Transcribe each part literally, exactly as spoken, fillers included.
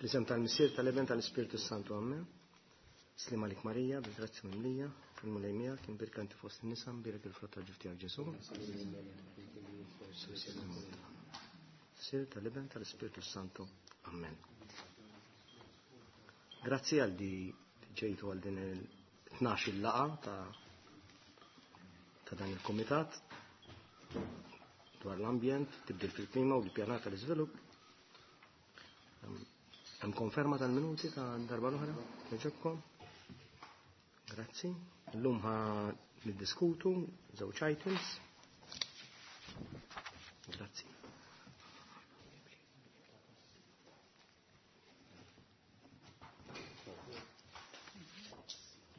Fl-isem tal-Missier, tal-Iben, tal-Ispirtu Santu, Amen. Sliem għalik Marija, bil-grazzja mimlija, il-Mulej miegħek, imbierka inti fost in-nisa, imbierek il-frott tal-ġuf tiegħek Ġesù. Missier, tal-Iben, tal-Ispirtu Santu. Amen. Grazzi għal di ġejtu għal din il-tnax il-laqgħa ta' ta' dan il-komitat dwar l-ambjent, tibdil fil-klima u l-pjanar tal-iżvilupp. Hemm konferma tal-minuti ta' darba l-oħra, jogħġobkom? Grazzi. Illum ħa niddiskutu żewġ items. Grazzi.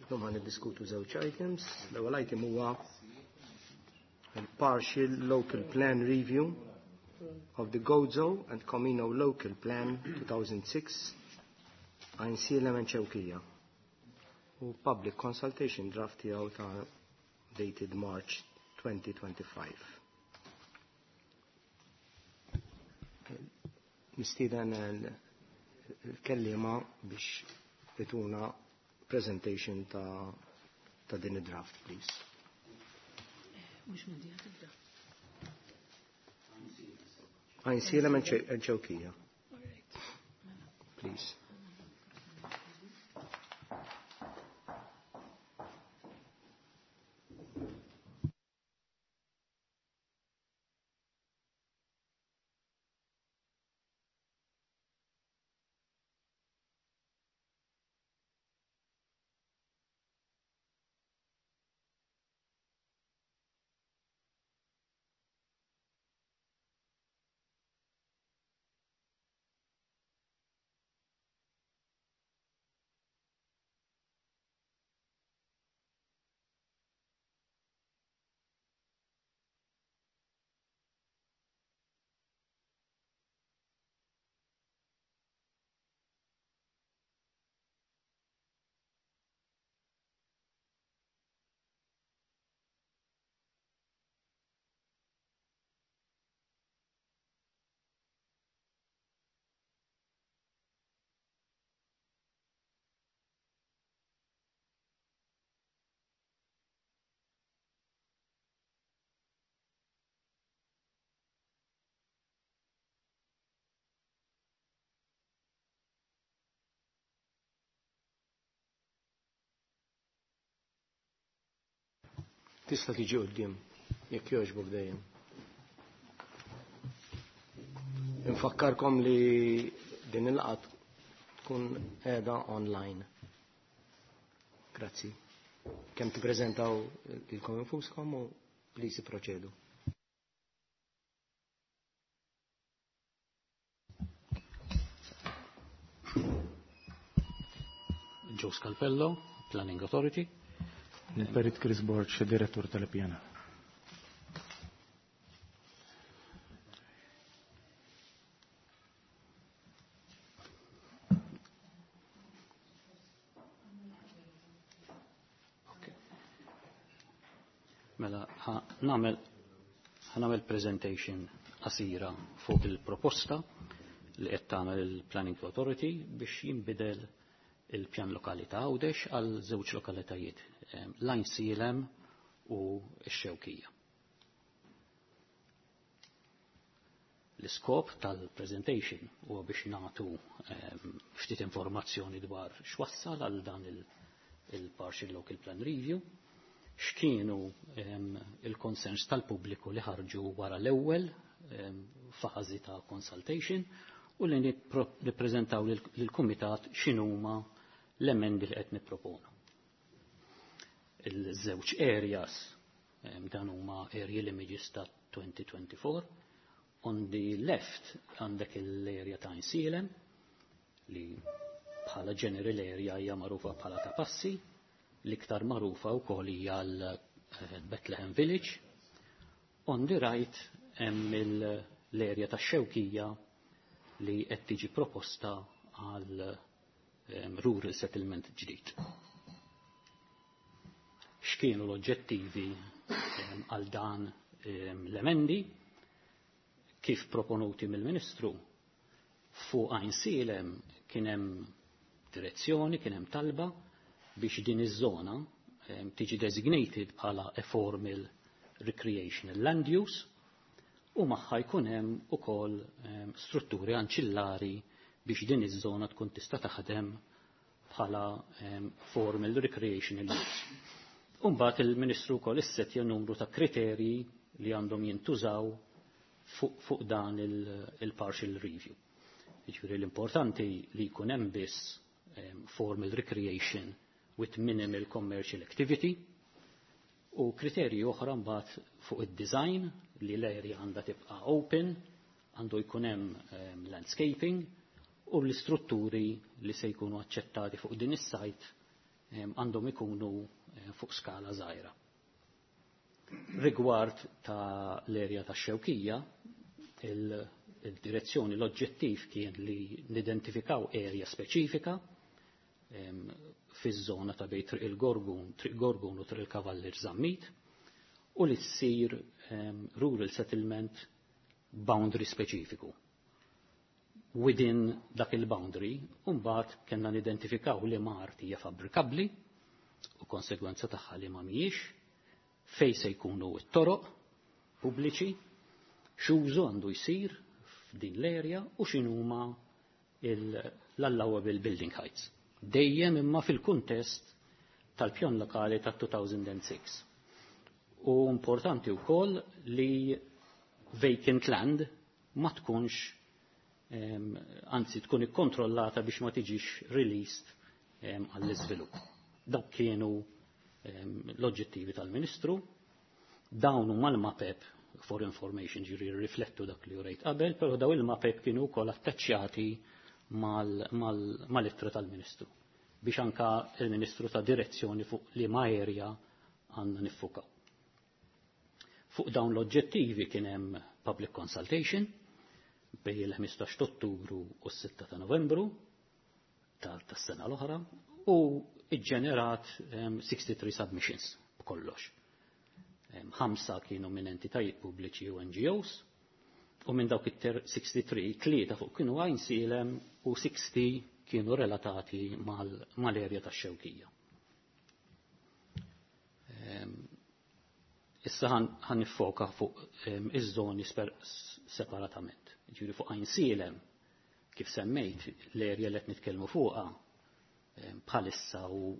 Illum ħa niddiskutu żewġ items. L-ewwel item huwa il-Partial Local Plan Review of the Gozo and Comino Local Plan two thousand six, Għajnsielem and Xewkija, u Public Consultation Draft tiegħu ta' dated March twenty twenty-five. Nistieden il-kellima biex jtuna presentation ta' ta' din id-draft, please. Mhux minn di tibda. Għajnsielem and Xewkija. All right. Please. Tista' tiġi quddiem jekk jogħġbok dejjem. Infakkarkom li din il-laqgħa tkun qiegħda online. Grazzi. Kemm tippreżentaw lilkom infuskom u please proċedu. Joe Scalpello, Planning Authority. Il-Perit Chris Borg, direttur tal-Pjana. Mela, ħa nagħmel ħa nagħmel presentation qasira fuq il-proposta li qed tagħmel il-Planning Authority biex jinbidel il-pjan lokali ta' Għawdex għal żewġ lokalitajiet, l-Għajnsielem u x-Xewkija. L-iskop tal-presentation huwa biex nagħtu ftit informazzjoni dwar x'wassal għal dan il-Partial Local Plan Review, x'kienu il-concerns tal-pubbliku li ħarġu wara l-ewwel fażi ta' consultation u li nippreżentaw lill-kumitat x'inhuma l-emendi li qed nipproponu. Il-żewġ areas, dan huma area images ta' twenty twenty-four. On the left għandek l-area ta' Għajnsielem li bħala general area hija magħrufa bħala Ta' Passi, l-iktar magħrufa wkoll hija l-Bethlehem Village. On the right hemm l-area ta' Xewkija li qed tiġi proposta għal rural settlement ġdid. X'kienu l-oġġettivi għal dan l-emendi kif proponuti mill-Ministru? Fuq Għajnsielem kien hemm direzzjoni, kien hemm talba biex din iż-żona tiġi designated bħala a formal recreational land use u magħha jkun hemm ukoll strutturi anċillari biex din iż-żona tkun tista' taħdem bħala formal recreational use. Umbagħad il-Ministru wkoll issettja numru ta' kriterji li għandhom jintużaw fuq fu dan il-partial review. Jiġifieri l-importanti li jkun hemm biss formal recreation with minimal commercial activity u kriterji oħra mbagħad fuq id-design li l-area għandha tibqa' open, għandu jkun hemm landscaping u l-istrutturi li se jkunu aċċettati fuq din is-site għandhom ikunu fuq skala żgħira. Rigward ta' l-erja ta' Xewkija, il-direzzjoni, l-oġġettiv kien li nidentifikaw erja speċifika fiż-żona ta' bejn Triq il-Gorgun, Triq Gorgun u Triq il-Kavallier Zammit u li ssir rural settlement boundary speċifiku. Within dak il-boundary, mbagħad kellna nidentifikaw li ma art hija fabbrikabbli u konsegwenza tagħha li ma mhijiex, fej se jkunu t-toroq pubbliċi, x'użu għandu jsir f'din l-area u x'inhuma l-allowable building heights. Dejjem imma fil-kuntest tal-pjan lokali ta' two thousand six. U importanti wkoll li vacant land ma tkunx, anzi tkun ikkontrollata biex ma tiġix released għall-iżvilupp. Dawk kienu l-oġġettivi tal-Ministru, dawn huma l-mapep for information, ġiri riflettu dak li urejt qabel, però daw il-mapep kienu wkoll attaċċjati mal-ittra tal-Ministru biex anka il-Ministru ta direzzjoni fuq li ma area għandna niffukaw. Fuq dawn l-oġġettivi kien hemm public consultation bejn il-ħmistax Ottubru u s-sitta ta' Novembru tas-sena l-oħra u iġġenerat sixty-three submissions b'kollox. Ħamsa kienu minn entitajiet pubbliċi u N G Os u minn dawk it-sixty-three, tlieta fuq kienu Għajnsielem u sixty kienu relatati mal-erja tax-Xewkija. Issa ħa niffoka fuq iż-żoni separatament. Ġifieri fuq Għajnsielem, kif semmejt, l-erja li qed nitkellmu fuqha bħalissa u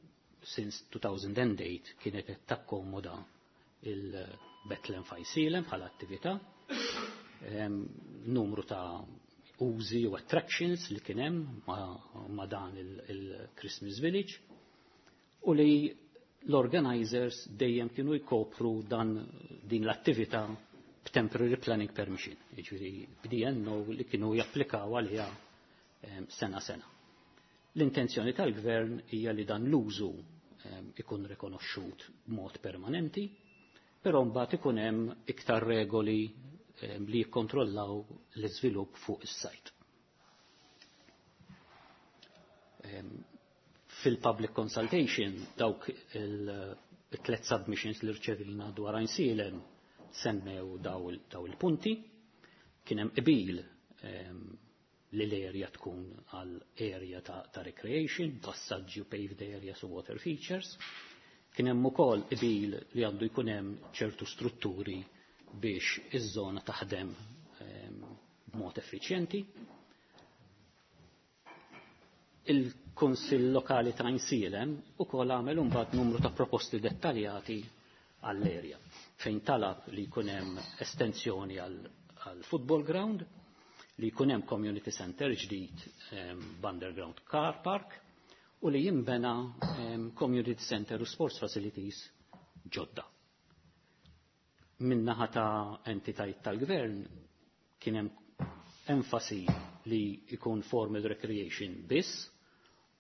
since two thousand eight kienet qed takkomoda il-Bethlehem f'Għajnsielem bħala attività, numru ta' użi u attractions li kien hemm ma, ma dan il-Christmas Village u li l-organizers dejjem kienu jkopru dan din l-attività b'temporary planning permission, jiġifieri b'D N O li kienu japplikaw għaliha sena sena. L-intenzjoni tal-gvern hija li dan l-użu ikun rikonoxxut b'mod permanenti, però mbagħad ikun hemm iktar regoli li jikkontrollaw l-iżvilupp fuq is-sajt. Fil-public consultation dawk il-tlet submissions li rċevina dwar Għajnsielem semmew daw il-punti, kien hemm qbil li l-area tkun għal area ta', ta recreation, passaġġi u paved areas u water features. Kien hemm ukoll qbil li għandu jkun hemm ċertu strutturi biex iż-żona taħdem b'mod effiċjenti. Il-Kunsill Lokali ta' Għajnsielem ukoll għamel imbagħad numru ta' proposti dettaljati għall-area fejn talab li jkun hemm estensjoni għal football ground, li jkun hemm community center ġdid underground car park u li jimbena community center u sports facilities ġodda. Min-naħa ta' entitajiet tal-gvern kien hemm enfasi li jkun formal recreation biss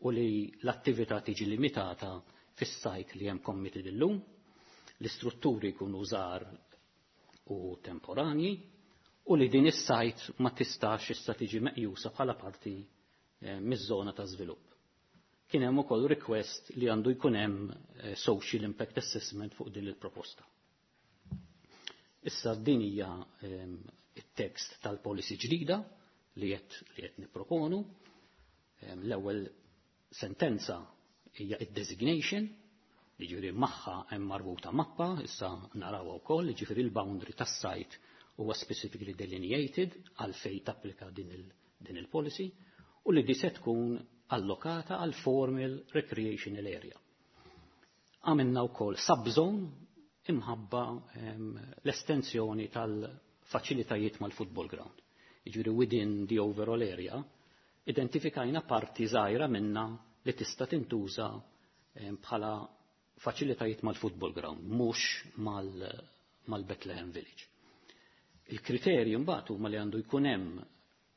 u li l-attività tiġi limitata fis-sajt li hemm committed illum, l-istrutturi jkunu żgħar u temporanji u li din is-sajt ma tistax issa tiġi meqjusa bħala parti eh, miż-żona ta' żvilupp. Kien hemm ukoll request li għandu jkun hemm eh, social impact assessment fuq din il-proposta. Issa din hija eh, it-tekst tal-policy ġdida li qed li qed nipproponu. L-ewwel sentenza hija id-designation, jiġifieri magħha hemm marbuta mappa, issa narawha wkoll, jiġifieri l-boundary tas-site huwa specifically delineated għal fejn tapplika din il, din il-policy u li di se tkun allokata għal formal recreational area. Għamilna wkoll subzone imħabba l-estensjoni tal-faċilitajiet mal-football ground. Jiġifieri within the overall area, identifikajna parti żgħira minna li tista' tintuża bħala faċilitajiet mal-football ground, mhux mal-Bethlehem Village. Il-kriterji mbagħad huma li għandu jkun hemm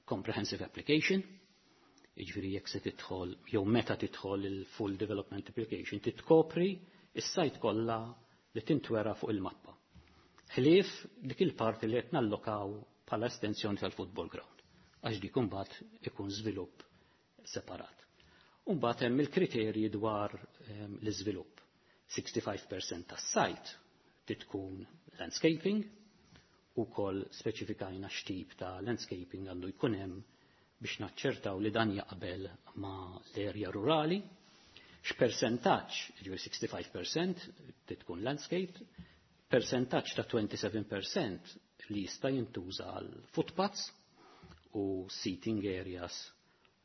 comprehensive application, jiġifieri jekk se tidħol jew meta tidħol il-full development application titkopri is-site kollha li tintwera fuq il-mappa. Ħlief dik il-parti li qed nallokaw bħala estensjoni tal-football ground, għax dik imbagħad ikun żvilupp separat. Imbagħad hemm il-kriterji dwar ehm, l-iżvilupp. sittin fil-mija tas-site tkun landscaping, u koll speċifikajna x'tip ta' landscaping għandu jkun hemm biex naċċertaw li dan jaqbel ma' l-erja rurali. X'persentaġġ, ġifieri sittin fil-mija tkun landscape, percentaġġ ta' disgħa u għoxrin fil-mija li jista' jintuża għal footpaths u seating areas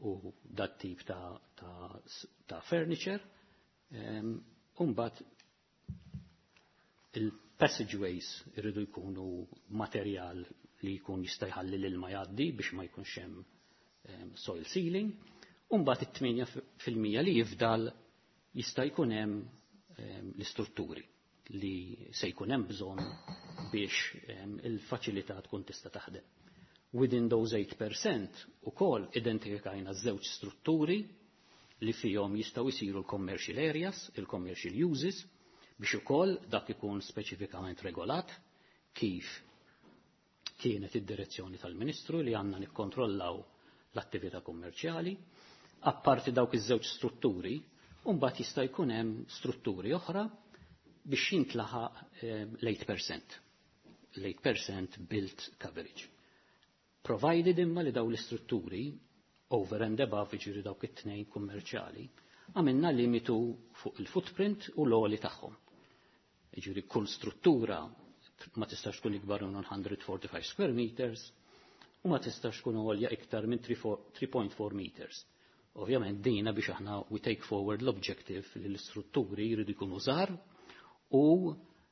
u dat tip ta', ta, ta furniture. Um, Umbat il-passageways irridu jkunu materjal li jkun jista' jħalli l-ilma jgħaddi biex ma jkunx hemm um, soil sealing. Umbat it-tmienja fil-mija li jifdal jista' jkun hemm um, l-istrutturi li se jkun hemm bżonn biex um, il-faċilità tkun tista' taħdem. Within those eight percent ukoll identifikajna żewġ strutturi li fihom jistgħu jsiru l-commercial areas, il-commercial uses, biex ukoll dak ikun speċifikament regolat kif kienet id-direzzjoni tal-Ministru li għandna nikkontrollaw l-attività kummerċjali. Apparti dawk iż-żewġ strutturi, mbagħad jista' jkun hemm strutturi oħra biex jintlaħaq eh, l-tmienja fil-mija. L-tmienja fil-mija built coverage. Provided imma li daw l-istrutturi over and above, jiġifieri dawk it-tnejn kummerċjali, għamilna limitu fuq il-footprint u l-għoli tagħhom. Jiġifieri kull struttura ma tistax tkun ikbar minn mija u erbgħa u ħamsin square meters u ma tistax tkun għolja iktar minn tlieta punt erbgħa meters. Ovvjament dina biex aħna we take forward l-objective li l-istrutturi jridu jkunu żgħar u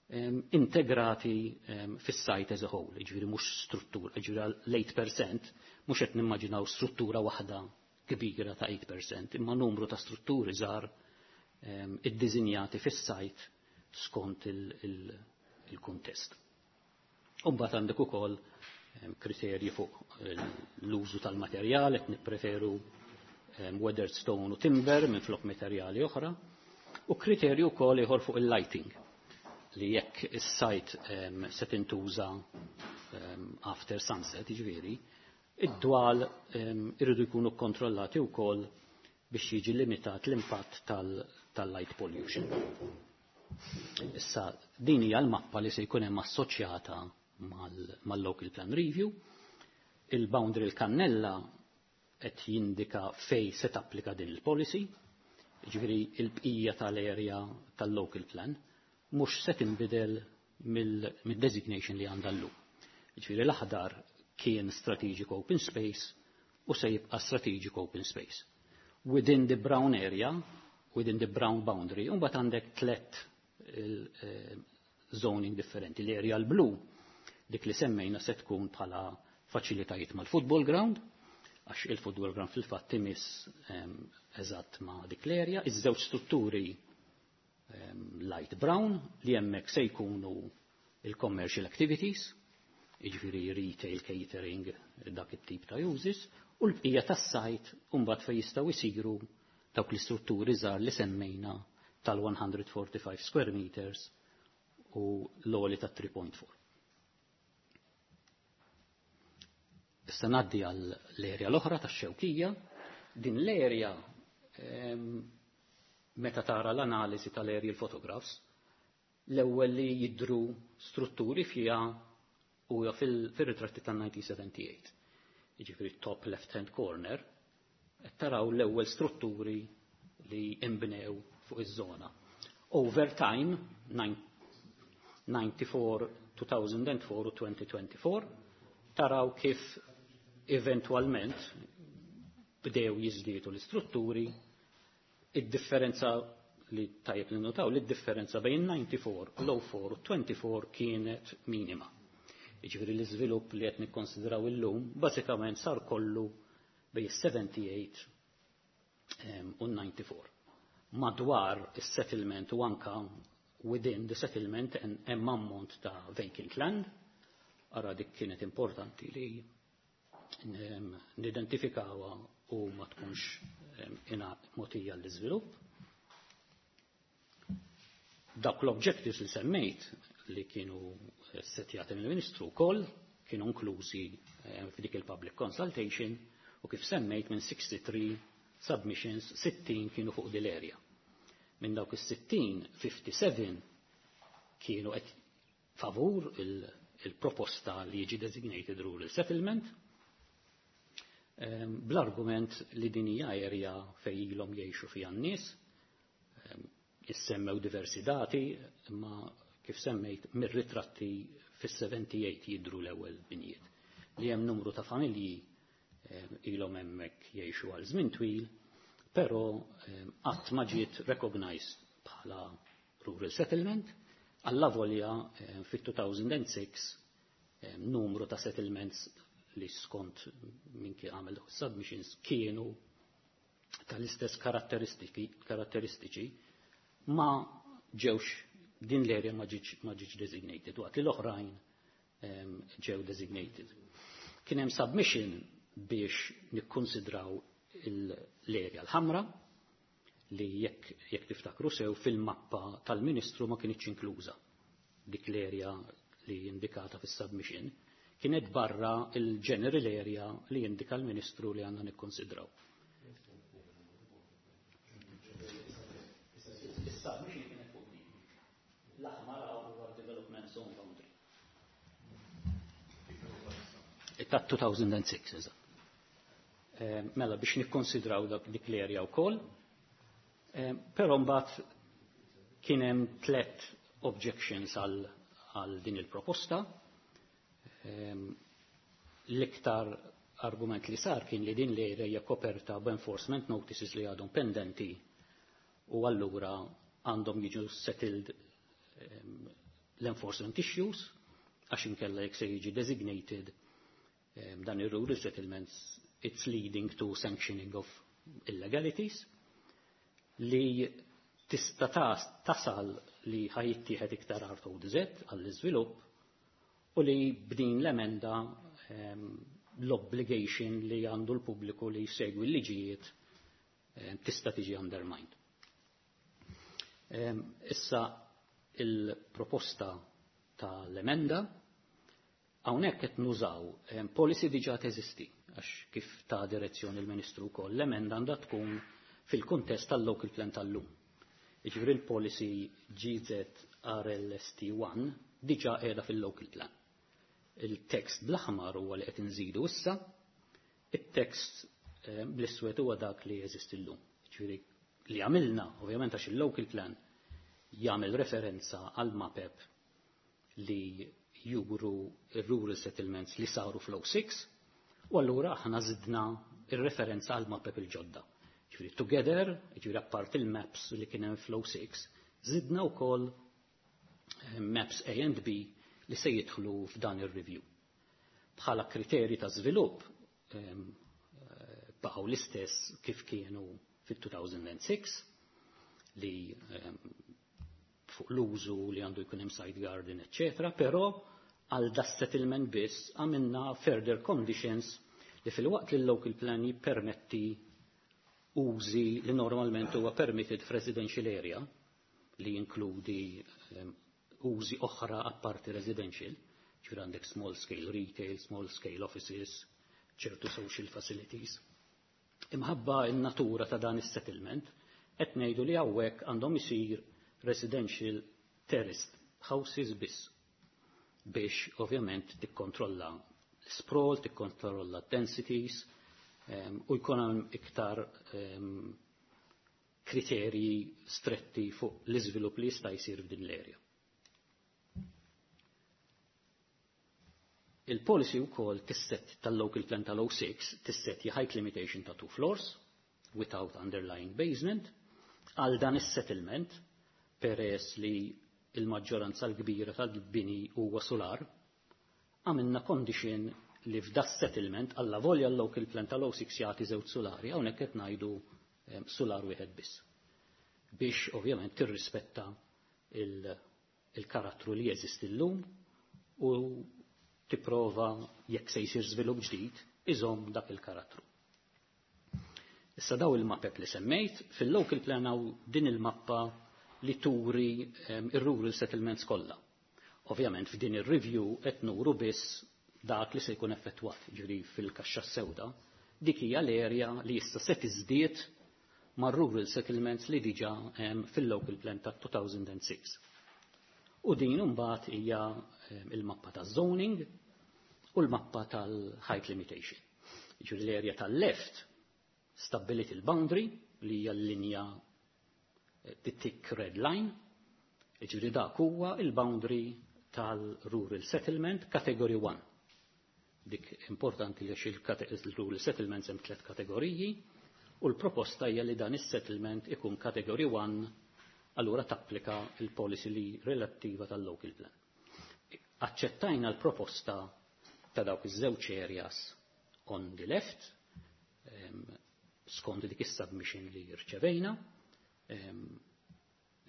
um, integrati um, fis-site as a whole, jiġifieri mhux struttura, jiġifieri l-tmienja fil-mija mhux qed nimmaġinaw struttura waħda kbira ta' tmienja fil-mija, imma numru ta' strutturi żgħar um, iddisinjati fis-site skont il-kuntest. Il, il Umbagħad għandek ukoll kriterji fuq l-użu tal-materjal, qed nippreferu weathered stone u timber minn flok materjali oħra, u kriterju wkoll ieħor fuq il-lighting li jekk is-site um, se tintuża um, after sunset, jiġifieri, id-dwal um, irridu jkunu kontrollati wkoll biex jiġi limitat l-impatt tal-light tal pollution. Issa, din hija l-mappa li se jkun hemm assoċjata mal-local plan review. Il-boundary l-kannella qed jindika fej se tapplika din il-policy, ġifieri il-bqija tal-area tal-local plan mhux se tinbidel mill-designation li għandha llum. Ġifieri l-aħdar kien strategic open space u se jibqa' strategic open space. Within the brown area, within the brown boundary, mbagħad għandek tlet eh, zoning differenti. L-area l-blu, dik li semmejna, se tkun bħala faċilitajiet mal-football ground, għax il-football ground fil-fatt imiss eżatt ma' dik l-area, iż-żewġ strutturi light brown li hemmhekk se jkunu il-commercial activities, jiġifieri retail, catering, dak it-tip ta' uses, u l-bqija tas-site mbagħad fejn jistgħu jsiru dawk l-istrutturi żgħar li semmejna tal-mija u erbgħa u ħamsin square meters u l-għoli ta' tlieta punt erbgħa. Issa ngħaddi għal l-erja l-oħra tax-Xewkija. Din l-erja, meta tara l-analiżi tal-aerial photographs, l-ewwel li jidru strutturi fiha huwa fil-ritratti tan-elf disa' mija u sebgħa u sebgħin. jiġifieri top left hand corner, qed taraw l-ewwel strutturi li imbnew fuq iż-żona. Over time, ninety-four, two thousand four u twenty twenty-four, taraw kif eventualment bdew jiżdiedu l-istrutturi. Id-differenza li tajjeb li notaw li d-differenza bejn disgħa u disgħin, l-oh four u twenty-four kienet minima. Jiġifieri l-iżvilupp li qed nikkonsidraw illum bażikament sar kollu bejn sebgħa u sebgħin u disgħa u disgħin. Madwar is-settlement u anka within the settlement hemm ammont ta' vacant land, ara dik kienet importanti li nidentifikawha u ma tkunx ina mogħtija l-iżvilupp. Dawk l-objectives li semmejt li kienu setjati mill-Ministru wkoll kienu inklużi f'dik il-public consultation u kif semmejt, minn tlieta u sittin submissions, sittin kienu fuq dil-area. Minn dawk is-sittin, ħamsa u sebgħin kienu qed favur il-proposta li jiġi designated rural settlement, bl-argument li din hija area fejn ilhom jgħixu fiha n-nies. Jissemmew diversi dati, imma kif semmejt, mir-ritratti fis-sebgħa u sebgħin jidru l-ewwel binjiet. Li hemm numru ta' familji ilhom hemmhekk jgħixu għal żmien twil, però qatt ma ġiet recognized bħala rural settlement, alla volja fit-elfejn u sitta numru ta' settlements li skont min kien għamel submissions kienu tal-istess karatteristiċi ma ġewx, din l-area ma ġietx ma ġietx designated, waqt li l-oħrajn ġew designated. Kien hemm submission biex nikkonsidraw l-area l-ħamra li jekk jekk tiftakru sew fil-mappa tal-Ministru ma kienx inkluża dik l-area li indikata fis-submission, kienet barra il-general area li indika l-Ministru li għandna nikkonsidraw. Is-submission kienet fuq din. L-aħmar huwa development zone boundary. Ta' elfejn u sitta, eżatt. Mela biex nikkonsidraw dak dik l-area wkoll. Però mbagħad kien hemm tliet objections għal għal din il-proposta. L-iktar argument li sar kien li din l-area hija koperta b'enforcement notices li għadhom pendenti u allura għandhom jiġu settled l-enforcement issues, għax inkella jekk se jiġi designated dan ir-rural settlements, it's leading to sanctioning of illegalities li tista' tasal li ħa jittieħed iktar art O D Z għall-iżvilupp u li b'din l-emenda l-obligation li għandu l-pubbliku li jsegwi l-liġijiet tista' tiġi undermined. Issa il-proposta tal-emenda, hawnhekk qed nużaw policy diġà teżisti, għax kif ta' direzzjoni l-Ministru wkoll, l-emenda għandha tkun fil-kuntest tal-local plan tal-lum. Jiġifieri l-policy G Z R L S T one diġà qiegħda fil-local plan. Il-tekst bl-aħmar huwa li qed inżidu issa, it-tekst bl-iswed huwa dak li jeżisti llum. Jiġifieri li għamilna, ovvjament għax il-local plan jagħmel referenza għal mapep li juru il-rural settlements li saru fl-oh six, u allura aħna zidna il-referenza għal mapep il-ġodda. Ġifieri together, ġifieri apart il-maps li kien hemm fl-oh six, zidna wkoll maps A and B li se jidħlu f'dan ir-review. Bħala kriteri ta' żvilupp baqgħu l-istess kif kienu fit-elfejn u sitta, li fuq l-użu li għandu jkun hemm side garden, eccetera, però għal da settlement biss għamilna further conditions li fil-waqt li l-local plan jippermetti użi li normalment huwa permitted f'residential area, li jinkludi um, użi oħra apparti residential, ġifieri għandek small scale retail, small scale offices, ċertu social facilities. Imħabba il-natura ta' dan is-settlement, qed ngħidu li hawnhekk għandhom isir residential terraced houses biss biex ovvjament tikkontrolla l-sprawl, tikkontrolla densities, um, u jkun hemm iktar um, kriterji stretti fuq l-iżvilupp li jista' jsir f'din l-area. Il-policy wkoll tisset tal-local plan tal-oh six tisset height limitation ta' two floors without underlying basement għal dan is-settlement, peress li il-maġġoranza l-kbira tal-bini huwa solar, għamilna condition li f'da settlement, alla volja l-local plan tal-oh six jagħti żewġ solari, hawnhekk qed ngħidu solar wieħed biss. Biex ovvjament tirrispetta il-karattru li jeżisti llum u tipprova, jekk se jsir żvilupp ġdid, iżomm dak il-karattru. Issa daw il-mapep li semmejt, fil-local plan hawn din il-mappa li turi um, ir-rural settlements kollha. Ovvjament f'din ir-review qed nuru biss dak li se jkun effettwat, ġifieri fil-kaxxa sewda, dik hija l-area li issa se tiżdied mar-rural settlements li diġà um, fil-local plan ta' elfejn u sitta. U din imbagħad hija um, il-mappa ta' zoning u l-mappa tal-height limitation. Ġifieri l-area tal-left stabbilit il-boundary li hija l-linja, eh, the thick red line, ġifieri dak huwa il-boundary tal-rural settlement category one. Dik importanti li il-rural settlements hemm tliet kategoriji u l-proposta hija li dan is-settlement ikun category one, allura tapplika il-policy li relattiva tal-local plan. Aċċettajna l-proposta ta' dawk iż-żewġ areas on the left, skont dik is-submission li rċevejna,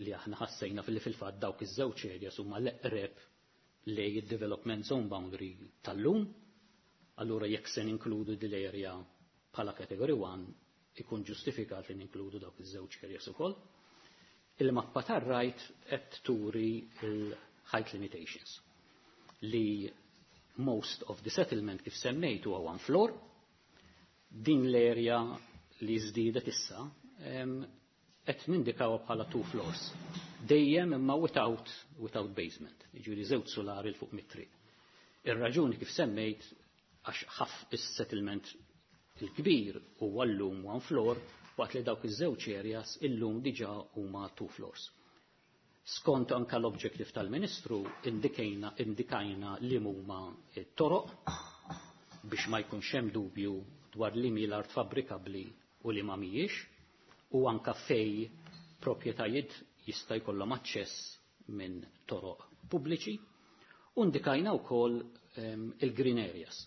li aħna ħassejna fil fil-fatt dawk iż-żewġ areas huma l-eqreb lej id-development zone boundary tal-lum, allura jekk se ninkludu din l-area bħala category one, ikun ġustifikat li ninkludu dawk iż-żewġ areas ukoll. Il-mappa tar-right qed turi il-height limitations li most of the settlement, kif semmejt, huwa one floor. Din l-area li żdiedet issa qed nindikaw bħala two floors. Dejjem imma without, without basement, jiġifieri żewġ solari 'l fuq mit-triq. Ir-raġuni, kif semmejt, għax ħaf is-settlement il-kbir huwa llum one floor, waqt li dawk iż-żewġ areas illum diġà huma two floors. Skont anka l-objective tal-Ministru indikajna, indikajna li huma t-toroq biex ma jkunx hemm dubju dwar li mi l-art fabbrikabbli u li ma mhijiex, u anka fej proprjetajiet jista' jkollhom aċċess minn toroq pubbliċi, u indikajna wkoll um, il-green areas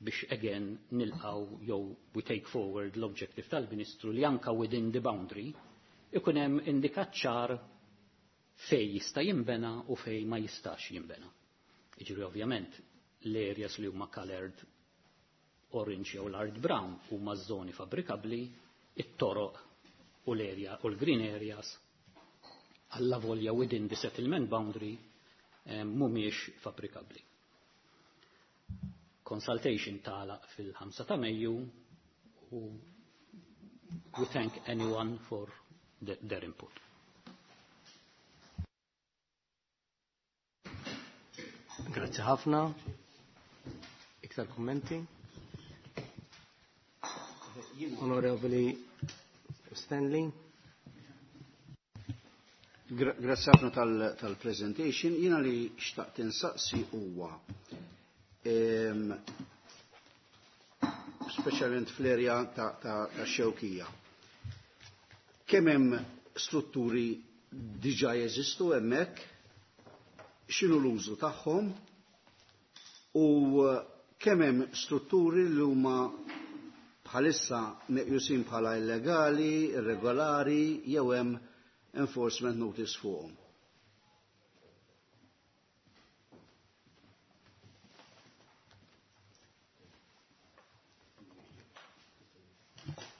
biex again nilqaw jew we take forward l-objective tal-Ministru li anka within the boundary ikun hemm indikat ċar fej jista' jinbena u fej ma jistax jinbena. Jiġifieri ovvjament l-areas li huma colored orange jew light brown huma żoni fabbrikabbli, it-toroq u l-area u l-green areas, alla volja within the settlement boundary, eh, mhumiex fabbrikabbli. Consultation tagħlaq fil-ħamsa ta' Mejju u we thank anyone for the, their input. Grazzi ħafna. Iktar kummenti? Onorevoli Stanley. Grazzi ħafna tal-presentation. Jiena li xtaqt insaqsi huwa, speċjalment fl-erja ta' Xewkija. Kemm hemm strutturi diġà jeżistu hemmhekk, x'inhu l-użu tagħhom u kemm hemm strutturi li huma bħalissa meqjusin bħala illegali, irregolari jew hemm enforcement notice fuqhom?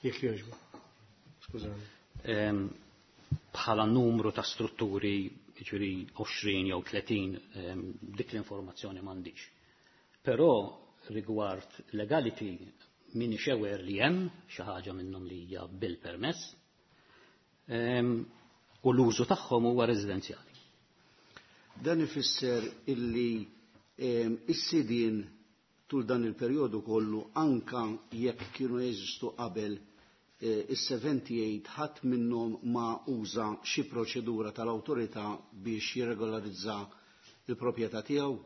Jekk jogħġbu. Skużani. Bħala numru ta' strutturi, ġifieri għoxrin jew tletin, dik l-informazzjoni m'għandix. Però rigward legality minix aware li hemm xi ħaġa minnhom li hija bil-permess u l-użu tagħhom huwa residenzjali. Dan ifisser illi is-sidien tul dan il-perjodu kollu anka jekk kienu jeżistu qabel eh, is-seventy-eight ħadd minnhom ma uża xi proċedura tal-awtorità biex jirregolarizza il-proprjetà tiegħu?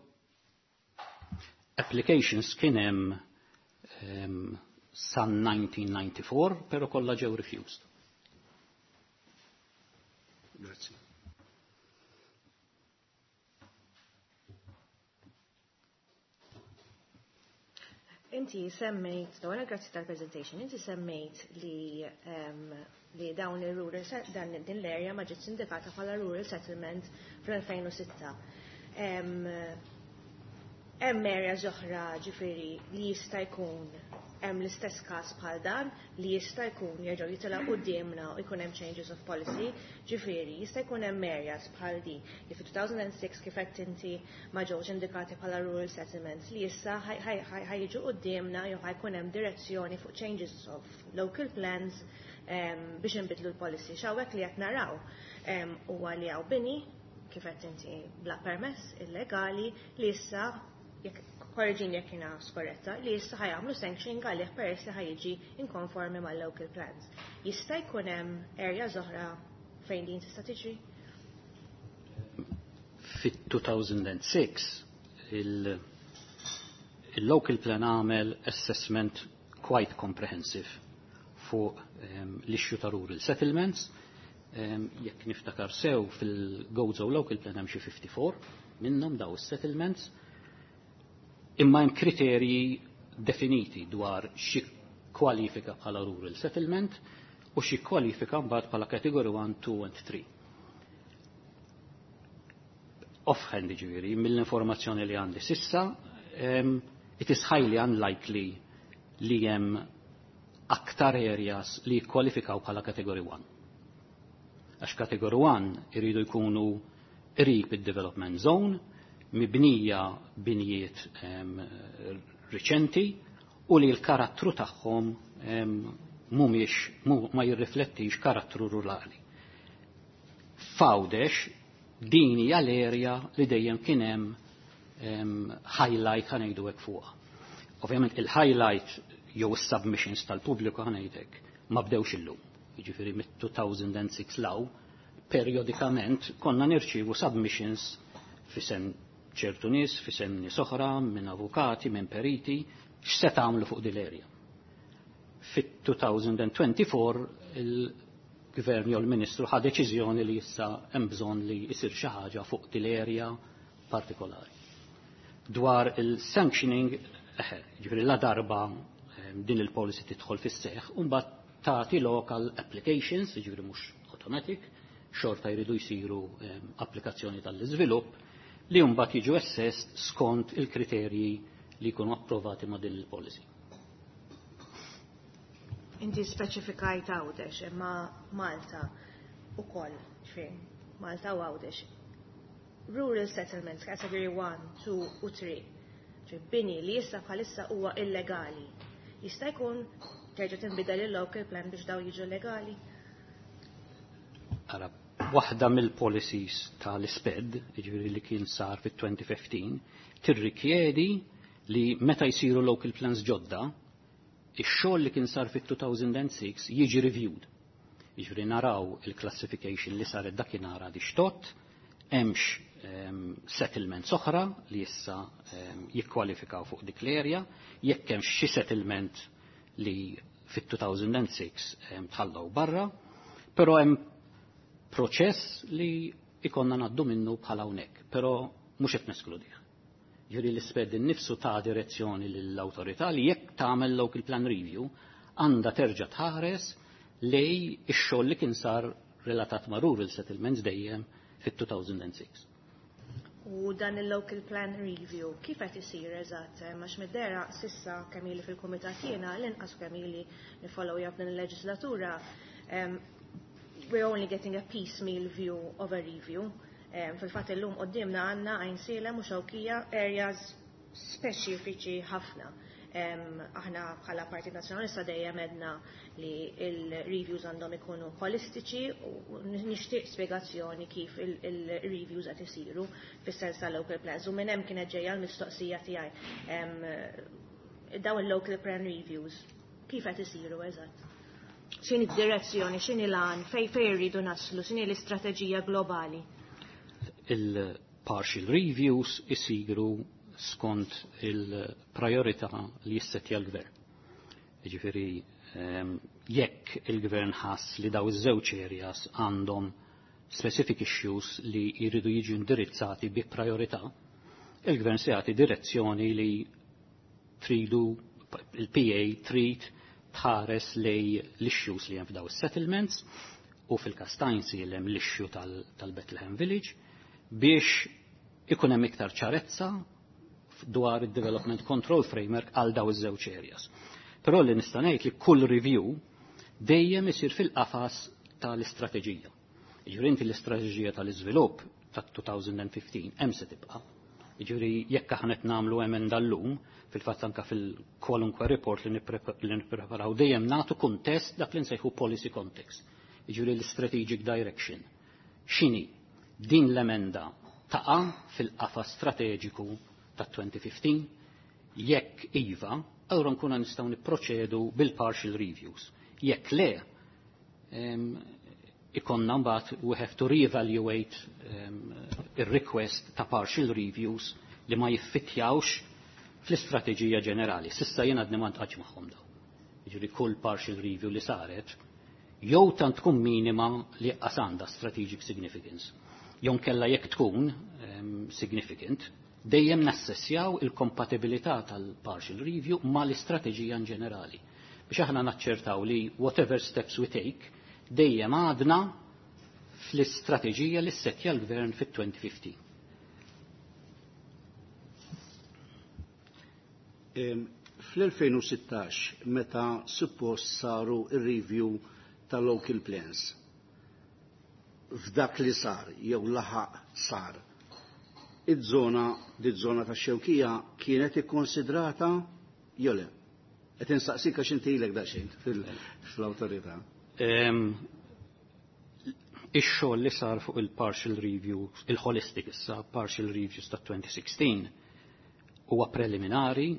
Applications kien hemm um, san nineteen ninety-four, però kollha ġew refused. Grazie. Inti semmejt, dawna grazzi tal-presentation, inti semmejt li, um, li dawn il-rural, dan din l-area ma ġietx indikata bħala rural settlement fl-elfejn u sitta. Hemm areas oħra ġifieri li jista' jkun hemm l-istess każ bħal dan li jista' jkun jerġgħu jitilgħu quddiemna u jkun hemm changes of policy, ġifieri jista' jkun hemm areas bħal di li fi two thousand and six kif qed inti ma ġewx indikati bħala rural settlements li issa ħajġu quddiemna jew ħajkun hemm direzzjoni fuq changes of local plans, em, biex inbidlu l-policy. X'hawnhekk li qed naraw, em, huwa li hawn bini kif qed inti bla permess illegali li issa jekk korreġini jekk jiena skorretta, li issa ħajamlu sanctioning għalih peress li ħajġi inkonformi mal-local plans. Jista' jkun hemm areas oħra fejn din tista' tiġri? Fit-two thousand and six il-, il-local plan għamel assessment quite comprehensive fuq, um, l-issue ta' rural settlements. Um, jekk niftakar sew fil-Gozo local plan hemm xi fifty-four minnhom daw is-settlements. Imma hemm kriterji definiti dwar xi kwalifika bħala rural settlement u xi kwalifika mbagħad bħala category one, two and three. Offhand ġifieri, mill-informazzjoni li għandi sissa, um, it is highly unlikely li hemm aktar areas li jikkwalifikaw bħala category one. Għax category one iridu jkunu qrib id-development zone, mibnija binjiet, em, riċenti u li l-karattru tagħhom, em, mhumiex, mu-, ma jirriflettix karattru rurali. F'Għawdex din hija l-area li dejjem kien hemm, em, highlight ħa ngħidu hekk fuqha. Ovvjament il-highlight jew is-submissions tal-pubbliku ħa ngħidlek ma bdewx illum. Jiġifieri mit-two thousand and six law periodikament konna nirċievu submissions fisem ċertu nies, fisem nies oħra, minn avukati, minn periti, x'se tagħmlu fuq din l-area. Fit-two thousand and twenty-four il-gvern jew il-ministru ħa deċiżjoni li issa hemm bżonn li jsir xi ħaġa fuq din l-area partikolari. Dwar il-sanctioning, eħe, ġifieri la darba, ehm, din il-policy tidħol fis-seħħ, u mbagħad tagħti local applications, ġifieri mhux automatic, xorta jridu jsiru, ehm, applikazzjoni tal-iżvilupp li mbagħad jiġu assessed skont il-kriterji li jkunu approvati ma' din il-policy. Inti speċifikajt Għawdex, imma Malta ukoll, ġifieri, Malta u Għawdex. Rural settlements, category one, two u three, ġifieri bini li issa bħalissa huwa illegali. Jista' jkun terġa' tinbidel il-local plan biex daw jiġu legali? Ara, waħda mill-policies tal-SPED, jiġifieri li kien sar fit-twenty fifteen, tirrikjedi li meta jsiru local plans ġodda, ix-xogħol li kien sar fit-two thousand and six jiġi reviewed. Jiġifieri naraw il-classification li saret dakinhar għad ixtott, hemmx, ehm, settlements oħra li issa, ehm, jikkwalifikaw fuq dik l-area, jekk hemmx xi settlement li fit-two thousand and six, ehm, tħallew barra, però hemm proċess li ikonna ngħaddu minnu bħala hawnhekk, però mhux qed neskludih. Ġifieri l-isped innifsu ta' direzzjoni lill-awtorità li jekk tagħmel local plan review għandha terġa' tħares lej ix-xogħol li kien sar relatat ma' rural settlements dejjem fit-two thousand and six. U dan il-local plan review kif qed isir eżatt? Għax mid-dera sissa kemm ili fil-kumitat jiena l-inqas kemm ili nifollow up din il-leġislatura, em, we're only getting a piecemeal view of a review. Em, fil-fatt illum quddiemna għandna Għajnsielem u Xewkija areas speċifiċi ħafna. Aħna bħala Partit Nazzjonalista dejjem għedna li il-reviews għandhom ikunu holistiċi u nixtieq spjegazzjoni kif il-reviews qed isiru fis-sens tal-local plans. U minn hemm kienet ġejja l-mistoqsija tiegħi, dawn il-local plan reviews kif qed isiru eżatt? X'inhi d-direzzjoni, x'inhi l-għan, fej fej irridu naslu, x'inhi l-istrateġija globali? Il-partial reviews isiru skont il-priorità li jissettja l-gvern. Jiġifieri, jekk il-gvern ħass li daw iż-żewġ areas għandhom specific issues li jridu jiġu indirizzati bi priorità, il-gvern se jagħti direzzjoni li tridu il-P A trid tħares lej l-issues li hemm f'daw is-settlements u fil-każ ta' hemm l-issue tal-Bethlehem Village biex ikun hemm iktar ċarezza dwar il-Development Control Framework għal daw iż-żewġ areas. Però li nista' ngħid li kull review dejjem isir fil-qafas tal-istrateġija. Jiġifieri, inti l-istrateġija tal-iżvilupp tat-elfejn u ħmistax hemm se tibqa'. Jiġifieri, jekk aħna qed nagħmlu emenda llum, fil-fatt anke fil-kwalunkwe report li nippreparaw dejjem nagħtu kuntest, dak li nsejħu policy context. Jiġifieri, l-strategic direction. X'inhi? Din l-emenda taqa' fil-qafas strateġiku ta' elfejn u ħmistax? Jekk iva, allura nkunu nistgħu nipproċedu bil-partial reviews. Jekk le, ikonna mbagħad we have to reevaluate um, ir-request ta' partial reviews li ma jiffittjawx fl-istrateġija ġenerali. S'issa jien għadni ma ltqajtx magħhom daw. Jiġifieri, kull partial review li saret jew tant tkun minima li qas għandha strategic significance. Jew kella jekk tkun um, significant, dejjem nassessjaw il-kompatibilità tal-partial review ma l-istrateġija in ġenerali. Biex aħna naċċertaw li whatever steps we take, dejjem għadna fl-istrateġija li ssettja l-gvern fit-elfejn u ħmistax. Fl-elfejn u sittax, meta suppost saru il-review tal-local plans, f'dak li sar, jew laħaq sar, id-żona, di-żona ta' Xewkija kienet ikkonsidrata jew le? Qed insaqsik għax inti ilek daqsxejn fl-awtorità. Ix-xogħol li sar fuq il-partial review, il-holistic issa, partial reviews ta' elfejn u sittax huwa preliminari,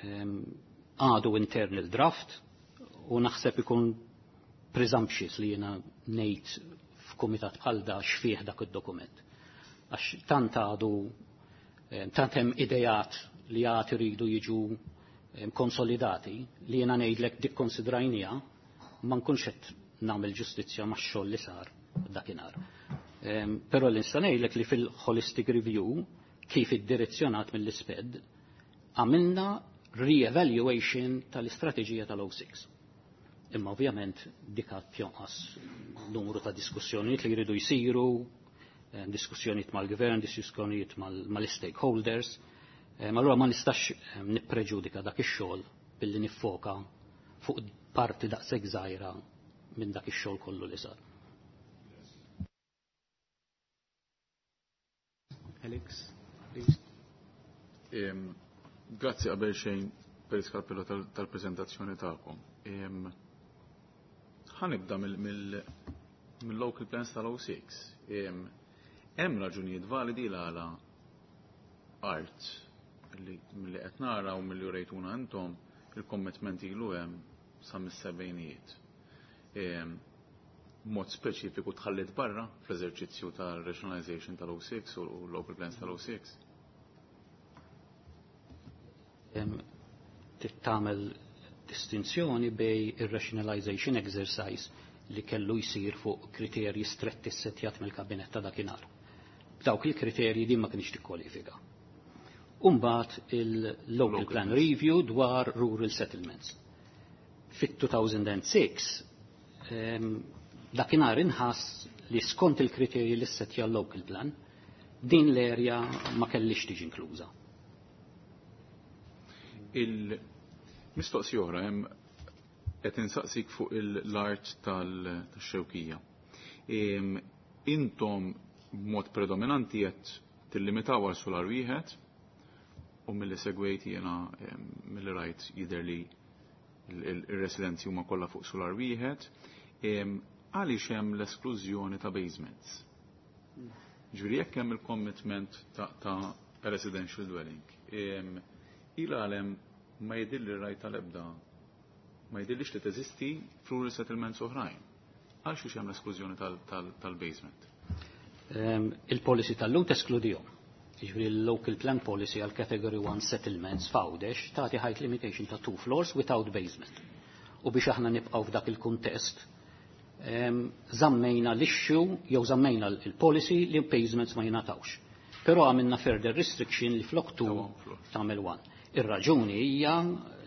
għadu internal draft u naħseb ikun presumptuous li jiena ngħid f'kumitat bħal da x'fih dak id-dokument. Għax tant għadu tant hemm idejat li għad iridu jiġu konsolidati li jiena ngħidlek dik konsidrajnija ma nkunx qed nagħmel ġustizzja max-xogħol li sar dakinhar. Però li nista' ngħidlek li fil-holistic review, kif iddirezzjonat mill-ISPED, għamilna re-evaluation tal-istrateġija tal-oh six. Imma ovvjament dik għad jonqos numru ta' diskussjonijiet li jridu jsiru, diskussjonijiet mal-gvern, diskussjonijiet mal-stakeholders. Allura ma nistax nippreġudika dak ix-xogħol billi niffoka fuq parti daqshekk żgħira minn dak ix-xogħol kollu li sar. Alex, please. Grazzi qabel xejn, Perit Carpello, tal-prezentazzjoni tagħkom. Ħa nibda mill-local plans tal-oh six. Hemm raġunijiet validi l għala art li milli qed nara u milli rejtuna intom il-commitment ilu hemm sa mis-sebgħinijiet. Mod speċifiku tħallit barra fl-eżerċizzju tal-rationalization tal-oh six u local plans tal-oh six. Tagħmel distinzjoni bejn ir-rationalization exercise li kellu jsir fuq kriterji stretti ssettjat mill-kabinet ta' dakinhar. Dawk il-kriterji din ma kienx tikkwalifika. Umbat il-Local Plan Review dwar Rural Settlements. Fit-elfejn u sitta dakinhar inħass li skont il-kriterji li ssettja l-Local Plan, din l-area ma kellix tiġi inkluża. Il-mistoqsija oħra, hemm qed insaqsik fuq l-art tal-Xewkija. Intom b'mod predominanti qed tillimitaw għal solar wieħed U milli segwejt jiena milli rajt jidher li il-residenzi huma kollha fuq solar wieħed. Għaliex hemm l-esklużjoni ta' basements? Ġifieri jekk hemm il-commitment ta' residential dwelling, ila għalem ma jidilli rajt tal-ebda, ma jidillix li teżisti f'rural settlements oħrajn. Għalxiex hemm l-esklużjoni tal-basement? Il-policy tal-lum teskludihom. Jiġifieri l-local plan policy għal category one settlements f'Għawdex tagħti height limitation ta' two floors without basement. U biex aħna nibqgħu f'dak il-kuntest, żammejna l-issue jew żammejna l-policy li basements ma jingħatawx. Però għamilna further restriction li flok two tagħmel one. Ir-raġuni hija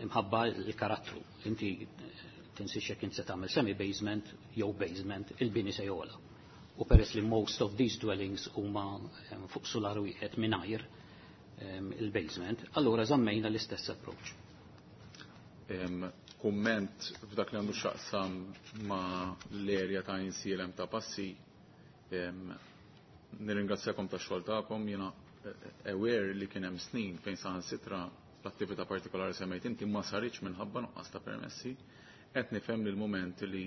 imħabba l-karattru. Inti tinsiex jekk inti se tagħmel semi basement jew basement, il-bini se jogħla. U peress li most of these dwellings huma fuq solar wieħed mingħajr il-basement, allura żammejna l-istess approach. Kumment f'dak li għandu x'jaqsam ma' l-erja ta' Għajnsielem ta' Passi, nirringrazzjakom tax-xogħol tagħkom, jiena aware li kien hemm snin fejn saħansitra l-attività partikolari semmejt inti ma saritx minħabba nuqqas ta' permessi. Qed nifhem li l-mument li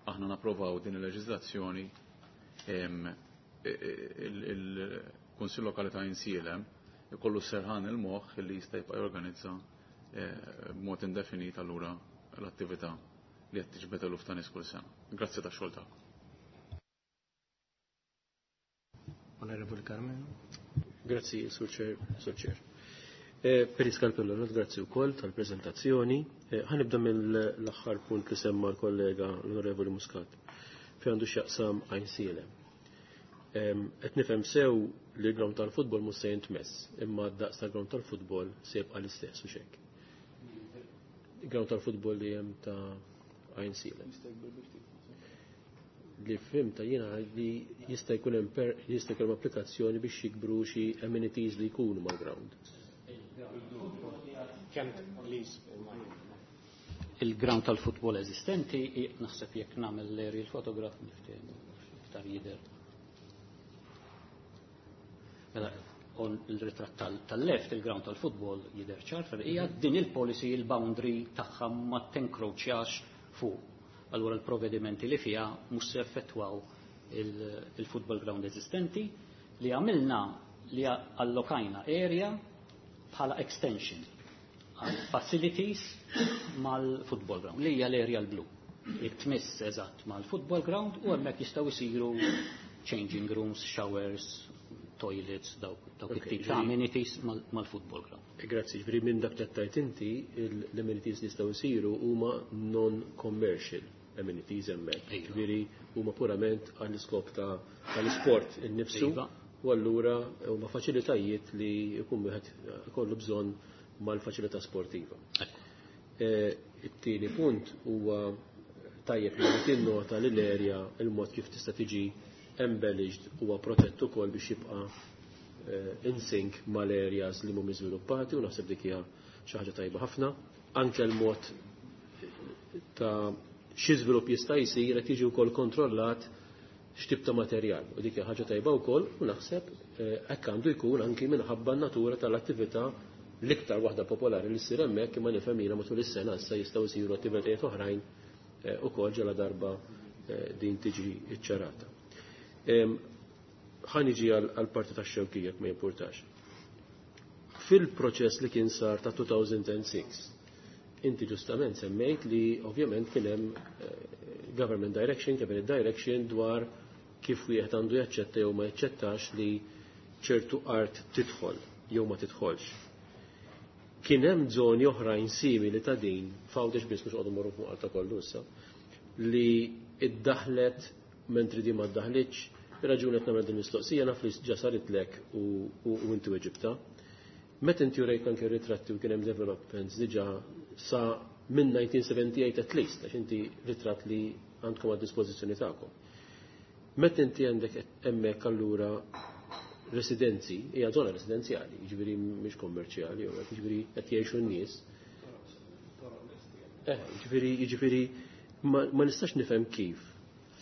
aħna napprovaw din il-leġiżlazzjoni, il-Kunsill Lokali ta' Għajnsielem ikollu serħan il-moħħ li jista' jibqa' jorganizza b'mod indefinit allura l-attività li qed tiġbed eluf ta' nies kull sena. Grazzi tax-xogħol tagħkom. Onorevoli Karmenu. Grazzi, Sur Chair. Sur Chair. Perit Scarpello, grazzi wkoll tal-prezentazzjoni. Ħa nibda mill-aħħar punt li semma l-kollega l-Onorevoli Muscat, fi għandu x'jaqsam Għajnsielem. Qed nifhem sew li l-ground tal-futbol mhux se jintmess, imma d-daqs tal-ground tal-futbol se jibqa' l-istess u xek. Il-ground tal-futbol li hemm ta' Għajnsielem. Li fhimta jiena li jista' jkun hemm jista' jkun hemm applikazzjoni biex jikbru xi amenities li jkunu mal-ground. Il-ground tal-futbol eżistenti, naħseb jekk nagħmel l-aerial photograph niftehmu iktar jidher. Mela, on il-ritratt tal-left, il-ground tal-futbol jidher ċar, hija din il-policy, il-boundary tagħha ma tenkroċjax fuq. Allura l-provvedimenti li fiha mhux se effettwaw il-football ground eżistenti li għamilna li allokajna area bħala extension għal facilities mal-football ground, li hija l-area l-blu. Tmiss eżatt mal-football ground u hemmhekk jistgħu jsiru changing rooms, showers, toilets, dawk it-tip ta' amenities mal-football ground. Grazzi, ġifieri minn dak li tajt inti, l-amenities li jistgħu jsiru huma non-commercial amenities hemmhekk. Ġifieri huma purament għall-iskop tal-isport innifsu u allura huma faċilitajiet li jkun wieħed ikollu bżonn mal-faċilità sportiva. It-tieni punt huwa tajjeb li tinnota li l-erja il-mod kif tista' tiġi embellished huwa protett ukoll biex jibqa' in sync mal-areas li mhumiex żviluppati u naħseb dik hija xi ħaġa tajba ħafna. Anke l-mod ta' xi żvilupp jista' jsir qed jiġi wkoll kontrollat x'tip ta' materjal u dik hija ħaġa tajba wkoll u naħseb hekk għandu jkun anki minħabba n-natura tal-attività l-iktar waħda popolari li ssir hemmhekk, imma nifhem jiena matul is-sena issa jistgħu jsiru attivitajiet oħrajn ukoll ġala darba din tiġi ċċarata. Ħa niġi għal parti tax-Xewkija jekk ma jimpurtax. Fil-proċess li kien sar ta' two thousand six, inti ġustament semmejt li ovvjament kien hemm government direction, cabinet direction dwar kif wieħed għandu jaċċetta jew ma jaċċettax li ċertu art tidħol jew ma tidħolx. Kien hemm żoni oħrajn simili ta' din, f'Għawdex biss, mhux qogħdu morru fuq Malta kollu issa, li iddaħlet mentri di ma ddaħlitx? Ir-raġuni qed nagħmel din mistoqsija, naf li ġa saritlek u inti weġibta. Meta inti urejt anke ritratti u kien hemm developments diġà sa minn nineteen seventy-eight at least, għax inti ritratt li għandkom għad dispożizzjoni tagħkom. Meta inti għandek hemmhekk allura residenzi, hija żona residenzjali, jiġifieri mhix kommerċjali, jiġifieri qed jgħixu n-nies. Eh, jiġifieri jiġifieri ma, ma nistax nifhem kif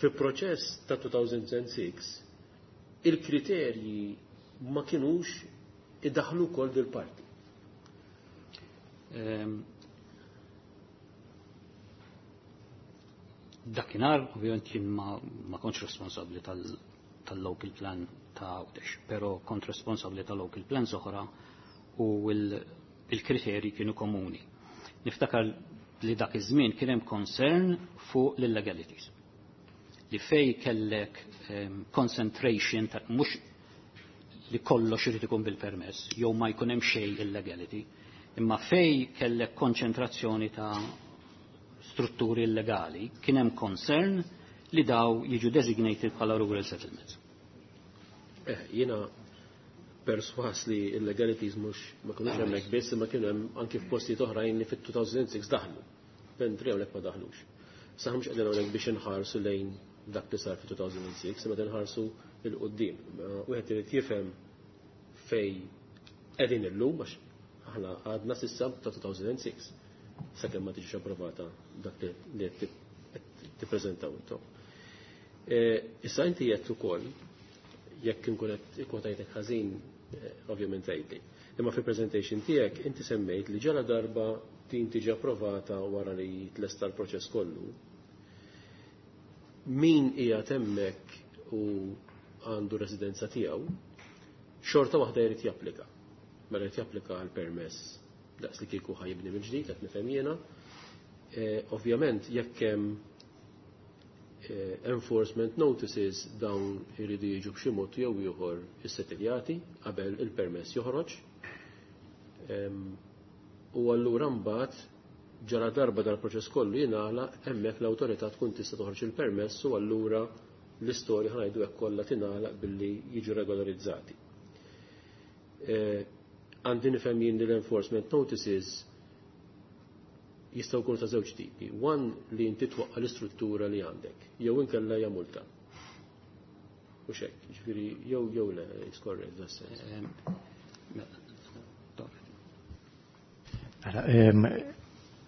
fi proċess ta' two thousand six il-kriterji ma kienux idaħlu kol dil-parti. Ehm, dakinhar, ovvjament jien ma, ma kontx responsabbli tal-local plan ta' Għawdex, però kont responsabbli tal-local plan oħra u il-kriterji kienu komuni. Niftakar li dak iż-żmien kien hemm concern fuq l-illegalities. Li fej kellek um, concentration ta' mhux li kollox irid ikun bil-permess, jew ma jkun hemm xejn illegality, imma fej kellek konċentrazzjoni ta' strutturi illegali, kien hemm concern li daw jiġu designated bħala rural settlements. Eh, jiena perswas li illegalities mhux ma kinux hemmhekk biss imma kienu hemm anki f'postijiet oħrajn li fit-two thousand six daħlu. Mentri hawnhekk ma daħlux. Sa mhux qegħdin hawnhekk biex inħarsu lejn dak li sar fit-two thousand six, imma inħarsu 'l quddiem. Wieħed irid jifhem fej qegħdin illum, għax aħna għadna s'issa ta' two thousand six sakemm ma tiġix approvata dak li qed tippreżentaw intom. Issa inti jgħid ukoll, jekk inkun qed ikkwotajtek ħażin, ovvjament tgħidli. Imma fil-presentation tiegħek inti semmejt li ġala darba din tiġi approvata wara li jitlesta l-proċess kollu. Min hija hemmhekk u għandu residenza tiegħu, xorta waħda jrid japplika. Mela jrid japplika għal permess daqs li kieku ħa jibni mill-ġdid, qed nifhem jiena. Ovvjament jekk hemm enforcement notices, dawn iridu jiġu b'xi mod jew ieħor issettiljati qabel il-permess joħroġ. U allura mbagħad ġara darba dal-proċess kollu jingħalaq, hemmhekk l-awtorità tkun tista' toħroġ il-permess u allura l-istorja, ħa ngħidu hekk, kollha tingħalaq billi jiġu regolarizzati. Għandi nifhem jien li l-enforcement notices jistgħu jkunu ta' żewġ tipi. One li inti twaqqa l-istruttura li għandek, jew inkella hija multa. U xek, ġifieri jew jew le, skorret da sens. Mela,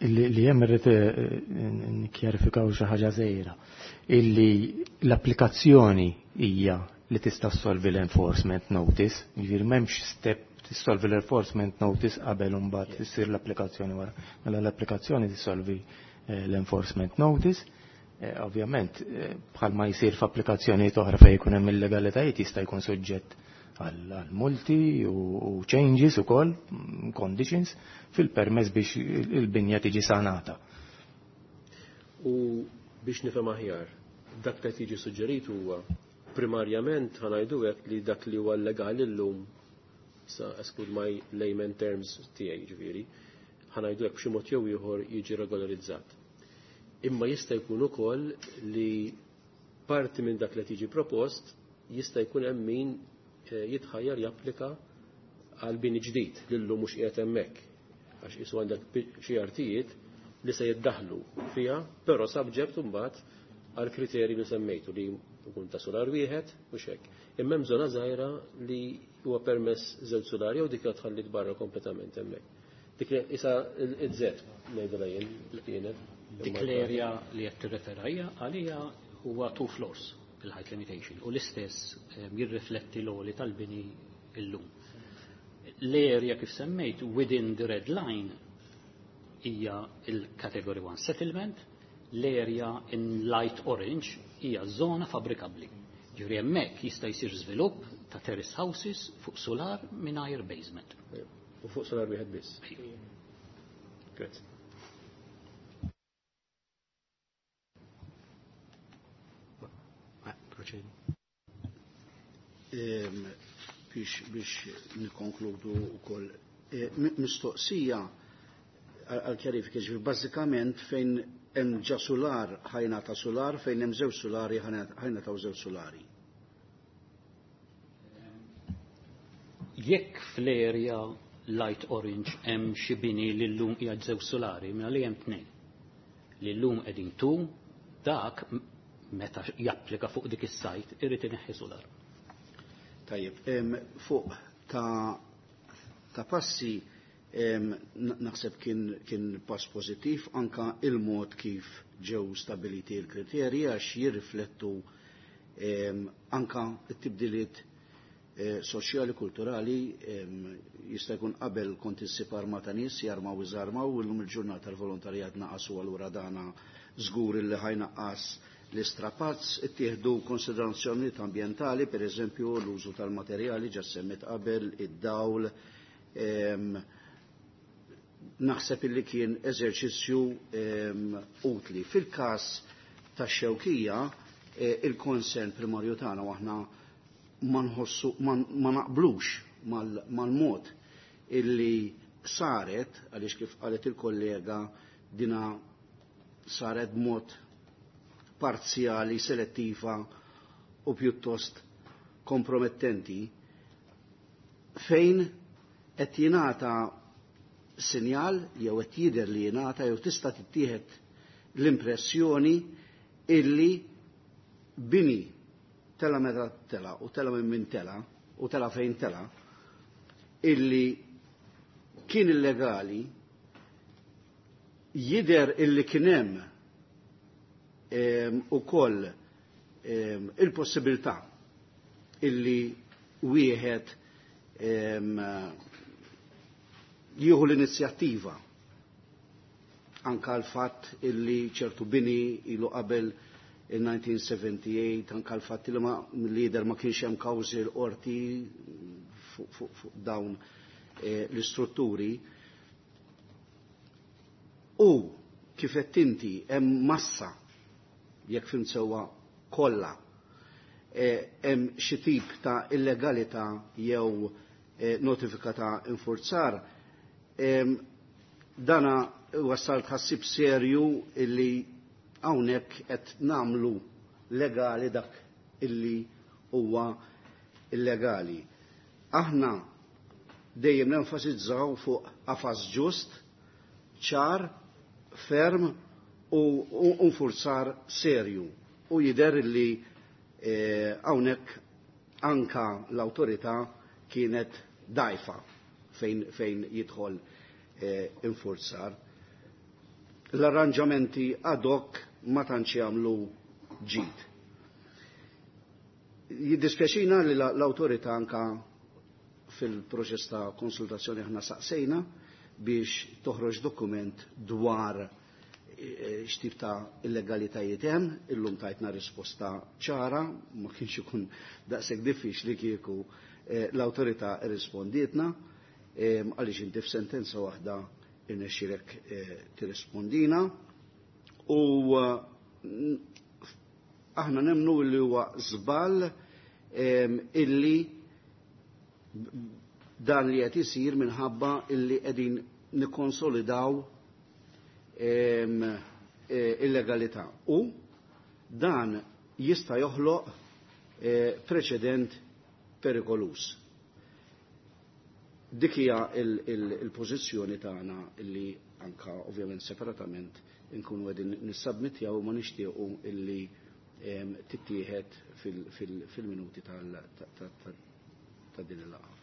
li hemm irrid nikkjarifikaw xi ħaġa żgħira. Illi l-applikazzjoni hija li tista' ssolvi l-enforcement notice, jiġifieri m'hemmx step tissolvi l-enforcement notice qabel imbagħad issir l-applikazzjoni wara. Mela l-applikazzjoni tissolvi l-enforcement notice. Ovvjament, bħalma jsir f'applikazzjonijiet oħra fejn jkun hemm illegalitajiet, jista' jkun suġġett għal multi u changes ukoll, conditions fil-permess biex il-binja tiġi sanata. U biex nifhem aħjar, dak li tiġi suġġerit huwa primarjament, ħa ngħidu hekk, li dak li huwa legali llum, sa exclude my layman terms tiegħi ġifieri, ħa ngħidu hekk, b'xi mod jew ieħor jiġi regolarizzat. Imma jista' jkun ukoll li parti minn dak li tiġi propost jista' jkun hemm min jitħajjar japplika għal bini ġdid li llum mhux qiegħed hemmhekk. Għax isu għandek xi artijiet li se jiddaħlu fiha, però subject imbagħad għal kriterji li semmejtu li jkun ta' solar wieħed u xek. Imma hemm żona żgħira li huwa permess żewġ solari jew dik tħallit barra kompletament hemmhekk. Dik li isa il-Z ngħidilha jien kienet. Dik l-area li qed tirreferajja għalija huwa two floors il-height limitation u l-istess jirrifletti l-għoli tal-bini illum. L-area kif semmejt within the red line hija il-category one settlement, l-area in light orange hija zona fabrikabbli. Ġifieri hemmhekk jista' jsir żvilupp ta' terrace houses fuq solar mingħajr basement. U fuq solar wieħed biss. Grazie. Proċedi. Biex biex nikonkludu wkoll mistoqsija għal kjarifika, ġifieri bażikament fejn hemm ġa solar ħa jingħata solar, fejn hemm żewġ solari ħa jingħataw żewġ solari. Jekk fl-area light orange hemm xi bini li llum qiegħed żewġ solari, mela li hemm tnejn. Li llum qegħdin tu dak meta japplika fuq dik is-sajt irid ineħħi solar. Tajjeb, fuq ta' ta' passi, naħseb kien, kien pass pozittiv anka il-mod kif ġew stabiliti l-kriterji, għax jirriflettu anka t-tibdiliet soċjali, kulturali, jista' jkun qabel kont issib armata nies jarmaw iżarmaw, illum il-ġurnata l-volontarjat naqas u allura dana żgur illi ħajnaqqas l-istrapazz, ittieħdu konsiderazzjonijiet ambjentali, per eżempju l-użu tal-materjali ġa semmit qabel, id-dawl, naħseb illi kien eżerċizzju utli. Fil-każ tax-Xewkija, il-konsern primarju tagħna aħna ma nħossu ma naqblux mal-mod illi saret, għaliex kif qalet il-kollega, dina saret b'mod parzjali, selettiva u pjuttost kompromettenti, fejn qed jingħata sinjal jew qed jidher li jingħata jew tista' tittieħed l-impressjoni illi bini tela meta tela u tela minn min tela u tela fejn tela illi kien illegali jider illi kien hemm ukoll il-possibilità illi wieħed jieħu l-inizjattiva anka l-fatt illi ċertu bini ilu qabel il-elf disa' mija u sebgħa u tmenin, anka l-fatt li ma lider ma kienx hemm kawżi l-qorti fuq dawn l-istrutturi. U kif qed inti hemm massa jekk fim sewwa kollha hemm xi tip ta' illegalità jew notifika ta' infurzar, dana wassal tħassib serju illi hawnhekk qed nagħmlu legali dak illi huwa illegali. Aħna dejjem nenfasizzaw fuq qafas ġust, ċar, ferm u nfurzar serju. U jidher li hawnhekk anka l-awtorità kienet dajfa fejn, fejn jidħol infurzar. L-arranġamenti ad hoc ma tantx jagħmlu ġid. Jiddispjaċina li l-awtorità anka fil-proċess ta' konsultazzjoni aħna saqsejna biex toħroġ dokument dwar x'tip ta' illegalitajiet hemm, illum tajtna risposta ċara, ma kienx ikun daqshekk diffiċli kieku l-awtorità rrispondietna, għaliex inti f'sentenza waħda irnexxilek tirrispondina. U aħna nemnu li huwa żball illi dan li qed isir minħabba illi qegħdin nikkonsolidaw illegalità. U dan jista' joħloq preċedent perikolus. Dik hija il-pożizzjoni tagħna illi anka ovvjament separatament inkunu qegħdin nissabmittjaw u ma nixtiequ illi tittieħed fil-minuti ta' din il-laqgħa.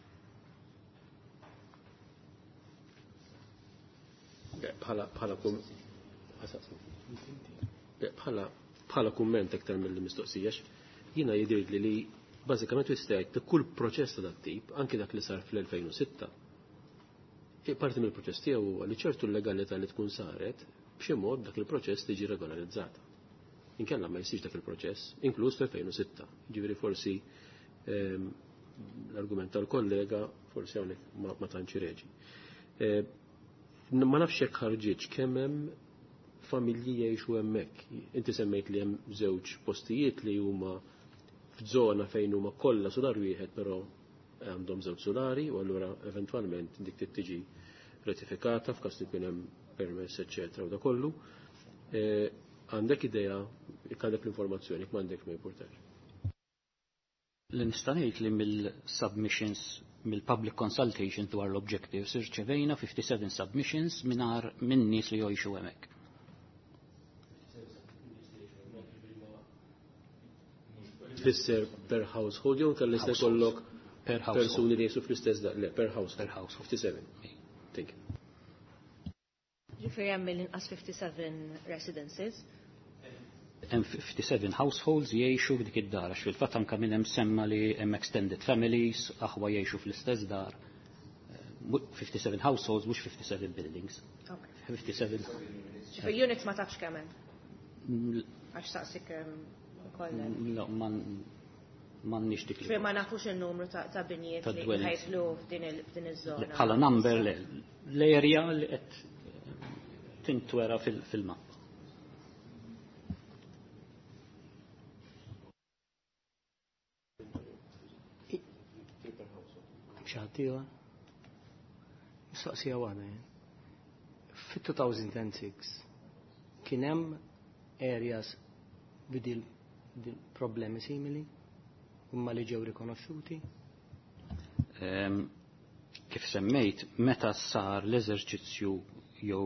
Bħala bħala kumment aktar mill-mistoqsija, jiena jidhirli li bażikament tista' jgħid li kull proċess ta' dat-tip, anki dak li sar fl-elfejn u sitta, parti mill-proċess tiegħu huwa li ċertu l-legalità li tkun saret b'xi mod dak il-proċess tiġi regolarizzata. Inkella ma jsirx dak il-proċess, inkluż fl-elfejn u sitta. Ġifieri forsi l-argument tal-kollega forsi hawnhekk ma tantx reġi. Ma nafx jekk ħarġitx kemm hemm familji jgħixu hemmhekk. Inti semmejt li hemm żewġ postijiet li huma f'żona fejn huma kollha sular wieħed, però għandhom żewġ sulari u allura eventwalment dik trid tiġi ratifikata f'każ li jkun hemm permess eċċetera u da kollu. Għandek idea, jekk għandek l-informazzjoni, jekk m'għandek ma jimpurtax. Li nista' ngħid li mill-submissions, mill-public consultation dwar l-objectives, irċevejna fifty-seven submissions mingħajr minn nies li jgħixu hemmhekk. Tfisser per household jew kellha jista' jkollok Per household. persuni li jgħixu fl-istess dar, le, per household. Per household. fifty-seven. Thank you. Ġifieri hemm mill-inqas fifty-seven residences. Hemm fifty-seven households jgħixu f'dik id-dar, għax fil-fatt anke minn hemm semma li hemm extended families, aħwa jgħixu fl-istess dar. fifty-seven households, mhux fifty-seven buildings. Okay. fifty-seven. Ġifieri units ma tafx kemm hemm? Għax saqsik ukoll. No, m'għandniex dik. Ġifieri ma nafux in-numru ta' binjiet li ħajtlu f'din iż-żona. Bħala number l-area li qed tintwera fil-mappa. Xaħtiwa? Mistoqsija waħda jien. Fit-two thousand six kien hemm areas b'dil problemi simili imma li ġew rikonoxxuti? Kif semmejt, meta sar l-eżerċizzju jew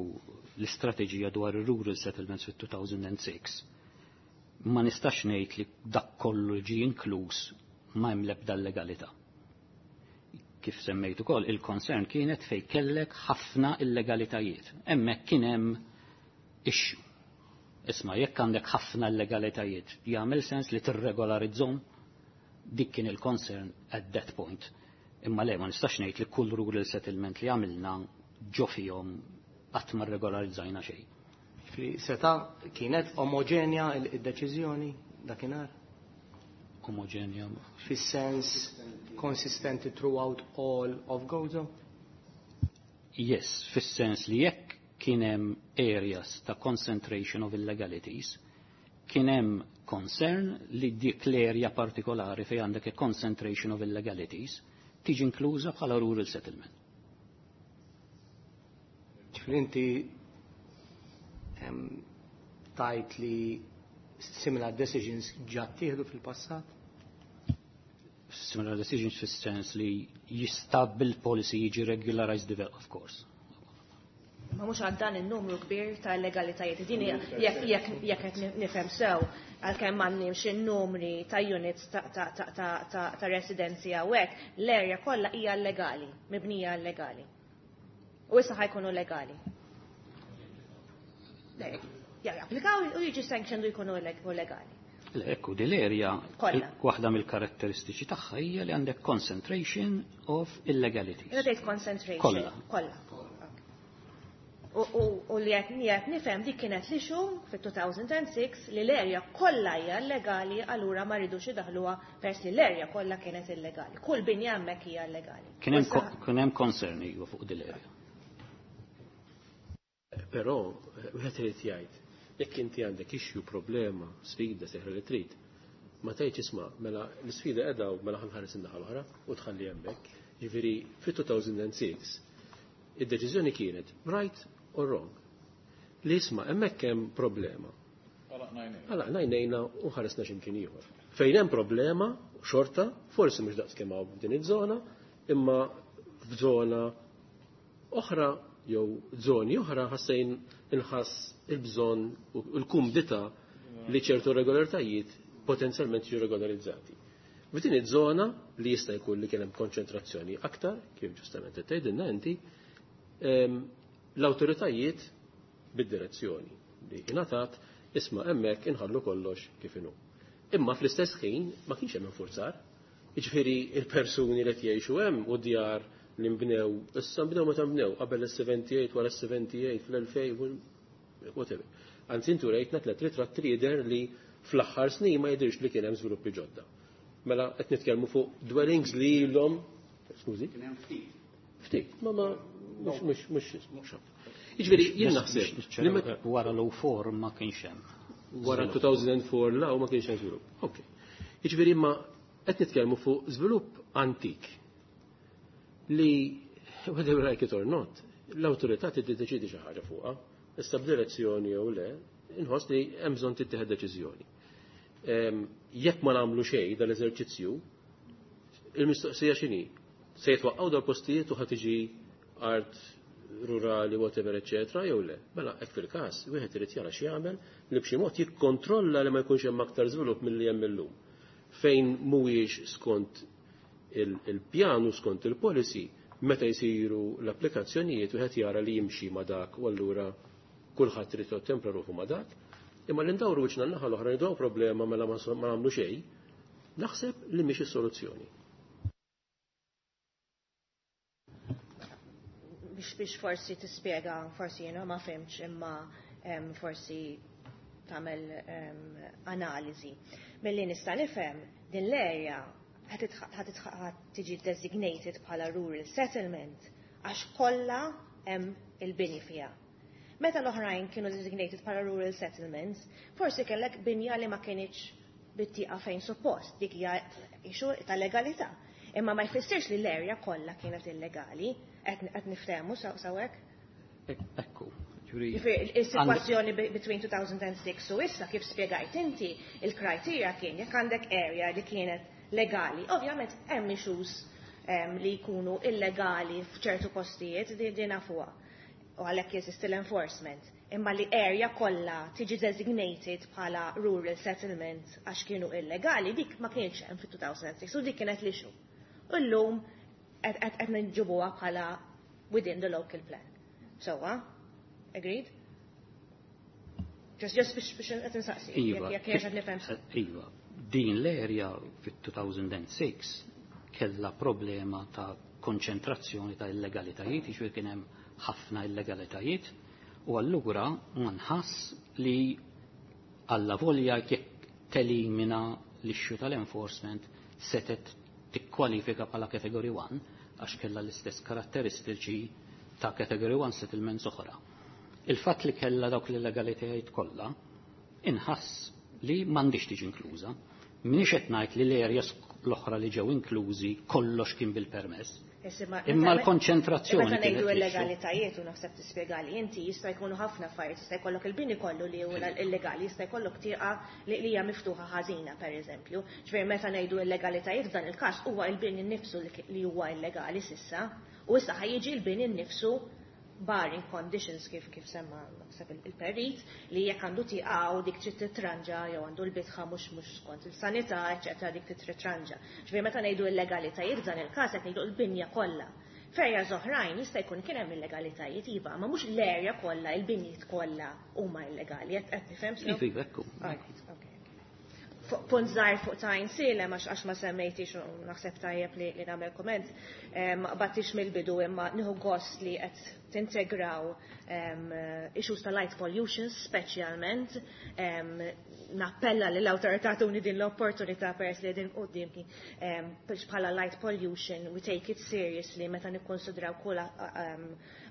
l-istrateġija dwar ir-rural settlements fit-two thousand six, ma nistax ngħid li dak kollu ġie inkluż ma hemm l-ebda legalità. Kif semmejt ukoll, il-concern kienet fej kellek ħafna illegalitajiet. Hemmhekk kien hemm issue. Isma' jekk għandek ħafna illegalitajiet, jagħmel sens li tirregolarizzhom? Dik kien il-concern at that point. Imma le ma nistax ngħid li kull rural settlement li għamilna ġo fihom qatt ma rregolarizzajna xejn. Seta kienet omogenja id-deċiżjoni dakinhar? Omogenja. Fis-sens konsistenti throughout all of Gozo? Yes, fis-sens li jekk kien hemm areas ta' concentration of illegalities, kien hemm concern li dik l-area partikolari fejn għandek a concentration of illegalities tiġi inkluża bħala rural settlement. Ġifieri inti tajt li similar decisions ġa ttieħdu fil-passat? Similar decisions fis-sens li jista' bil-policy jiġi regularized develop, of course. Ma mhux għal dan in-numru kbir ta' illegalitajiet. Din jekk jekk qed nifhem sew, għalkemm m'għandniex in-numri ta' units ta' residenzi hawnhekk, l-area kollha hija illegali, mibnija illegali. U issa ħajkunu legali. Japplikaw u jiġu sanctioned u jkunu legali. Ekku, din l-area, waħda mill-karatteristiċi tagħha hija li għandek concentration of illegalities. Jena tgħid concentration. Kollha. Kollha. U li qed nifhem dik kienet l-issue fit-two thousand six li l-area kollha hija illegali, allura ma rridux idaħluha peress li l-area kollha kienet illegali. Kull binja hemmhekk hija illegali. Kien hemm concern iva fuq din l-area. Però wieħed irid jgħid, jekk inti għandek issue, problema, sfida, seħra li trid, ma tgħidx isma' mela l-isfida qiegħda u mela ħanħares in-naħa l-oħra u tħalli hemmhekk. Jiġifieri fit-two thousand six id-deċiżjoni kienet right or wrong. Li isma' hemmhekk hemm problema. Għalaqna għajnejna u ħaresna x'imkien ieħor. Fejn hemm problema, xorta, forsi mhux daqs kemm hawn f'din iż-żona, imma f'żona oħra jew żoni oħra ħassejn inħass il-bżonn u l-kumdità li ċertu regolaritajiet potenzjalment jiġu regolarizzati. F'din iż-żona li jista' jkun li kien hemm konċentrazzjoni aktar, kif ġustament qed tgħidilna inti, l-awtoritajiet bid-direzzjoni li ingħatat isma' hemmhekk inħallu kollox kif inhu. Imma fl-istess ħin ma kienx hemm infurzar. Jiġifieri il-persuni li qed jgħixu hemm u djar li nbnew, issa nbnew meta nbnew, qabel is-seventy-eight, wara is-seventy-eight, fl-elfejn, whatever. Anzi intu rejtna tliet ritratti li jidher li fl-aħħar snin ma jidhirx li kien hemm żviluppi ġodda. Mela qed nitkellmu fuq dwellings li ilhom, skużi? Kien hemm ftit. Ftit, ma ma mhux mhux mhux mhux. Jiġifieri jien naħseb li meta wara l four ma kienx hemm. Wara two thousand four la ma kienx hemm żvilupp. Ok. Jiġifieri imma qed nitkellmu fuq żvilupp antik li whether you like it or not, l-awtorità tiddeċiedi xi ħaġa fuqha, issa b'direzzjoni jew le, inħoss li hemm bżonn tittieħed deċiżjoni. Jekk ma nagħmlu xejn dal-eżerċizzju, il-mistoqsija x'inhi? Se jitwaqqgħu dal-postijiet u ħa tiġi art rurali, whatever, eccetera, jew le. Mela hekk fil-każ, wieħed irid jara x'jagħmel li b'xi mod jikkontrolla li ma jkunx hemm aktar żvilupp milli hemm illum. Fejn mhuwiex skont il-pjanu, skont il-policy, meta jsiru l-applikazzjonijiet wieħed jara li jimxi ma' dak u allura kulħadd irid jottempra ruħu ma' dak, Imma li ndawru wiċċna n-naħa l-oħra ngħidu problema mela ma nagħmlu xejn, naħseb li mhix is-soluzzjoni. Biex biex forsi tispjega, forsi jiena ma fhimtx imma forsi tagħmel analiżi. Milli nista' nifhem din l-area ħa tiġi designated bħala rural settlement għax kollha hemm il-bini fiha. Meta l-oħrajn kienu designated bħala rural settlements, forsi kellek binja li ma kienx bit-tieqa fejn suppost, dik hija issue ta' legalità. Imma ma jfissirx li l-area kollha kienet illegali, qed niftehmu sawhekk? Ekku. Il-situazzjoni between two thousand six u issa, kif spiegajt inti, il-criteria kien jekk għandek area li kienet legali. Ovvjament hemm issues li jkunu illegali f'ċertu postijiet, din nafuha u għalhekk jeżisti l-enforcement. Imma li area kollha tiġi designated bħala rural settlement għax kienu illegali, dik ma kienx hemm fit-two thousand six u dik kienet l-issue. U llum qed nġibuha bħala within the local plan. So, agreed? Just just biex biex qed insaqsi. Iva. Jekk qed nifhem. Iva. Din l-area fit-two thousand six kella problema ta' konċentrazzjoni ta' illegalitajiet, jiġifieri kien hemm ħafna illegalitajiet, u allura ma nħass li alla volja jekk telimina l-issue tal-enforcement setet tikkwalifika bħala Category one għax kella l-istess karatteristiċi ta' Category one settlements oħra. Il-fatt li kella dawk l-illegalitajiet kollha inħass li m'għandix tiġi inkluża. Minix qed ngħid li l-areas l-oħra li ġew inklużi kollox kien bil-permess. Imma l-konċentrazzjoni. Meta ngħidu illegalitajiet, u naħseb tispjegali inti, jista' jkunu ħafna affarijiet, jista' jkollok il-bini kollu li huwa illegali, jista' jkollok tieqa li hija miftuħa ħażina, pereżempju. Ġifieri meta ngħidu illegalitajiet, f'dan il-każ huwa il-bini nnifsu li huwa illegali s'issa, u issa ħa jiġi l-bini nnifsu barring conditions, kif kif semma naħseb il-perit, li jekk għandu tieqa u dik trid titranġa jew għandu l-bitħa mhux mhux skont il-sanità, eċetera, dik trid titranġa. Ġifieri meta ngħidu illegalitajiet, f'dan il-każ qed ngħidu l-binja kollha. F'areas oħrajn jista' jkun kien hemm illegalitajiet, iva, ma mhux l-area kollha, il-binjiet kollha huma illegali. Qed tifhem? Iva, ekku. Punt żgħir fuq ta' Għajnsielem, għax għax ma semmejtix u naħseb tajjeb li, li nagħmel komment. Ma qbadtix mill-bidu imma nieħu gost li qed tintegraw um, issues ta' light pollution speċjalment. Um, nappella li l-awtorità tuni din l-opportunità peress li din qudiemki um, biex bħala light pollution we take it seriously meta nikkonsidraw kull um,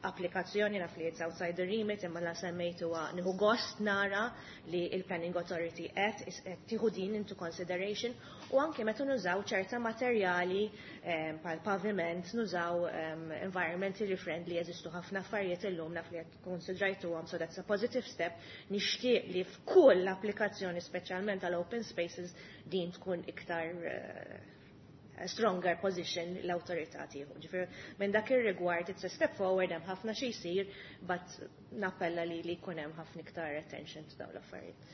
applikazzjoni. Naf li it's outside the remit, imma la semmejtu, nieħu gost nara li il-Planning Authority qed tieħu din into consideration, u anke meta nużaw ċerta materjali um, bħal paviment, nużaw um, environmentally friendly, jeżistu ħafna affarijiet illum, naf li qed konsidrajtuhom, so that's a positive step. Nixtieq li f'kull applikazzjoni, speċjalment għal open spaces, din tkun iktar uh, stronger position l-awtorità tieħu. Ġifieri minn dak ir-rigward it's a step forward, hemm ħafna xi jsir, but nappella li li jkun hemm ħafna iktar attention to dawn l-affarijiet.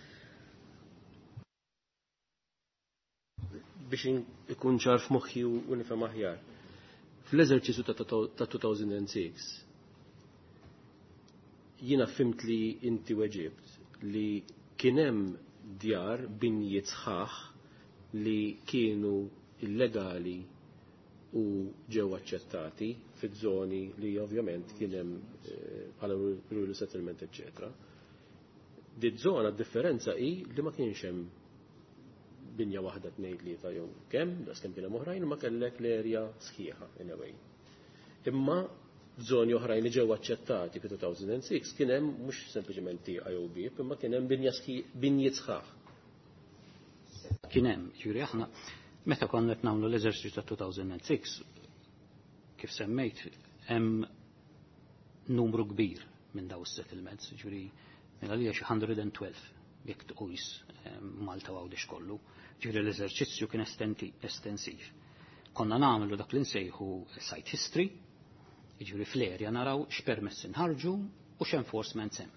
Biex ikun ċar f'moħħi u nifhem aħjar. Fl-eżerċizzju ta' two thousand six jiena fhimt li inti weġibt li kien hemm djar, binjiet sħaħ li kienu illegali u ġew aċċettati fiż-żoni li ovvjament kien hemm eh, bħala rural settlement, eċċetera. Di żona differenza hi li ma kienx hemm binja waħda, tnejn, tlieta jew kemm, das kemm kien hemm oħrajn, ma kellek l-erja sħiħa in a way. Imma f'żoni oħrajn li ġew aċċettati fi two thousand six kien hemm mhux sempliċement tieqa jew bieb, imma kien hemm binja, binjiet sħaħ. Kien hemm, ġifieri aħna meta konna qed nagħmlu l-eżerċizzju ta' two thousand six, kif semmejt, hemm numru kbir minn daw is-settlements, ġifieri minn għalija xi one hundred twelve jekk tqis Malta u Għawdex kollu. Ġifieri l-eżerċizzju kien estensiv. Konna nagħmlu dak li nsejħu site history, jiġifieri fl-area naraw x'permess inħarġu u x'enforcement hemm.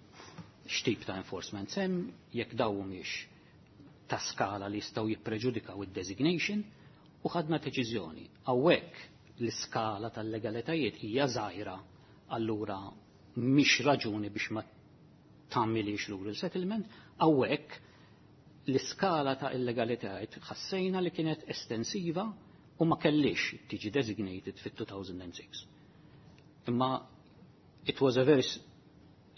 X'tip ta' enforcement hemm, jekk daw mhumiex ta' skala li jistgħu jippreġudikaw id-designation, u ħadna deċiżjoni. Hawnhekk l-iskala tal-legalitajiet hija żgħira, allura mhix raġuni biex ma tagħmilix rural settlement, hawnhekk l-iskala ta' illegalitajiet ħassejna li kienet estensiva u ma kellix tiġi designated fit-two thousand six. Imma it was a very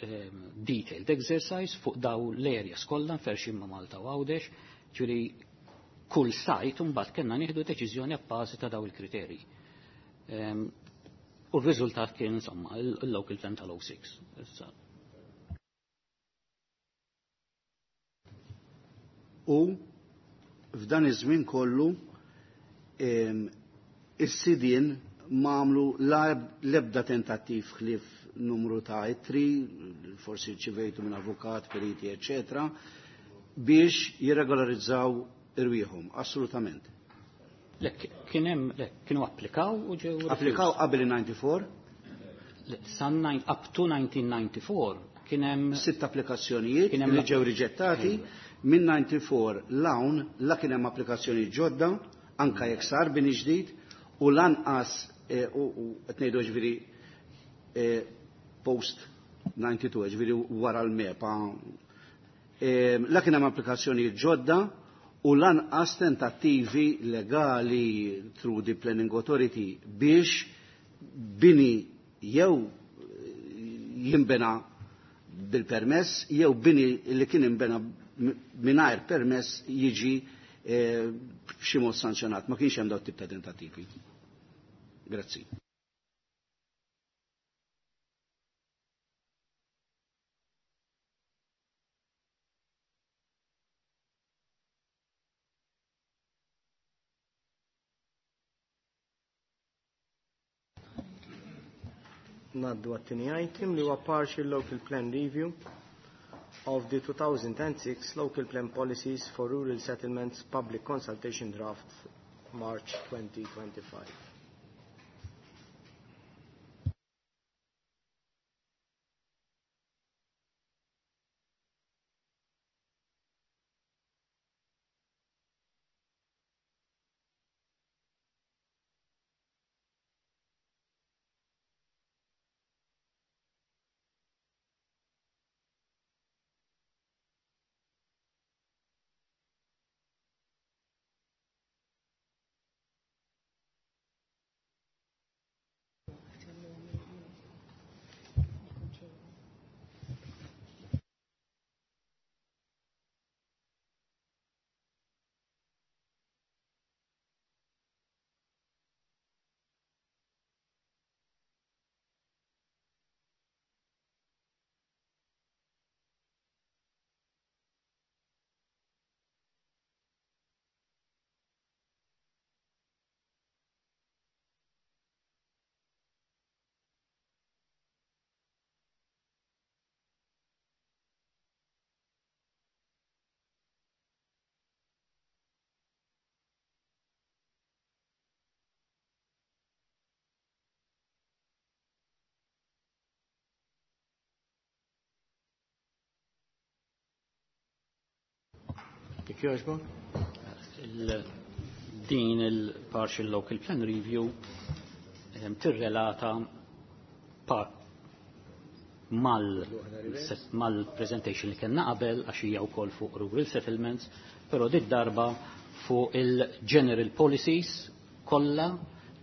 um, detailed exercise fuq daw l-areas kollha mferxin ma' Malta u Għawdex, ġifieri kull site mbagħad kellna nieħdu deċiżjoni abbażi ta' daw il-kriterji. Um, u r-riżultat kien, insomma, il-local plan tal-oh six. Issa, U f'dan iż-żmien kollu em, is-sidien ma għamlu l-ebda tentattiv ħlief numru ta' ittri, forsi rċivejtu minn avukat, periti, eccetera, biex jirregolarizzaw irwieħhom, assolutament. Le, kien hemm, le, kienu applikaw u ġew Applikaw qabel il-disgħa u disgħin? Le, San nine- up to nineteen ninety-four kien hemm Sitt applikazzjonijiet Kien hemm li ġew riġettati. Minn disgħa u disgħin 'l hawn la kien hemm applikazzjoni ġodda, anka jekk sar bini ġdid, u lanqas eh, u u qed ngħidu, ġifieri, eh, post disgħa u disgħin, ġifieri wara l-MEPA. Eh, la kien hemm applikazzjoni ġodda u lanqas tentattivi legali through the Planning Authority biex bini jew jimbena bil-permess jew bini li kien imbena mingħajr permess jiġi eh, b'xi mod sanzjonat. Ma kienx hemm dawn tip ta' tentattivi. Grazzi. Ngħaddu għat-tieni item li huwa partial local plan review of the two thousand six local plan policies for rural settlements, public consultation draft March twenty twenty-five. Jekk jogħġbok? Il- din il-partial local plan review ehm, tirrelata pa mal mal-presentation li kellna qabel, għax hija wkoll fuq rural settlements, però dit darba fuq il-general policies kollha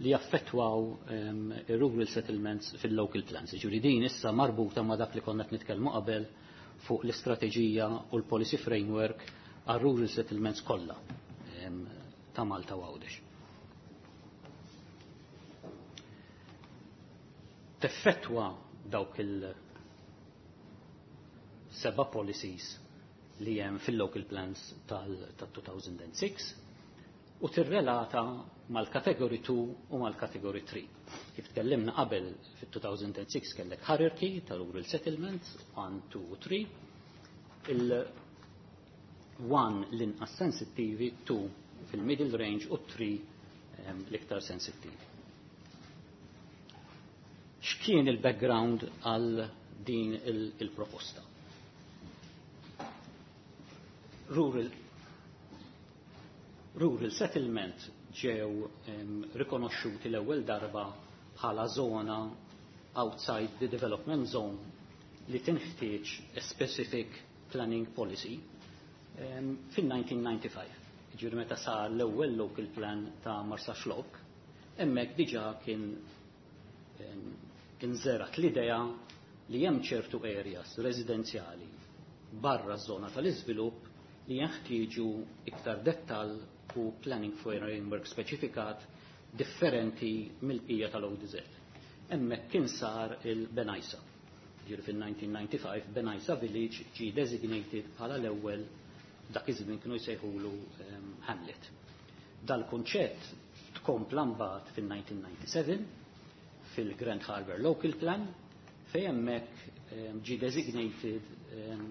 li jaffettwaw um, ir-rural settlements fil-local plans. Ġifieri din issa marbuta ma' dak li konna qed nitkellmu qabel fuq l-istrateġija u l-policy framework għal rural settlements kollha um, ta' Malta u Għawdex. Teffettwa dawk il seba' policies li hemm fil-local plans tal-two thousand six u tirrelata mal-category two u mal-category three. Kif tkellimna qabel, fit-two thousand six kellek hierarchy tal-rural settlements one, two u three. Il-one l-inqas sensittivi, two fil-middle range u three l-iktar sensittivi. X'kien il-background għal din il-proposta? Rural, rural settlement ġew um, rikonoxxuti l-ewwel darba bħala zona outside the development zone li tinħtieġ a specific planning policy um, fil-nineteen ninety-five. Ġifieri meta sar l-ewwel local plan ta' Marsaxlokk, hemmhekk diġà kien um, inżerat l-idea li hemm ċertu areas residenzjali barra z-zona tal-iżvilupp li jeħtieġu iktar dettall u planning framework speċifikat differenti mill-bqija tal-O D Z. Hemmhekk kien sar il-Bengħajsa. Ġifieri fil-nineteen ninety-five Bengħajsa Village ġi designated bħala l-ewwel, dak iż-żmien kienu jsejħulu um, Hamlet. Dal-kunċett tkompla mbagħad fil-nineteen ninety-seven fil-Grand Harbour Local Plan, fejn hemmhekk um, ġi designated um,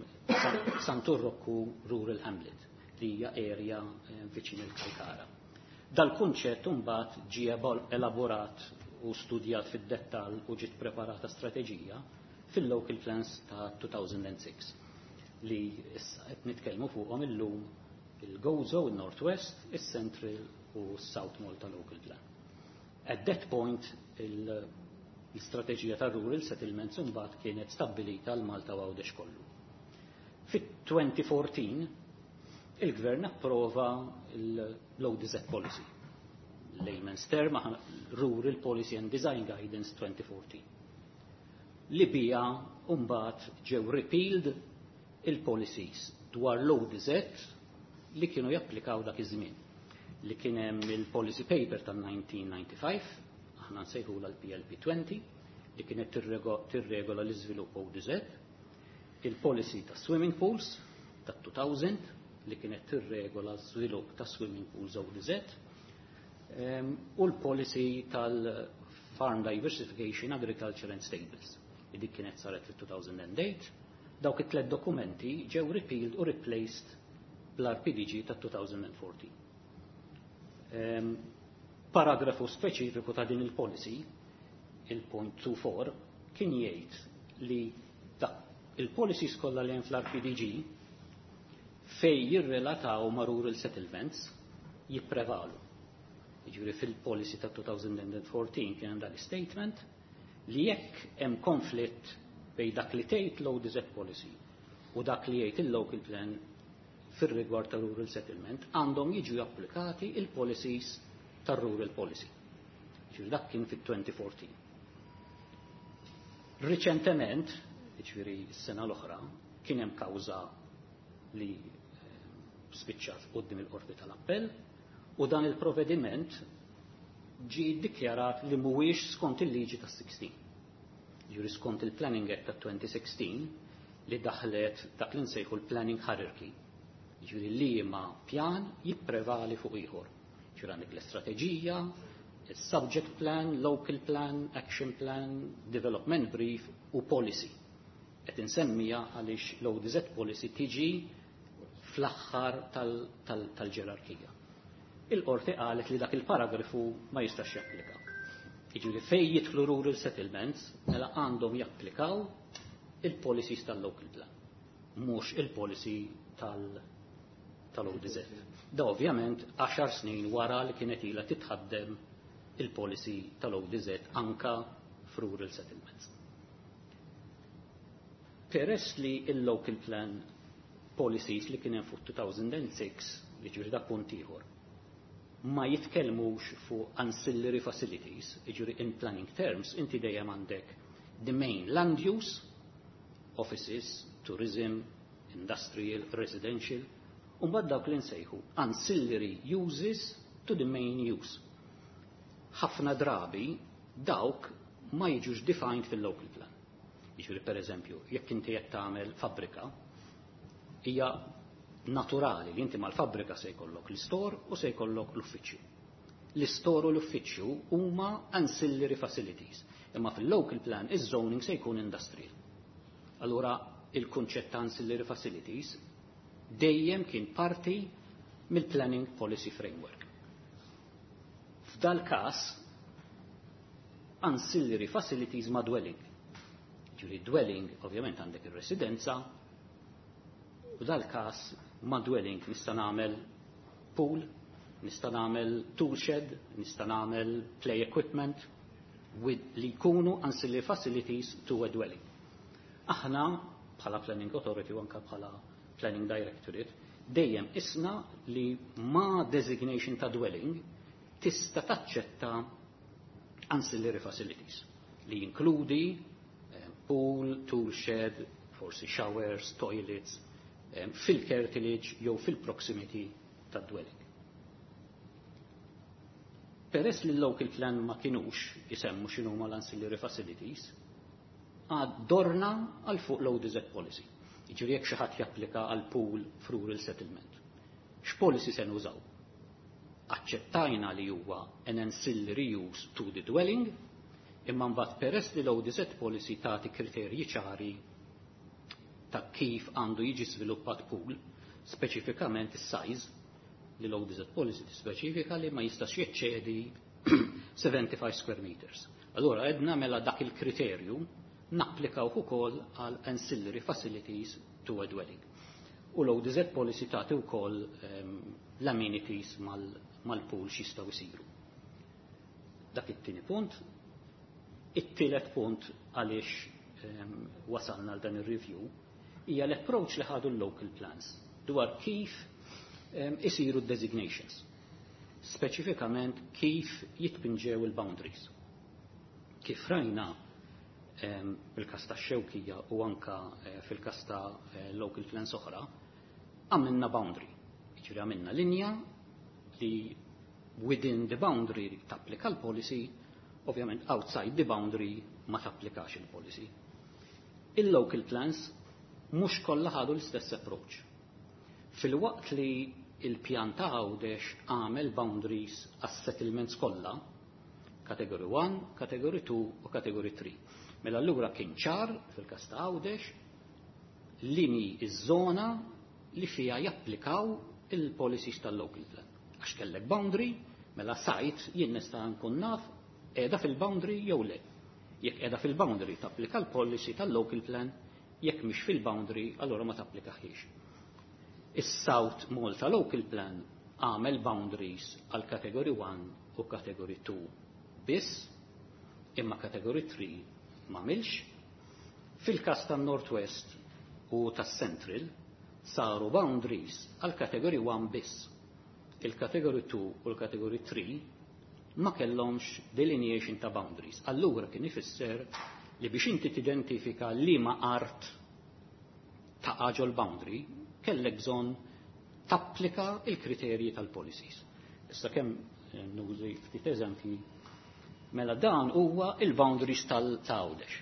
Santu Rokku Rural Hamlet, li hija area um, viċin il-Kalkara. Dal-kunċett mbagħad ġie elaborat u studjat fid-dettall u ġiet preparata strateġija fil-local plans ta' two thousand and six li issa qed nitkellmu fuqhom illum, il-Gozo, il-Northwest, il-Central u South Malta Local Plan. At that point, l-istrateġija ta' rural settlements imbagħad kienet stabbilita l-Malta u Għawdex kollu. Fit-twenty fourteen il-Gvern approva l-O D Z Policy. Layman's term, Rural Policy and Design Guidance twenty fourteen. Li bija mbagħad ġew repealed il-policies dwar l-O D Z li kienu japplikaw dak iż-żmien. Li kien hemm il-policy paper tal-nineteen ninety-five, aħna nsejħula l-P L P twenty, li kienet tirregola l-iżvilupp O D Z, il-policy ta' swimming pools ta' two thousand li kienet tirregola l-żvilupp ta' swimming pools O D Z, u l-policy tal-Farm Diversification, Agriculture and Stables, li dik kienet saret fil-two thousand and eight. Dawk it-tlet dokumenti ġew repealed u replaced bl-R P D G ta' twenty fourteen. Um, paragrafu speċifiku ta' din il-policy, il-point twenty-four, kien jgħid li il-policies kollha li hemm fl-R P D G fej jirrelataw ma' rural settlements jipprevalu. Jiġifieri fil-policy ta' twenty fourteen kien hemm dan statement li jekk hemm konflitt bejn dak li tgħid l-O D Z policy u dak li jgħid il-local plan fir-rigward ta' rural settlement, għandhom jiġu applikati il-policies tar-rural policy. Ġifieri dak kien fit-twenty fourteen. Riċentement, ġifieri s-sena l-oħra, kien hemm kawża li eh, spiċċat quddiem il-Qorti tal-Appell u dan il-provvediment ġi dikjarat li mhuwiex skont il-liġi tas-sixteen. Ġifieri skont il-Planning Act ta' twenty sixteen li daħlet dak li nsejħu l-Planning Hierarchy. Ġifieri li ma pjan jipprevali fuq ieħor. Ġifieri għandek l-istrateġija, il-subject plan, local plan, action plan, development brief u policy. Qed insemmija għaliex l-O D Z policy tiġi fl-aħħar tal-ġerarkija. Il-qorti qalet li dak il-paragrafu ma jistax japplika. Jiġifieri fej jidħlu rural settlements, mela għandhom japplikaw il-policies tal-local plan, mhux il-policy tal-O D Z. Da ovvjament għaxar snin wara li kienet ilha titħaddem il-policy tal-O D Z anka f'rural settlements. Peress li il-local plan policies li kien hemm fuq two thousand and six, li ġifieri da punt ieħor, ma jitkellmux fuq ancillary facilities, jiġifieri in planning terms, inti dejjem għandek the main land use, offices, tourism, industrial, residential, u mbagħad dawk li nsejħu ancillary uses to the main use. Ħafna drabi dawk ma jiġux defined fil-local plan. Jiġifieri per eżempju, jekk inti qed tagħmel fabbrika, hija naturali li inti mal-fabbrika se jkollok l-istor u se jkollok l-uffiċċju. L-istor u l-uffiċċju huma ancillary facilities, imma fil-local plan iż-zoning se jkun industrial. Allura il-kunċett ta' ancillary facilities dejjem kien parti mill-planning policy framework. F'dal każ ancillary facilities ma' dwelling. Ġifieri dwelling ovvjament għandek ir-residenza, u dal-każ ma' dwelling nista' nagħmel pool, nista' nagħmel tool shed, nista' nagħmel play equipment with li jkunu ancillary facilities to a dwelling. Aħna bħala Planning Authority u anka bħala Planning Directorate dejjem isna li ma designation ta' dwelling tista' taċċetta ancillary facilities li jinkludi eh, pool, tool shed, forsi showers, toilets, eh, fil-curtilage jew fil-proximity ta' dwelling. Peress li l-local plan ma kinux jisemmu x'inhuma l-ancillary facilities, għad dorna għal fuq l-O D Z policy. Jiġifieri jekk xi ħadd japplika għal pool f'rural settlement. X'policy se nużaw? Aċċettajna li huwa an ancillary use to the dwelling, imma mbagħad peress li l-O D Z policy tagħti kriterji ċari ta' kif għandu jiġi sviluppat pool, speċifikament is-size, li l-O D Z policy tispeċifika li ma jistax jeċċedi seventy-five square meters. Allora edna mela dak il-kriterju napplikaw ukoll għal ancillary facilities to a dwelling. U l-O D Z policy tagħti wkoll um, l-amenities mal-pool mal x'jistgħu jsiru. Dak it-tieni punt. It-tielet punt għaliex um, wasalna għal dan ir-review hija l-approach li ħadu l-local plans dwar kif um, isiru designations. Speċifikament kif jitpinġew il-boundaries. Kif rajna um, fil-kas ta' Xewkija u anka uh, fil-kas ta' uh, local plans oħra, għamilna boundary. Jiġifieri għamilna linja li within the boundary tapplika l-policy, ovvjament outside the boundary ma tapplikax il-policy. Il-local plans mhux kollha ħadu l-istess approach. Filwaqt li il-pjan ta' Għawdex għamel boundaries għas-settlements kollha, category one, category two u category three. Mela allura kien ċar fil-każ ta' Għawdex li iż-żona li fija japplikaw il-policies tal-local plan. Għax kellek boundary, mela site jien nista' nkun naf qiegħda fil-boundary jew le. Jekk qiegħda fil-boundary tapplika l-policy tal-local plan, jekk mhix fil-boundary allura ma tapplikaħiex. Is-South Malta Local Plan għamel boundaries għal category one u category two biss, imma category three m'għamilx. Fil-kas tan-Northwest u tas-Central saru boundaries għal category one biss. Il-category two u l-category three ma kellhomx delineation ta' boundaries. Allura kien ifisser li biex inti tidentifika liema art ta' ġol boundary, kellek bżonn tapplika il-kriterji tal-policies. Issa kemm eh, nużi ftit eżempji, mela dan huwa il-boundaries tal-Għawdex.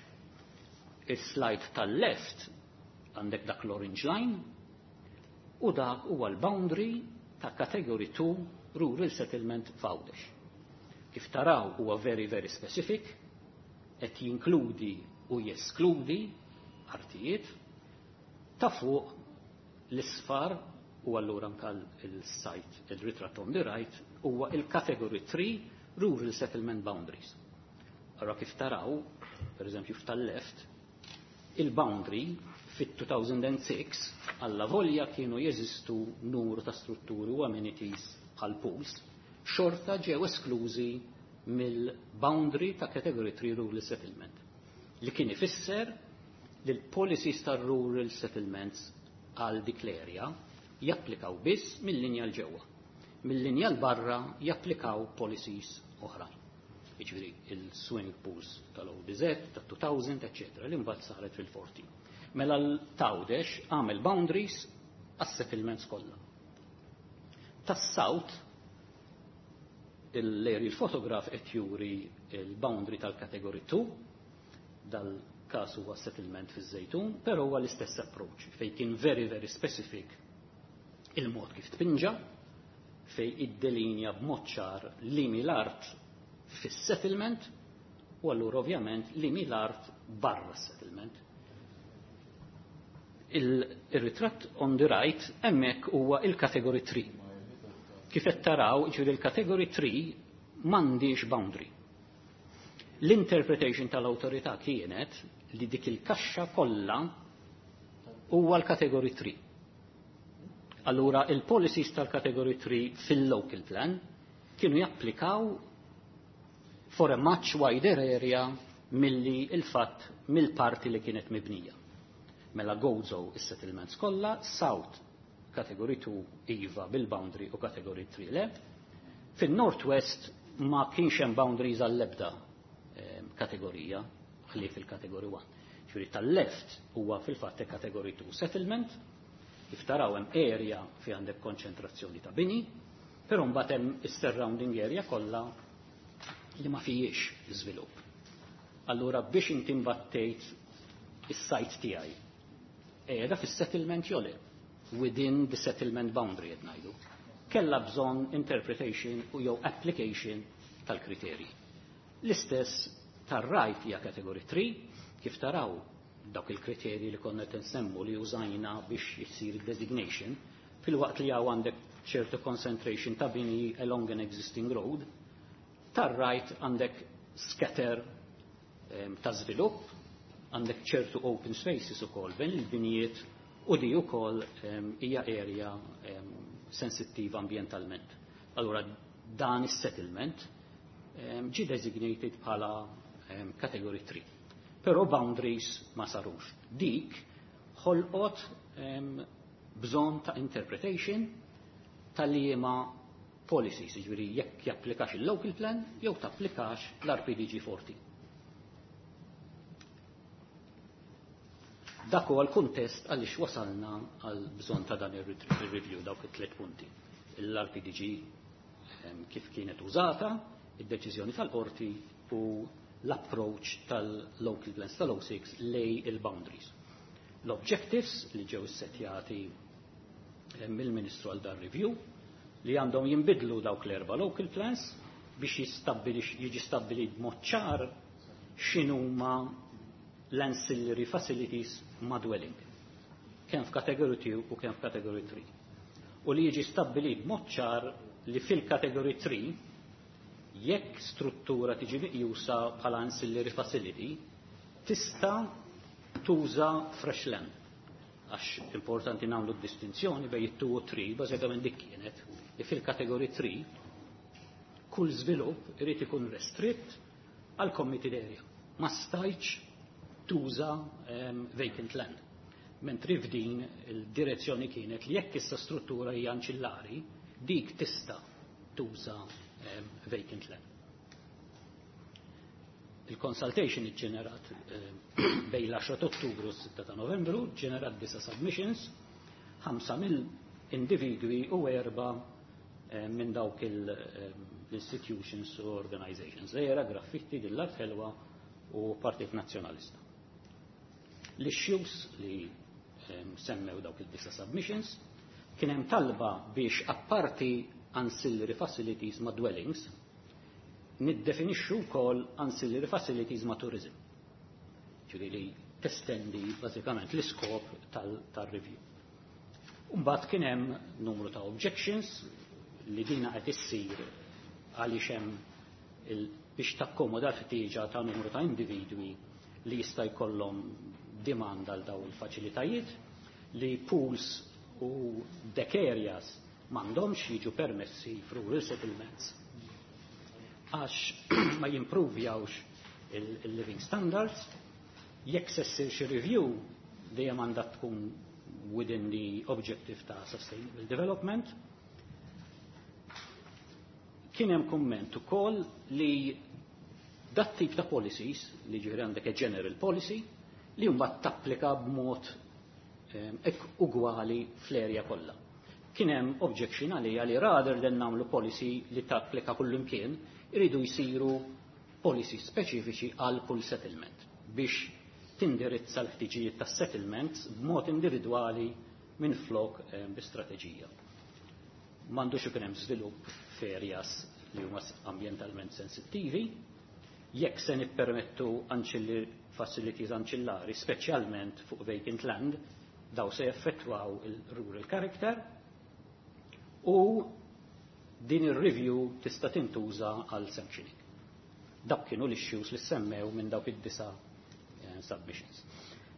Il-slide tal-left għandek dak l-orange line u dak huwa l-boundary ta' category two rural settlement f'Għawdex. Kif taraw, huwa very very specific, qed jinkludi u jeskludi artijiet. Ta' fuq l-isfar u allura anka il-site, il-ritratt on the right, huwa il-category three rural settlement boundaries. Allora kif taraw, per eżempju f'tal-left, il-boundary fit-two thousand six alla volja kienu jeżistu numru ta' strutturi u amenities bħal pools, xorta ġew esklużi mill-boundary ta' category three rural settlement. Li kien ifisser li l-policies tar rural settlements għal dik l-area japplikaw biss mill-linja 'l ġewwa. Mill-linja 'l barra japplikaw policies oħrajn. Jiġifieri il-swimming pools tal-O D Z, tat-two thousand, eccetera, li mbagħad saret fil-fourteen. Mela l-Għawdex għamel boundaries għas-settlements kollha. Tas-South, il-aerial photograph qed juri il-boundary tal-category two, dal-każ huwa settlement fiż-Żejtun, però huwa l-istess approach fejn kien very very specific il-mod kif tpinġa, fej iddelinja b'mod ċar liema l-art fis-settlement u allura ovvjament liema l-art barra s-settlement. Il-ritratt on the right hemmhekk huwa il-category three. Kif qed taraw, ġifieri il-category three m'għandix boundary. L-interpretation tal-awtorità kienet li dik il-kaxxa kollha huwa l-category three. Allura il-policies tal-category three fil-local plan kienu japplikaw for a much wider area milli il-fatt mill-parti li kienet mibnija. Mela Gozo is-settlements kollha, South Category two iva bil-boundary u Category three le. Fin-Northwest ma kienx hemm boundaries għall-ebda kategorija, ħlief il-Category one. Ġifieri tal-left huwa fil-fatt Category two settlement, kif taraw hemm area fi għandek konċentrazzjoni ta' bini, però mbagħad hemm is-surrounding area kollha li ma fijiex żvilupp. Allura biex inti mbattejt is-site tiegħi qiegħda fis-settlement jew le, within the settlement boundary qed ngħidu. Kellha bżonn interpretation u jew application tal-kriterji. L-istess tar-right hija Category three, kif taraw dawk il-kriterji li konna qed nsemmu li użajna biex jisir designation, fil-waqt li hawn għandek ċertu concentration ta' bini along an existing road, tar-right għandek scatter um, ta' żvilupp, għandek ċertu open spaces ukoll bejn il-binijiet u di ukoll um, hija area um, sensittiva ambientalment. Allura dan is-settlement um, ġi designated bħala um, Category three. Però boundaries ma sarux. Dik ħolqot um, bżonn ta' interpretation tal-liema policies, jiġifieri jekk japplikax il-local plan jew tapplikax l-R P D G fourteen. Dak huwa l-kuntest għaliex wasalna għal bżonn ta' dan ir-review, dawk it-tliet punti. L-R P D G kif kienet użata, id-deċiżjoni tal-qorti u l-approach tal-local plans tal-O six lej il-boundaries. L-objectives li ġew setjati mill-Ministru għal dan review li għandhom jinbidlu dawk l-erba local plans biex jiġi stabbilit b'mod ċar x'inhuma l-ancillary facilities ma' dwelling. Kemm f'Category two u kemm f'Category three. U li jiġi stabbilit b'mod ċar li fil-Category three jekk struttura tiġi meqjusa bħala ancillary facility tista' tuża fresh land. Għax importanti nagħmlu distinzjoni bejn it-two u three, bażikament dik kienet li fil-Category three kull żvilupp irid ikun restritt għal committed area. Ma stajtx tuża um, vacant land. Mentri f'din il-direzzjoni kienet li jekk issa struttura hija anċillari, dik tista' tuża um, vacant land. Il-consultation ġenerat um, bejn l-għaxra ta' Ottubru u s-sitta ta' Novembru, ġenerat disa submissions, ħamsa mill-individwi u erba minn dawk l-institutions u organizations. Era Graffitti, Dillard Ħelwa u Partit Nazzjonalista. L-issues li semmew dawk il-disa submissions kien hemm talba biex apparti ancillary facilities ma' dwellings niddefinixxu wkoll ancillary facilities ma' tourism. Ġifieri li testendi bażikament l-iskop tal-review. Mbagħad kien hemm numru ta' objections li dina qed issir għaliex hemm biex takkomoda l-ħtieġa ta' numru ta' individwi li jista' jkollhom demand għal daw il-faċilitajiet, li pools u deck areas m'għandhomx jiġu permessi f'rural settlements għax ma jimprovjawx il-living standards. Jekk se ssir xi review dejjem għandha tkun within the objective ta' sustainable development. Kien hemm kumment ukoll li dat tip ta' policies, li ġifieri għandek a general policy, li mbagħad tapplika b'mod ek ugwali fl-erja kollha. Kien hemm objection għalija li rather than nagħmlu policy li tapplika kullimkien, iridu jsiru policy speċifiċi għal kull settlement biex tindirizza l-ħtiġijiet tas settlements b'mod individwali minn flok bi strateġija. M'għandux ikun hemm żvilupp f'areas li huma ambjentalment sensittivi, jekk se nippermettu ancillary facilities anċillari, speċjalment fuq vacant land, daw se jaffettwaw il-rural character u din ir-review tista' tintuża għal sanctioning. Dak kienu l-issues li semmew minn dawk id-disa eh, submissions.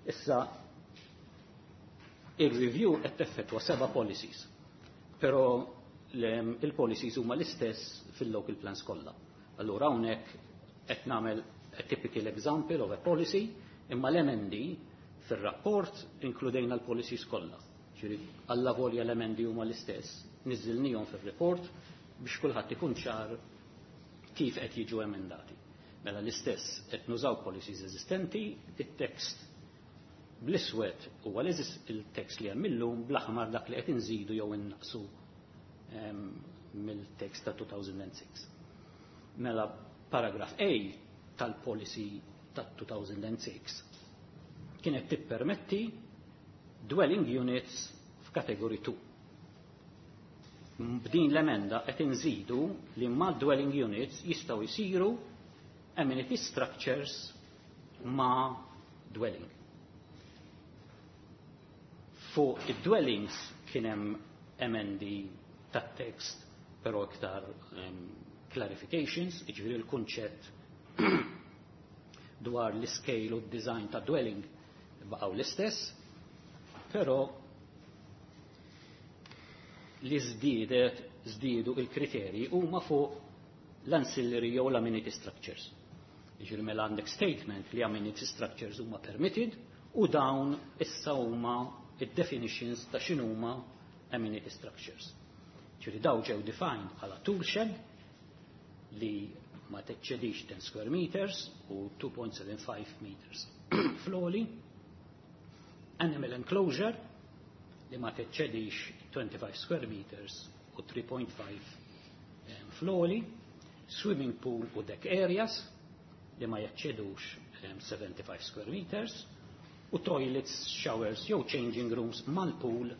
Issa, il-review qed teffettwa seba' policies, però il-policies huma l-istess fil-local plans kollha. Allura hawnhekk qed nagħmel a typical example of a policy, imma l-emendi Fil-rapport inkludejna l-policies kollha. Ġifieri alla volja l-emendi huma l-istess, niżilnihom fil-report biex kulħadd ikun ċar kif qed jiġu emendati. Mela l-istess qed nużaw policies eżistenti, it-text bl-iswed huwa il-text li hemm illum, bl-aħmar dak li qed inżidu jew innaqsu mill-text ta' two thousand six. Mela paragraph A tal-policy ta' two thousand six kienet tippermetti dwelling units f'kategori two. B'din l-emenda qed inżidu li ma' dwelling units jistgħu jsiru amenity structures ma' dwelling. Fuq id-dwellings kien hemm emendi tat-text, però iktar um, clarifications, jiġifieri l-kunċett dwar l-scale u d-design ta' dwelling baqgħu l-istess, però li żdiedet żdiedu il-kriterji huma fuq l-ancillary jew l-amenity structures. Jiġifieri mela għandek statement li amenity structures huma permitted u dawn issa huma id-definitions ta' x'inhuma amenity structures. Ġifieri daw ġew defined bħala tool shed li ma teċċedix ten square meters u two point seven five meters fl-għoli, animal enclosure li ma teċċedix twenty-five square meters u three point five fl-għoli, swimming pool u deck areas li ma jaċċedux seventy-five square meters, u toilets, showers jew changing rooms mal-pool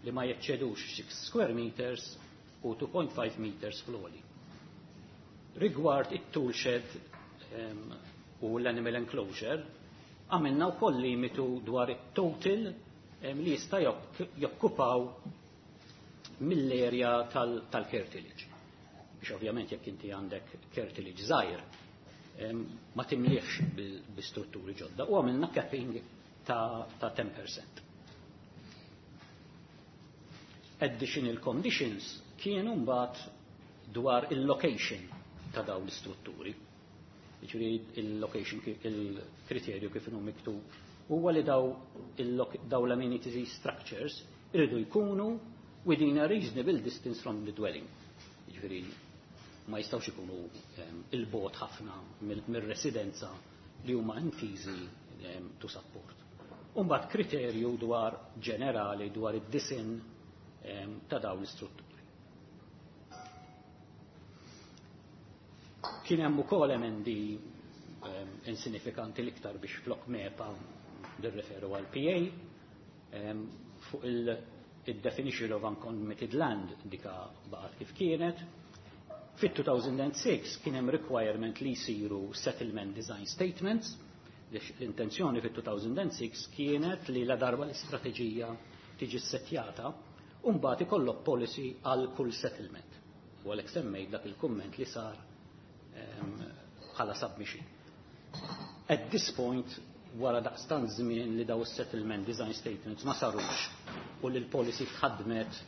li ma jaċċedux six square meters u two point five meters fl-għoli. Rigward it-tool shed um, u l-animal enclosure, għamilna wkoll limitu dwar it-total um, li jista' jokkupaw mill-area tal-curtilage. Biex ovvjament jekk inti għandek curtilage żgħir, ma timliex bi strutturi ġodda. U għamilna capping ta', ta ten percent. Additional conditions kienu mbagħad dwar il-location ta' dawn l-istrutturi. Jiġifieri il-location, il-kriterju kif inhu miktub huwa li daw daw l-amenity structures iridu jkunu within a reasonable distance from the dwelling. Jiġifieri ma jistgħux ikunu il-bogħod ħafna mir-residenza li huma intiżi to support. Umbagħad kriterju dwar ġenerali dwar id-disinn ta' dawn l-istrutturi. Kien hemm ukoll emendi insinifikanti, l-iktar biex flok MEPA nirreferu għal P A, fuq il-definition of uncommitted land, dika baqgħet kif kienet. Fit-two thousand six kien hemm requirement li jsiru settlement design statements. L-intenzjoni fit-two thousand six kienet li la darba l-istrateġija tiġi settjata, mbagħad ikollok policy għal kull settlement. U għalhekk semmejt dak il-kumment li sar bħala submission. At this point, wara daqstan żmien li daw settlement design statements ma sarux u li l-policy tħadmet,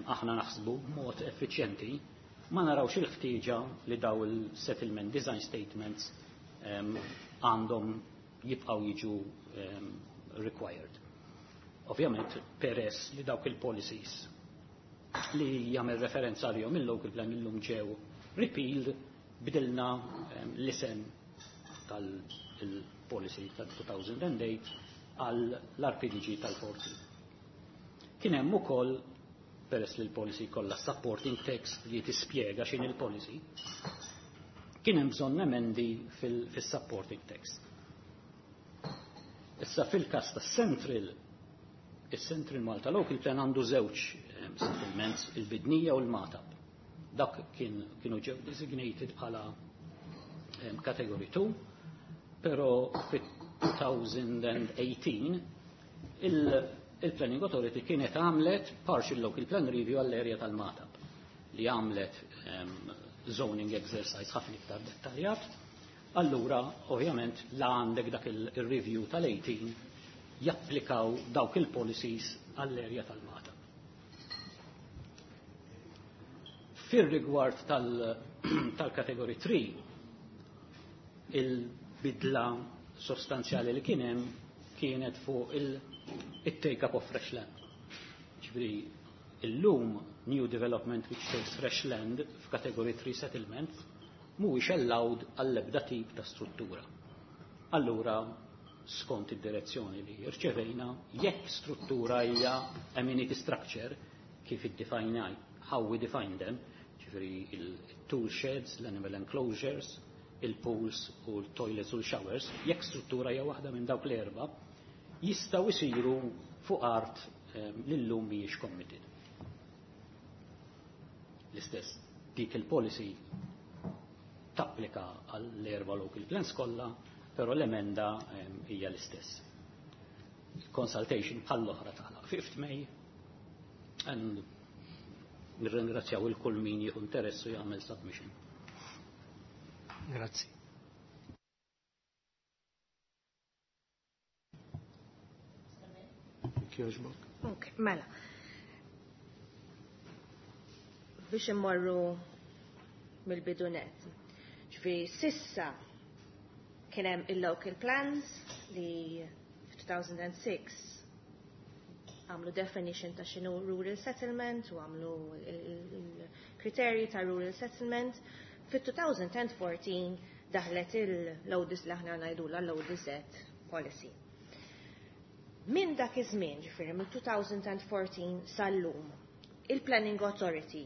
aħna naħsbu, b'mod effiċjenti, ma narawx il-ħtieġa li daw il-settlement design statements għandhom jibqaw jiġu um, required. Ovvjament, peress li dawk il-policies li jagħmel referenza għalihom il-local plan illum ġew repealed, bidilna um, l-isem tal-policy tal-two thousand eight għal l-R P D G tal-fourteen. Kien hemm ukoll, peress li l-policy kollha supporting text li tispjega x'in il-policy, kien hemm bżonn emendi fil-supporting text. Issa fil-każ ta' Central, il-Central Malta Local Plan għandu żewġ settlements, il-Bidnija u l-Magħtab. Dak kien, kienu ġew designated bħala um, category two, però fit-twenty eighteen il-Planning Authority kienet għamlet partial local plan review għall-area tal-Magħtab li għamlet um, zoning exercise ħafna iktar dettaljat. Allura, ovvjament, la għandek dak il-review tal-eighteen, japplikaw dawk il-policies għall-area tal-Magħtab. Fir-rigward tal-kategori tlieta, il-bidla sostanzjali li kien hemm kienet fuq il-take up of fresh land. Ġifieri illum new development which takes fresh land f'category three settlement mhuwiex allowed għall-ebda tip ta' struttura. Allura, skont id-direzzjoni li rċevejna, jekk struttura hija amenity structure, kif iddefine, how we define them, ġifieri il-tool sheds, l-animal enclosures, il-pools u l-toilets u l-showers, jekk struttura hija waħda minn dawk l-erba, jistgħu jsiru fuq art li llum mhijiex committed. L-istess, dik il-policy tapplika għall-erba local plans kollha, però l-emenda hija l-istess. Consultation bħall-oħra tagħlaq fifth May and nirringrazzjaw il kull min jieħu interess u jagħmel submission. Grazzi. Jogħġbok. Ok, mela. Biex immorru mill-bidu nett. Ġifieri s'issa kien hemm il-local plans li f'two thousand six għamlu definition ta' x'inhu rural settlement u għamlu il-kriterji ta' rural settlement. Fit-twenty fourteen daħlet il-L O D Z li aħna ngħidula l-O D Z policy. Min dak iż-żmien, ġifieri mill-twenty fourteen sal-lum, il-Planning Authority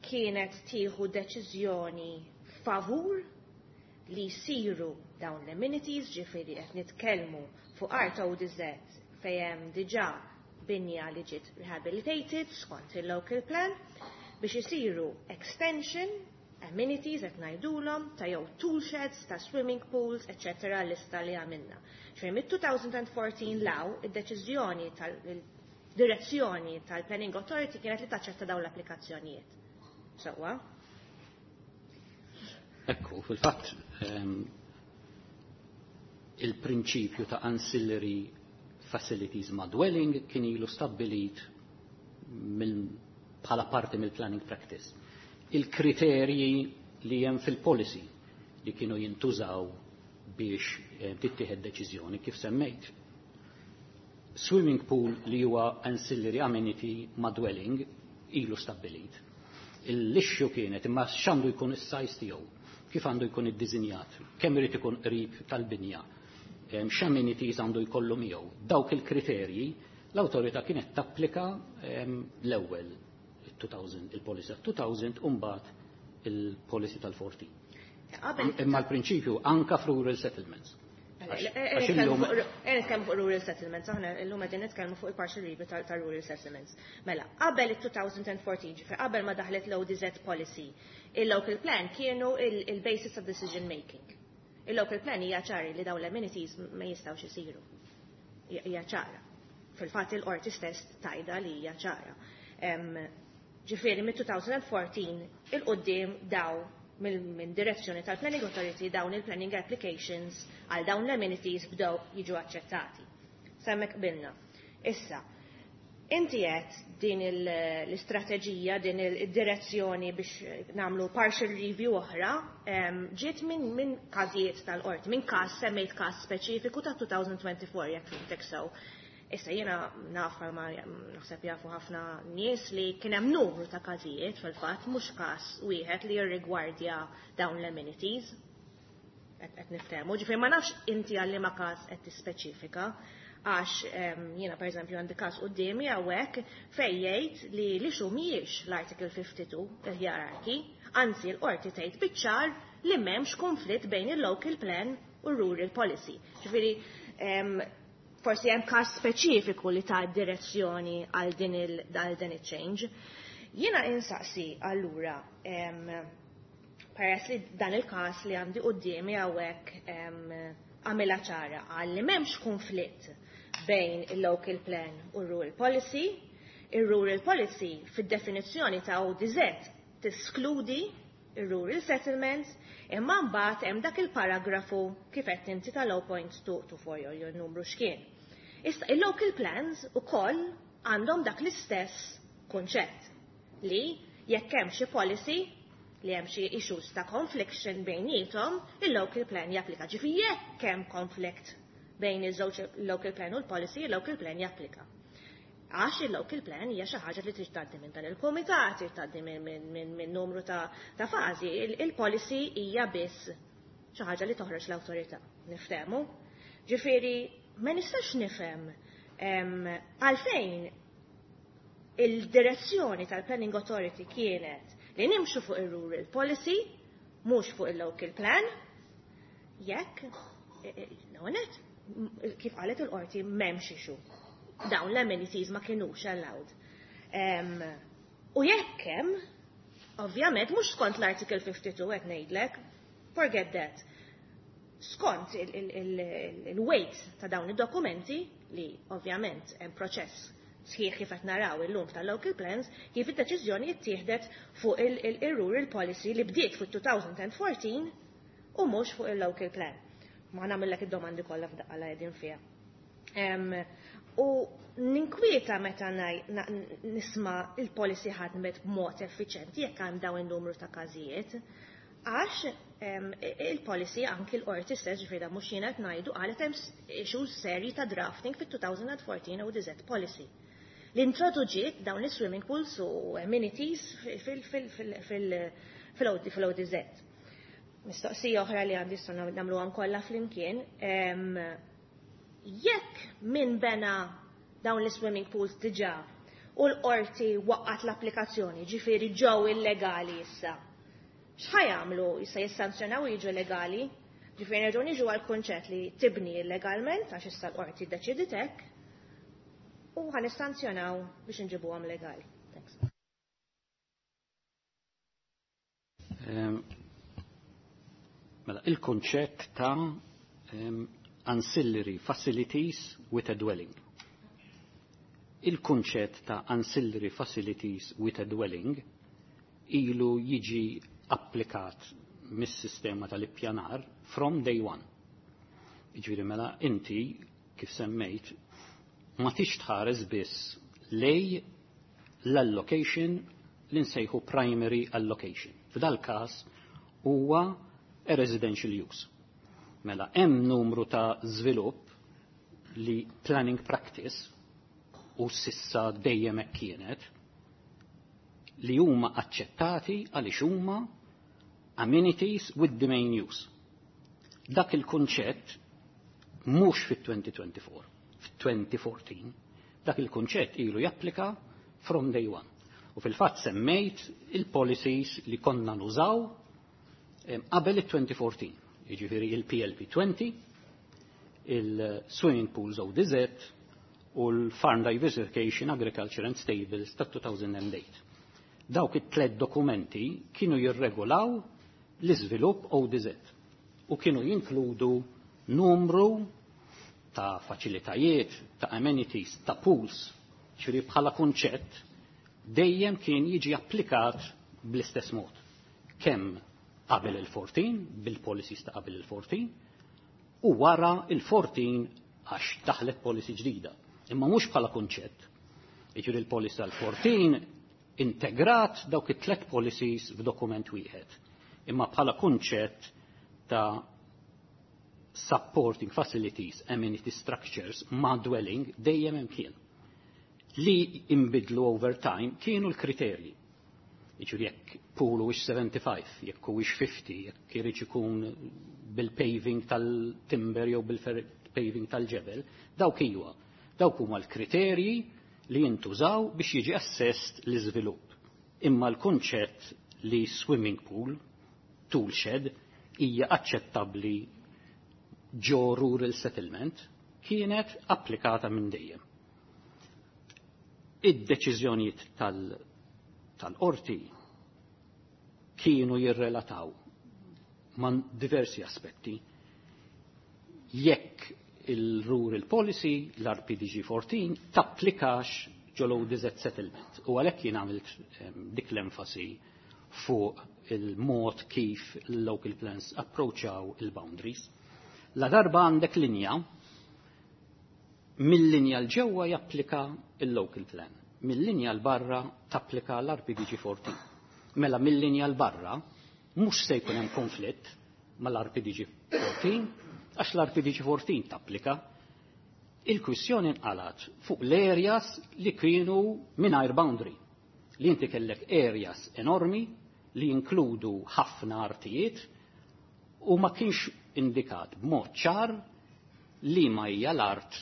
kienet tieħu deċiżjoni favur li jsiru dawn l-amenities, ġifieri qed nitkellmu fuq art O D Z fejn hemm diġà binja li ġiet rehabilitated skont il-local plan biex isiru extension amenities qed ngħidulhom ta' jew tool sheds, ta' swimming pools, et cetera lista li għamilna. Ġifieri mit-twenty fourteen law id-deċiżjoni tal-direzzjoni tal-Planning Authority kienet li taċċetta dawn l-applikazzjonijiet. Sewwa? Ekku, fil-fatt, ehm, il-prinċipju ta' ancillary facilities ma' dwelling kien ilu stabbilit bħala parti mill-planning practice. Il-kriterji li hemm fil-policy li kienu jintużaw biex eh, tittieħed deċiżjoni kif semmejt. Swimming pool li huwa ancillary amenity ma' dwelling ilu stabbilit. L-issue kienet imma x'għandu jkun is-size tiegħu, kif għandu jkun iddiżinjat, kemm irid ikun qrib tal-binja, x'amenities għandu jkollu miegħu. Dawk il-kriterji l-awtorità kienet tapplika l-ewwel il-policy tal-two thousand u mbagħad il-policy tal-fourteen. Imma l-prinċipju anka f'rural settlements. Nitkellmu fuq rural settlements, aħna llum qegħdin nitkellmu fuq il-partial review ta' rural settlements. Mela, qabel il-twenty fourteen, ġifier qabel ma daħlet l-O D Z policy, il-local plan kienu il-basis of decision making. Il-local plan hija ċari li dawn l-amenities ma jistgħux isiru. Hija ċara. Fil-fatt il-qorti stess tgħidha li hija ċara. Ġifieri mit-twenty fourteen il-qoddim daw minn direzzjoni tal-Planning Authority dawn il-planning applications għal dawn l-amenities bdew jiġu aċċettati. S'hemmhekk qbilna. Issa, inti qed din l-istrateġija, din il-direzzjoni biex nagħmlu partial review oħra, ġiet minn min każijiet tal-qorti, minn każ, semmejt każ speċifiku ta' twenty twenty-four, jekk fhimtek sew. Issa jiena naf, ma naħseb jafu ħafna nies, li kien hemm numru ta' każijiet fil-fatt, mhux każ wieħed li jirrigwardja dawn l-amenities. Qed niftehmu. Ġifieri ma nafx inti għal liema każ qed tispeċifika, għax jiena pereżempju għandi każ quddiemi hawnhekk fejn jgħid li li xu mhijiex l-Article fifty-two il-hierarchy, anzi l-qorti tgħid biċ-ċar li m'hemmx konflitt bejn il-local plan u rural policy. Ġifieri forsi hemm każ speċifiku li ta' direzzjoni għal din il għal din il-change. Jiena insaqsi allura, peress li dan il-każ li għandi quddiemi hawnhekk għamilha ċara għal li m'hemmx konflitt bejn il-local plan u rural policy, il-rural policy fid-definizzjoni ta' O D Z teskludi il-rural settlements, imma mbagħad hemm dak il-paragrafu kif qed inti tal-zero point two two four jew numru x'kien. Issa il-local plans ukoll għandhom dak l-istess kunċett li jekk hemm xi policy li hemm xi issues ta' confliction bejniethom, il-local plan japplika. Ġifieri jekk hemm conflict bejn iż-żewġ local plan u l-policy, il-local plan japplika. Għax il-local plan hija xi ħaġa li trid tgħaddi minn dan il-kumitat, trid tgħaddi minn numru ta' fażi. Il-policy hija biss xi ħaġa li toħroġ l-awtorità. Niftehmu? Ġifieri ma nistax nifhem għalfejn il-direzzjoni tal-Planning Authority kienet li nimxu fuq il-rural policy, mhux fuq il-local plan, jekk, l-għonet, kif qalet il-qorti, m'hemmx issue. Dawn l-amenities ma kienux allowed. U jekk hemm, ovvjament, mhux skont l-Article fifty-two qed ngħidlek, forget that. Skont il-weight ta' dawn id-dokumenti, li ovvjament hemm proċess sħiħ kif qed naraw illum tal-local plans, kif id-deċiżjoni ttieħdet fuq il-rural policy li bdiet fuq twenty fourteen u mhux fuq il-local plan. Ma nagħmellek id-domandi kollha f'daqqa la qegħdin fiha. U ninkwieta meta nisma' il-policy ħadmet b'mod effiċenti jekk hemm dawn in-numru ta' każijiet, għax il-policy, anki l-qorti stess, ġifieri mhux jiena qed ngħidu, qalet hemm issues serji ta' drafting fit-twenty fourteen O D Z policy li introduġiet dawn is-swimming pools u amenities fil-O D Z. Mistoqsija oħra li għandi, issa nagħmluhom kollha flimkien: jekk min bena dawn l-swimming pools diġà u l-qorti waqqat l-applikazzjoni, ġifieri ġew illegali issa, x'ħa jagħmlu issa? Jissanzjonaw jiġu legali? Ġifieri nerġgħu niġu għal kunċett li tibni illegalment għax issa l-qorti ddeċidiet hekk u ħa nissanzjonaw biex nġibuhom legali. Thanks. Ehm, mela, il-konċett ta' um, ancillary facilities with a dwelling. Il-konċett ta' ancillary facilities with a dwelling ilu jiġi applikat mis-sistema tal-ippjanar from day one. Iġviri mela inti, kif semmejt, ma tix tħares biss lejn l-allocation li nsejħu primary allocation. F'dal każ huwa a residential use. Mela hemm numru ta' żvilupp li planning practice u s'issa dejjem hekk kienet li huma aċċettati għaliex huma amenities with the main use. Dak il-kunċett mhux fit-twenty twenty-four, fit-twenty fourteen, dak il-kunċett ilu japplika from day one. U fil-fatt semmejt il-policies li konna nużaw qabel il-twenty fourteen, jiġifieri il-P L P twenty, il-Swimming Pools O D Z u l-Farm Diversification, Agriculture and Stables ta' two thousand eight. Dawk it-tlet dokumenti kienu jirregolaw l-iżvilupp O D Z u kienu jinkludu numru ta' faċilitajiet, ta' amenities, ta' pools, ġifieri bħala kunċett dejjem kien jiġi applikat bl-istess mod. Kemm qabel il-fourteen, bil-policies ta' qabel il-fourteen, u wara il-fourteen għax daħlet policy ġdida. Imma mhux bħala kunċett. Jiġifieri il-policy tal-fourteen integrat dawk it-tlet policies f'dokument wieħed. Imma bħala kunċett ta' supporting facilities, amenity structures, ma' dwelling, dejjem hemm kien. Li imbidlu over time kienu l-kriterji. Jiġifieri jekk pool huwiex seventy-five, jekk huwiex fifty, jekk irid ikun bil-paving tal-timber jew bil-paving tal-ġebel, dawk iwa. Dawk huma l-kriterji li jintużaw biex jiġi assessed l-iżvilupp. Imma l-kunċett li swimming pool, tool shed, hija aċċettabbli ġo rural settlement kienet applikata minn dejjem. Id-deċiżjonijiet tal-qorti tal kienu jirrelataw man diversi aspetti. Jekk il-Rural Policy, l-R P D G fourteen, tapplikax ġol O D Z settlement. U għalhekk jien għamilt dik l-enfasi fuq il-mod kif il-local plans approachaw il-boundaries. La darba għandek linja, mill-linja l-ġewwa japplika il-local plan, mill-linja l-barra tapplika l-R P D G fourteen. Mela mill-linja 'l barra mhux se jkun hemm konflitt mal-R P D G fourteen, għax l-R P D G fourteen tapplika. Il-kwissjoni nqalat fuq l-areas li kienu mingħajr boundary. Li inti kellek areas enormi li jinkludu ħafna artijiet u ma kienx indikat b'mod ċar li ma hija l-art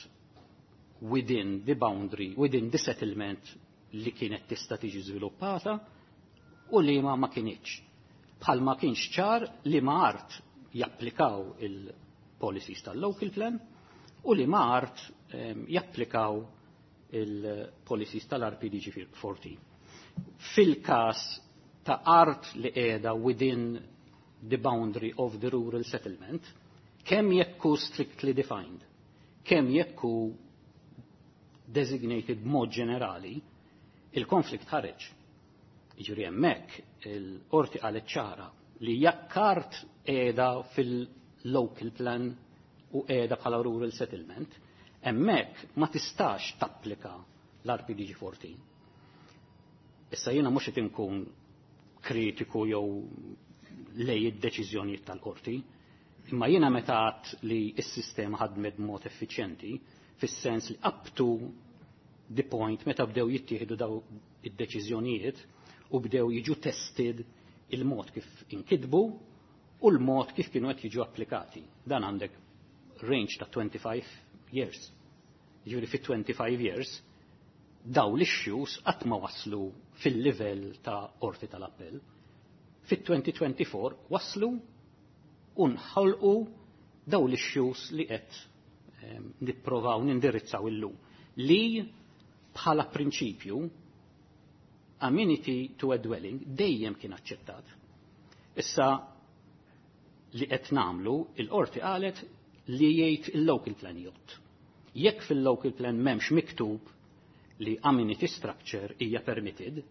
within the boundary, within the settlement li kienet tista' tiġi żviluppata u li ma ma kinitx. Bħal ma kienx ċar li ma art japplikaw il-policies tal-local plan u li ma art um, japplikaw il-policies tal-R P D G fourteen. Fil-kas ta' art li qiegħda within the boundary of the rural settlement, kemm jekk hu strictly defined, kemm jekk hu designated mod ġenerali, il-konflikt ħareġ. Jiġifieri hemmhekk il-qorti qalet ċara li jekk art qiegħda fil-local plan u qiegħda bħala rural settlement, hemmhekk ma tistax tapplika l-R P D G fourteen. Issa jiena mhux qed inkun kritiku jew lej id-deċiżjonijiet tal-qorti, imma jiena meta għedt li s-sistema ħadmet b'mod effiċjenti, fis-sens li up to the point meta bdew jittieħdu daw id-deċiżjonijiet u bdew jiġu tested il-mod kif inkitbu u l-mod kif kienu qed jiġu applikati. Dan għandek range ta' twenty-five years. Jiġifieri fi twenty-five years daw l-issues qatt ma waslu fil-livell ta' qorti tal-appell. Fit-twenty twenty-four waslu u nħolqu daw l-issues li qed ehm, nipprovaw nindirizzaw illum. Li bħala prinċipju amenity to a dwelling dejjem kien aċċettat. Issa li qed nagħmlu, il-qorti qalet li jgħid il-local plan jgħod. Jekk fil-local plan m'hemmx miktub li amenity structure hija permitted,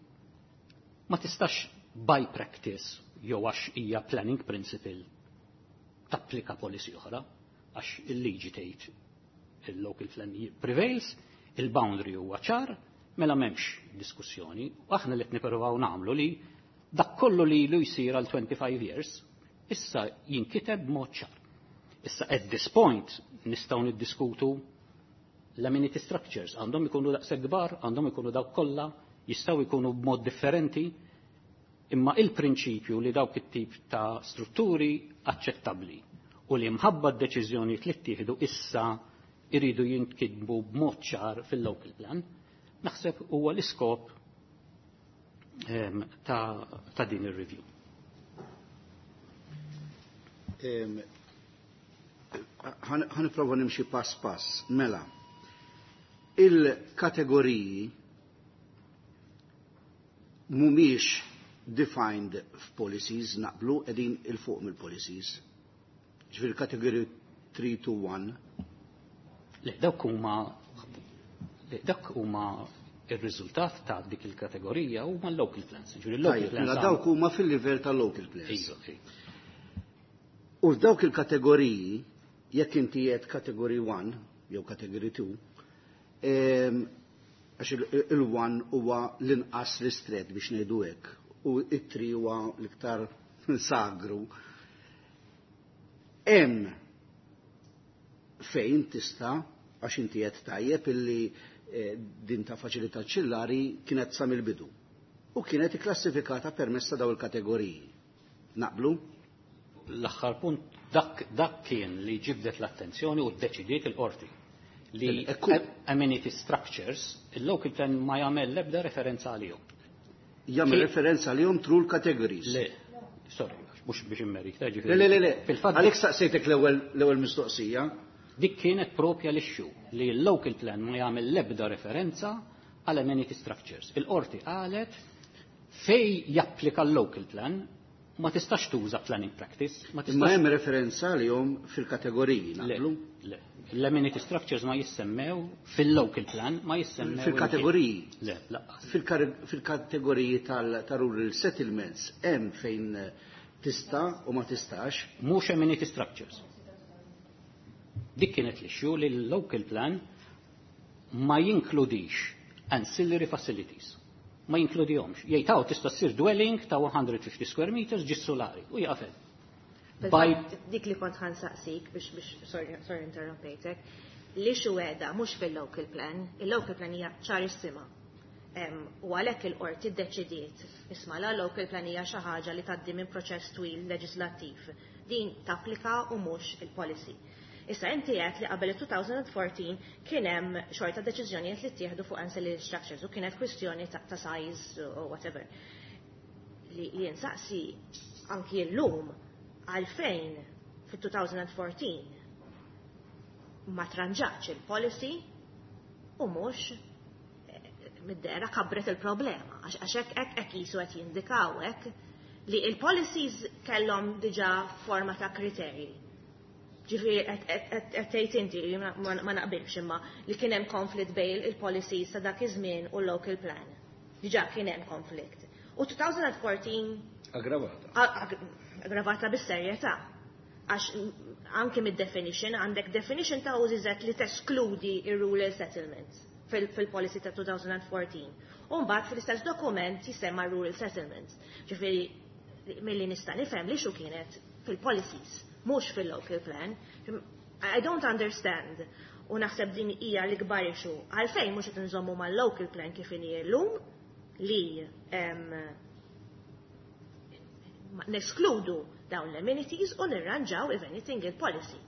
ma tistax by practice jew għax hija planning principle tapplika policy oħra, għax il-liġi tgħid il-local plan prevails, il-boundary huwa ċar, mela m'hemmx diskussjoni. U aħna li qed nippruvaw nagħmlu li dak kollu li ilu jsir għal twenty-five years, issa jinkiteb b'mod ċar. Issa at this point nistgħu niddiskutu l-amenity structures għandhom ikunu daqshekk kbar, għandhom ikunu dawk kollha, jistgħu jkunu b'mod differenti, imma il-prinċipju li dawk it-tip ta' strutturi aċċettabbli u li mħabba d-deċiżjonijiet li ttieħdu issa iridu jinkitbu b'mod ċar fil-local plan, naħseb huwa l-iskop ta', ta din ir-review. Ħa nipprova nimxi pass pass. Mela, il-kategoriji mhumiex defined f'policies, naqblu, qegħdin 'il fuq mill-policies. Ġifieri kategoriji three to one. Le, dawk huma le, dak huma ir-riżultat ta' dik il-kategorija huma l-local plans. Ġifieri l-local Tajjeb, plans. Mela dawk huma fil-livell tal-local plans. Iva, iva. U f'dawk il-kategoriji, jekk inti qed category one jew category two, em, għax il-one huwa l-inqas ristret biex ngħidu hekk, u it-three huwa l-iktar sagru. Hemm fejn tista', għax inti qed tajjeb illi eh, din ta' faċilità aċċillari kienet sa mill-bidu u kienet ikklassifikata permezz ta' daw il-kategoriji. Naqblu? L-aħħar punt dak, dak kien li ġibdet l-attenzjoni u ddeċidiet il-qorti li Ekku. Amenity structures, il-local plan ma jagħmel l-ebda referenza għalihom. Jagħmel Ki- referenza għalihom through l-categories. Le, sorry, mhux biex immerik, ta' Le, le, le, le. Fil-fatt Għalhekk staqsejtek l-ewwel l-ewwel mistoqsija. Dik kienet propja l-issue li l-local plan ma jagħmel l-ebda referenza għal amenity structures. Il-qorti qalet fej japplika l-local plan ma tistax tuża planning practice, ma Imma tistax hemm referenza għalihom fil-kategoriji, Le, naqblu? le. L-amenity structures ma jissemmew fil-local plan, ma jissemmew Fil-kategoriji. Le, lanqas. Fil-kar- Fil-kategoriji tal-rural settlements hemm fejn eh, tista' u ma tistax. Mhux amenity structures. Dik kienet l-issue li l-local plan ma jinkludix ancillary facilities. Ma jinkludihomx. Jgħid hawn tista' ssir dwelling ta' one hundred fifty square meters ġis solari u jaqfel. By- Dik li kont ħa nsaqsik biex biex sorry, sorry interrompejtek, li xweda mhux fil-local plan, il-local plan hija ċarissima. Em, U għalhekk il-qorti ddeċidiet, isma' la local plan hija xi ħaġa li tgħaddi minn proċess twil leġislattiv. Din tapplika u mhux il-policy. Issa inti għedt li qabel il-twenty fourteen kien hemm xorta deċiżjonijiet li ttieħdu fuq ancillary structures u kienet kwistjoni ta', ta size or whatever. Li li nsaqsi anki l-lum għalfejn fit-twenty fourteen ma tranġax il-policy u mhux eh, mid-dera kabret il-problema. Għax għax hekk hekk hekk jisu qed jindikaw hekk li il-policies kellhom diġà forma ta' kriterji. Ġifieri qed tgħid inti ma ma naqbilx imma li kien hemm konflitt bejn il-policies ta' dak iż-żmien u l-local plan. Diġà kien hemm konflitt. U twenty fourteen Aggravata. ag- aggravata bis-serjetà. Għax anki mid-definition, għandek definition ta' U Z Z li teskludi ir-rural settlements fil- fil-policy ta' twenty fourteen. U mbagħad fil-istess dokument jisemma rural settlements. Ġifieri milli nista' nifhem li xu kienet fil-policies, mhux fil-local plan. I don't understand. U naħseb din hija l-ikbar issue. Għalfejn mhux qed nżommu mal-local plan kif inhi llum li em, ma- neskludu dawn l-amenities u nirranġaw if anything il-policy.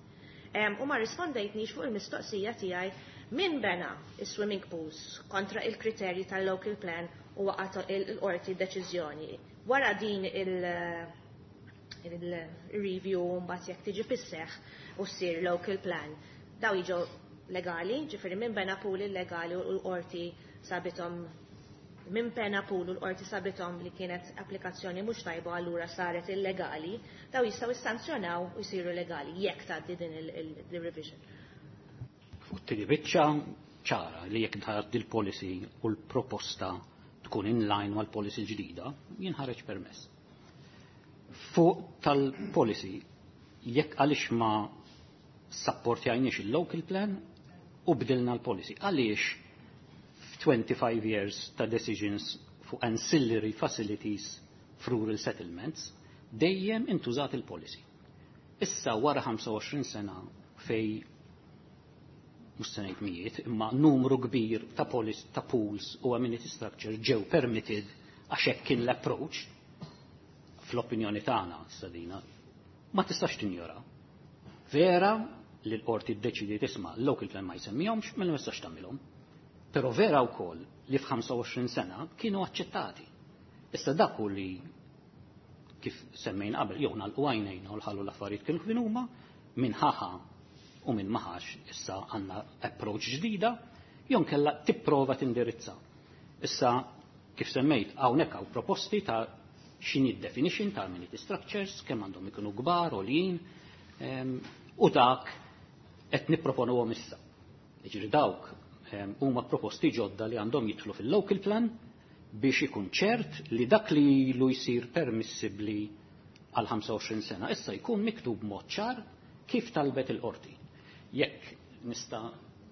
Um, u ma rispondejtnix fuq il-mistoqsija tiegħi min bena il-swimming pools kontra il-kriterji tal-local plan u waqgħet il-qorti deċiżjoni. Wara din il- il-review mbagħad jekk tiġi fis-seħħ u ssir local plan. Daw jiġu legali, ġifieri min bena pool illegali u l-qorti sabithom min bena pool u l-qorti sabithom li kienet applikazzjoni mhux tajba, allura saret illegali, daw jistgħu jissanzjonaw u jsiru legali jekk tgħaddi din il-revision. Fuq it-tieni biċċa ċara li jekk tgħaddi l-policy u l-proposta tkun in line mal-policy ġdida, jinħareġ permess. Fuq tal-policy, jekk għaliex ma supportjajniex il-local plan u bdilna l-policy. Għaliex f twenty-five years ta' decisions fuq ancillary facilities f'rural settlements, dejjem intużat il-policy. Issa wara ħamsa u għoxrin sena fej mhux se ngħid mijiet, imma numru kbir ta' polis, ta' pools u amenity structure ġew permitted għax hekk kien l-approach, fl-opinjoni tagħna sadina ma tistax tinjora. Vera li l-qorti ddeċidiet tisma' l-local plan ma jsemmihomx, mela ma tistax tagħmilhom. Però vera wkoll li f' ħamsa u għoxrin sena kienu aċċettati. Issa dak hu li kif semmejn qabel, jew nagħlqu għajnejna u nħallu l-affarijiet kienu kif huma, minn ħaħa u minn maħax issa għandna approach ġdida, jew kella tipprova tindirizza. Issa kif semmejt, hawnhekk hawn proposti ta' x'inhi definition ta' amenity structures, kemm għandhom ikunu kbar, għoljin, em, u dak qed nipproponuhom issa. Jiġri dawk em, huma proposti ġodda li għandhom jidħlu fil-local plan biex ikun ċert li dak li ilu jsir permissibbli għal ħamsa u għoxrin sena issa jkun miktub mod ċar kif talbet il-qorti. Jekk nista'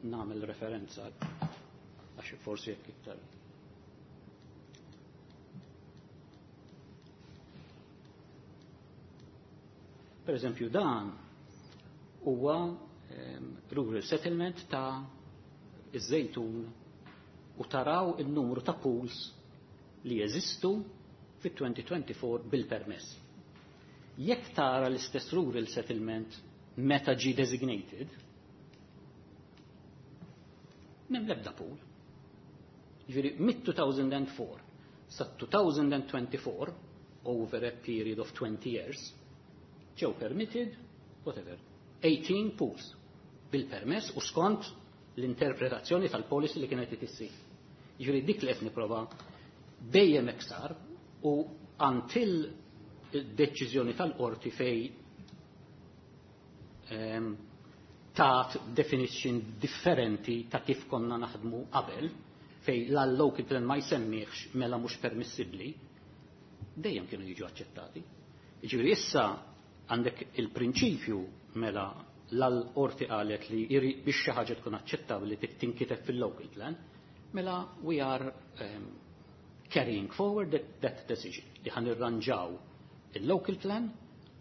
nagħmel referenza għax forsi jekk iktar. Per eżempju dan huwa um, rural settlement ta' iż-Żejtun u taraw il-numru ta' pools li jeżistu fit-twenty twenty-four bil-permess. Jekk tara l-istess rural settlement meta ġi designated, m'hemm l-ebda pool. Ġifieri mid-two thousand four sa twenty twenty-four, over a period of twenty years, ġew permitted, whatever, eighteen pools bil-permess u skont l-interpretazzjoni tal-policy li kienet issir. Ġifieri dik li qed nipprova dejjem eksar u until deċiżjoni tal-qorti fej um, tat definition differenti ta' kif konna naħdmu qabel, fej l-local plan ma jsemmiħx mela mhux permissibbli, dejjem kienu jiġu aċċettati. Ġifieri issa għandek il-prinċipju mela l-qorti qalet li biex xi ħaġa tkun aċċettabbli tinkiteb fil-local plan, mela we are um, Carrying forward that, that decision li ħa nirranġaw il-local plan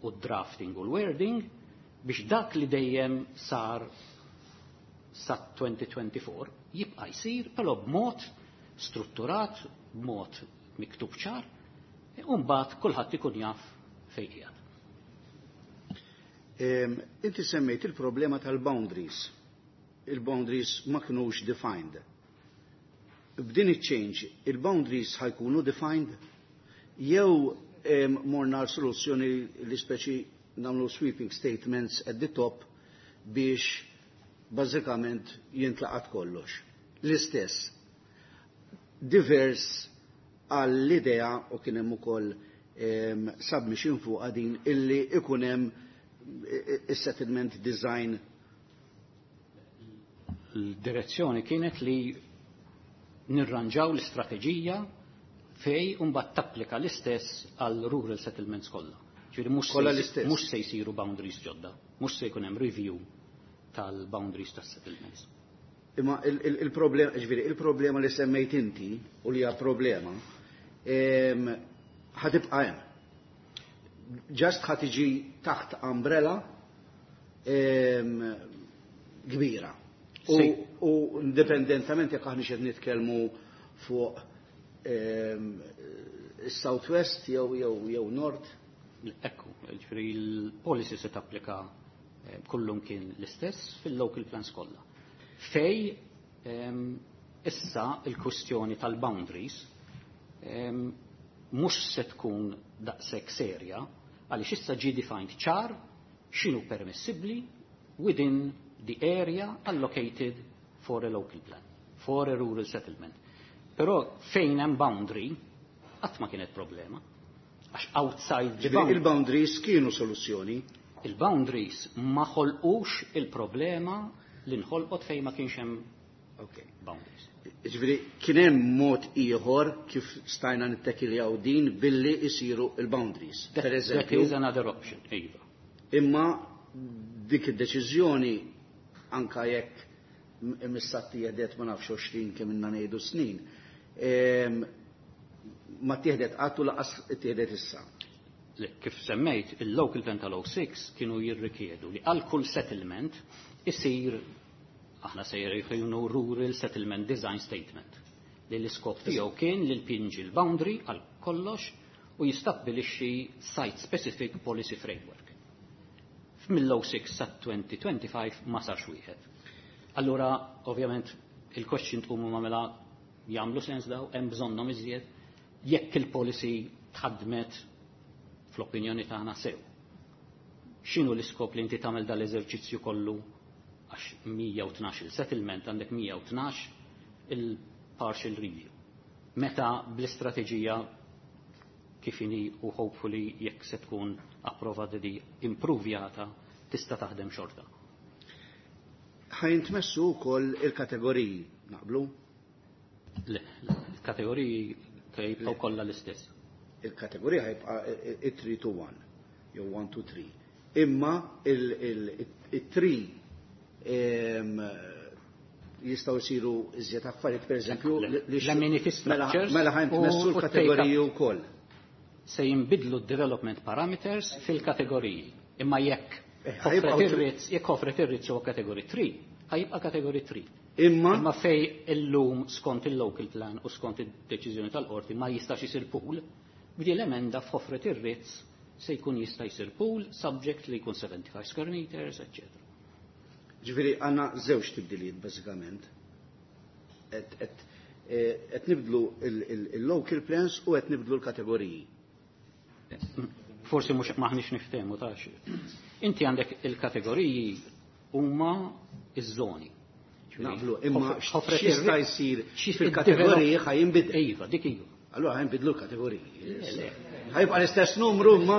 u drafting u l-wording biex dak li dejjem sar sa elfejn u erbgħa u għoxrin jibqa' jsir, però b'mod strutturat, b'mod miktub ċar, u mbagħad kulħadd ikun jaf fejn qiegħed. Inti semmejt il-problema tal-boundaries. Il-boundaries ma kinux defined. B'din il-change, il-boundaries ħa jkunu defined jew morna soluzzjoni li speċi nagħmlu sweeping statements at the top biex bażikament jintlaqat kollox? L-istess. Divers għall-idea u kien hemm ukoll submission fuq din illi ikun hemm is-settlement design. L-direzzjoni kienet li nirranġaw l-istrateġija fej mbagħad tapplika l-istess għal rural settlements kollha. Ġifieri mhux se mhux se jsiru boundaries ġodda, mhux se jkun hemm review tal-boundaries tas-settlements. Imma il-problema, ġifieri, il-problema li semmejt inti u li hija problema, ħa tibqa' hemm. Just ħa tiġi taħt umbrella kbira. U indipendentament jekk aħna qed nitkellmu fuq is-Southwest jew jew jew North. Ekku, ġifieri l-policy se tapplika eh, kullum kien l-istess fil-local plans kollha. Fej issa il-kwestjoni tal-boundaries mhux se tkun daqshekk serja għaliex issa ġie defined ċar x'inhu permissibbli within the area allocated for a local plan, for a rural settlement. Però fejn hemm boundary qatt ma kienet problema. Għax outside the boundary. Il-boundaries kienu soluzzjoni. Il-boundaries ma ħolqux il-problema li nħolqot fejn ma kienx hemm okay. boundaries. Ġifieri, kien hemm mod ieħor kif stajna nittekiljaw din billi isiru il-boundaries. Per eżempju. That is another option, iva. Imma dik id-deċiżjoni, anka jekk missatti jedet ma nafx għoxrin kemm inna ngħidu snin, ma tieħdet qatt u lanqas tieħdet issa. Kif semmejt, il-local plan tal-oh six kienu jirrikjedu li għal kull settlement isir, aħna se jkunu, Rural Settlement Design Statement li l-iskop tiegħu kien li jpinġi l-boundary għal kollox u jistabbilixxi site specific policy framework. Mill-oh six sa elfejn u ħamsa u għoxrin ma sarx wieħed. Allura, ovvjament, il-question tqumu ma mela jagħmlu sens daw, hemm bżonnhom iżjed jekk il-policy tħadmet fl-opinjoni tagħna sew? X'inhu l-iskop li inti tagħmel dal-eżerċizzju kollu, għax mija u tnax il-settlement għandek mija u tnax il-partial review? Meta bl-istrateġija kif inhi u hopefully jekk se tkun approvata di improvjata tista' taħdem xorta. Ħa jintmessu wkoll il-kategoriji, naqblu? Le, il-kategoriji jibqgħu kollha l-istess. Il-kategorija ħa jibqa' it-three to one, jew one to three. Imma il-three jistgħu jsiru iżjed affarijiet, per eżempju, l-amenity structures. Mela ħa jintmessu l-kategoriji wkoll. Se jinbidlu development parameters fil-kategoriji. Imma jekk eh, jekk Ħofret ir-Rizz huwa kategorija tlieta, ħa jibqa' kategorija tlieta. Imma Imma fej illum skont il-local plan u skont id-deċiżjoni tal-qorti ma jistax isir pool, b'di l-emenda f'Ħofret ir-Rizz se jkun jista' jsir pool subject li jkun seventy-five square meters, eccetera. Ġifieri għandna żewġ tibdiliet bażikament. Et nibdlu il-local plans u qed nibdlu l-kategoriji. Forsi mhux maħniex niftehmu tax. Inti għandek il-kategoriji huma iż-żoni. Naqblu, imma x'jista' jsir fil-kategoriji ħa jinbidel. Iva, dik iva. Allura ħa jinbidlu l-kategoriji. Ħa jibqa' l-istess numru imma.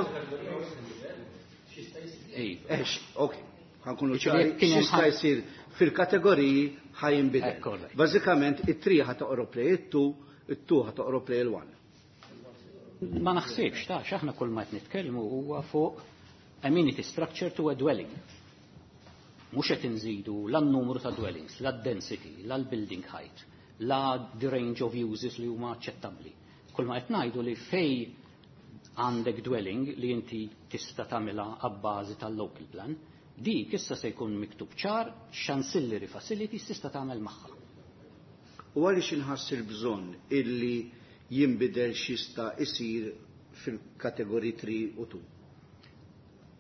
Iva. Ok, ħa nkunu ċari, x'jista' jsir fil-kategoriji ħa jinbidel. Bażikament it-three ħa toqrob lejn it-two, it-two ħa toqrob lejn il-one. Ma naħsibx, ta' x'aħna kull ma qed nitkellmu huwa fuq amenity structure to a dwelling. Mhux qed inżidu la n-numru ta' dwellings, la density, la l-building height, la the range of uses li huma aċċettabbli. Kull ma qed ngħidu li fej għandek dwelling li inti tista' tagħmilha abbażi tal-local plan, dik issa se jkun miktub ċar x'ancillary facilities tista' tagħmel magħha. U għaliex inħass il-bżonn illi jinbidel x'jista' isir fil-kategoriji tlieta u tnejn?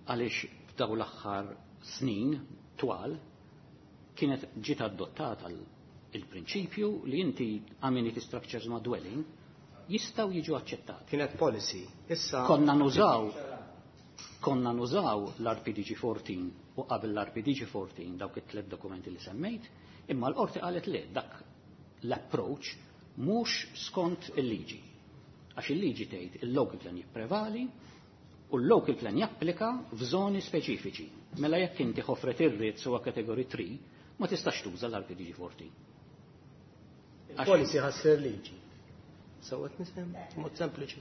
Għaliex f'daw l-aħħar snin twal kienet ġiet adottata il-prinċipju li inti amenity structures ma' dwelling jistgħu jiġu aċċettati. Kienet policy. Issa Konna nużaw konna nużaw l-R P D G erbatax u qabel l-R P D G erbatax dawk it-tliet dokumenti li semmejt, imma l-qorti qalet li dak l-approach mhux skont il-liġi. Għax il-liġi tgħid il-local plan jipprevali u l-local plan japplika f'żoni speċifiċi. Mela jekk inti ħofret ir-Ritz huwa kategori tlieta, ma tistax tuża l-R P D G erbatax. Il-policy ħa ssir liġi. Sewwa nifhem, mod sempliċi.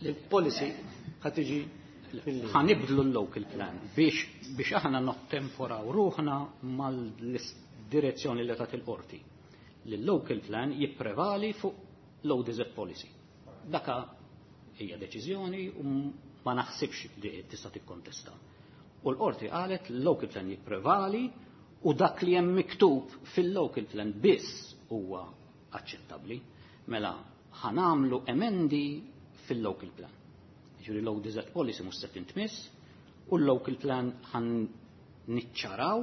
Il-policy ħa tiġi fil-liġi. Ħa nibdlu l-local plan biex biex aħna nottemporaw ruħna mal-direzzjoni li tat il-qorti. Li l-local plan jipprevali fuq l-O D Z policy. Daka hija deċiżjoni u ma naħsibx li tista' tikkontesta. U l-qorti qalet l-local plan jipprevali u dak li hemm miktub fil-local plan biss huwa aċċettabbli. Mela ħa nagħmlu emendi fil-local plan. Ġifieri l-O D Z policy mhux se tintmiss u l-local plan ħa niċċaraw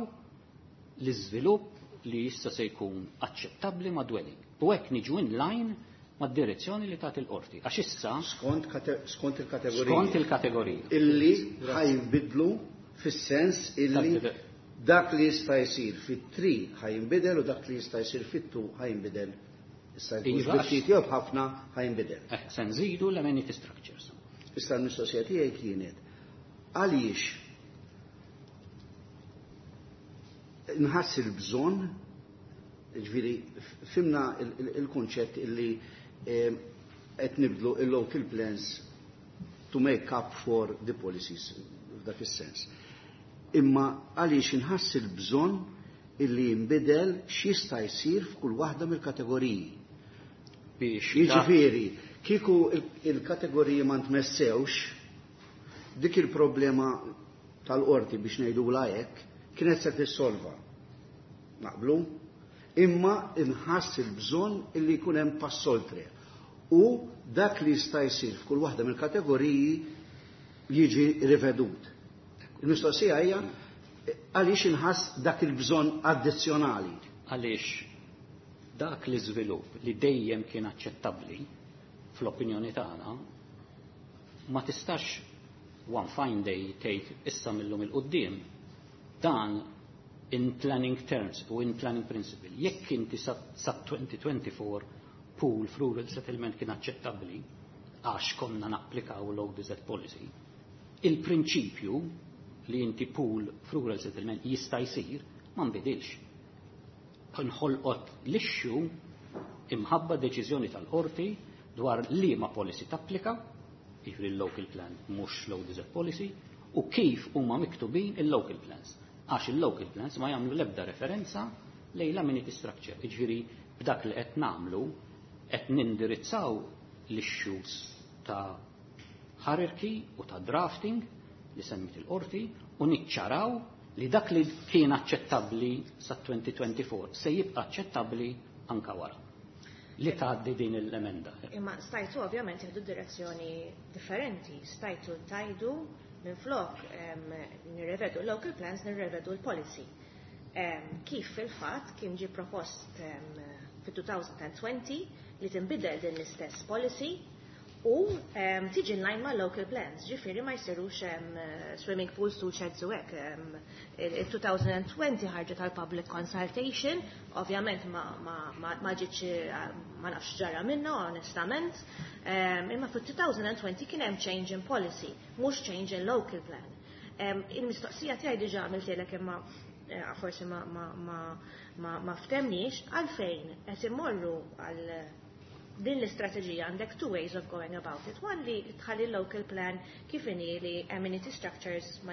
l-iżvilupp li issa se jkun aċċettabbli ma' dwelling. U hekk niġu in line mad-direzzjoni li tagħti il-qorti. Għax issa Skont kate- skont il-kategorija. Skont il-kategorija. Illi ħa jinbidlu fis-sens illi Tad- dak li jista' jsir fit-tlieta ħa jinbidel u dak li jista' jsir fit-tnejn ħa jinbidel. Issa jkun Iva, biftit jew b'ħafna ħa jinbidel. Eh, se nżidu l-amenity structures. Issa l-mistoqsija tiegħi kienet għaliex nħass il-bżonn, ġifieri fhimna il-kunċett illi eh, qed nibdlu il-local plans to make up for the policies f'dak is-sens. Imma għaliex inħass il-bżonn illi jinbidel x'jista' jsir f'kull waħda mill-kategoriji? Biex Jiġifieri, kieku il-kategoriji ma ntmessewx, dik il-problema tal-qorti, biex ngħidu hekk, kienet se tissolva. Naqblu? Imma inħass il-bżonn illi jkun hemm pass oltre. U dak li jista' jsir f'kull waħda mill-kategoriji jiġi rivedut. Il-mistoqsija hija għaliex inħass dak il-bżonn addizzjonali? Għaliex dak l-iżvilupp li dejjem kien aċċettabbli fl-opinjoni tagħna ma tistax one fine day tgħid issa millum 'il quddiem dan in planning terms u in planning principle. Jekk inti sa elfejn u erbgħa وعشرين pool f'rural settlement kien aċċettabbli għax konna napplikaw l-O D Z policy, il-prinċipju li inti pool f'rural settlement jista' jsir ma nbidilx. Nħolqot l-issue imħabba deċiżjoni tal-qorti dwar li ma policy tapplika, jiġifieri l-local plan mhux l-O D Z policy, u kif huma miktubin il-local plans. Għax il-local plans ma jagħmlu l-ebda referenza lejn l-amenity structure. Jiġifieri b'dak li qed nagħmlu qed nindirizzaw l-issues ta' hierarchy u ta' drafting li semmit il-qorti u niċċaraw li dak li kien aċċettabbli sa elfejn u erbgħa وعشرين se jibqa' aċċettabbli anka wara li tgħaddi din l-emenda. Imma stajtu ovvjament jieħdu direzzjoni differenti, stajtu tgħidu minn flok nirrevedu local plans, nirrevedu l-policy. Kif fil-fatt kien ġi propost fil-elfejn u għoxrin li tinbidel din l-istess policy u tiġi in line ma' local plans, ġifieri ma jsirux swimming pools, tool sheds u hekk. Il-elfejn u għoxrin ħarġet għal public consultation, ovvjament ma, ma, ma, ma ġietx, ma nafx ġara minna, onestament, imma fil-elfejn u għoxrin kien hemm change in policy, mhux change in local plan. Il-mistoqsija tiegħi diġà għamiltilek imma eh, forsi ma, ma, ma, ma, ma ftemniex għalfejn qed immorru għal Din l-istrateġija għandek two ways of going about it. One li tħalli local plan kif inhi li amenity structures ma,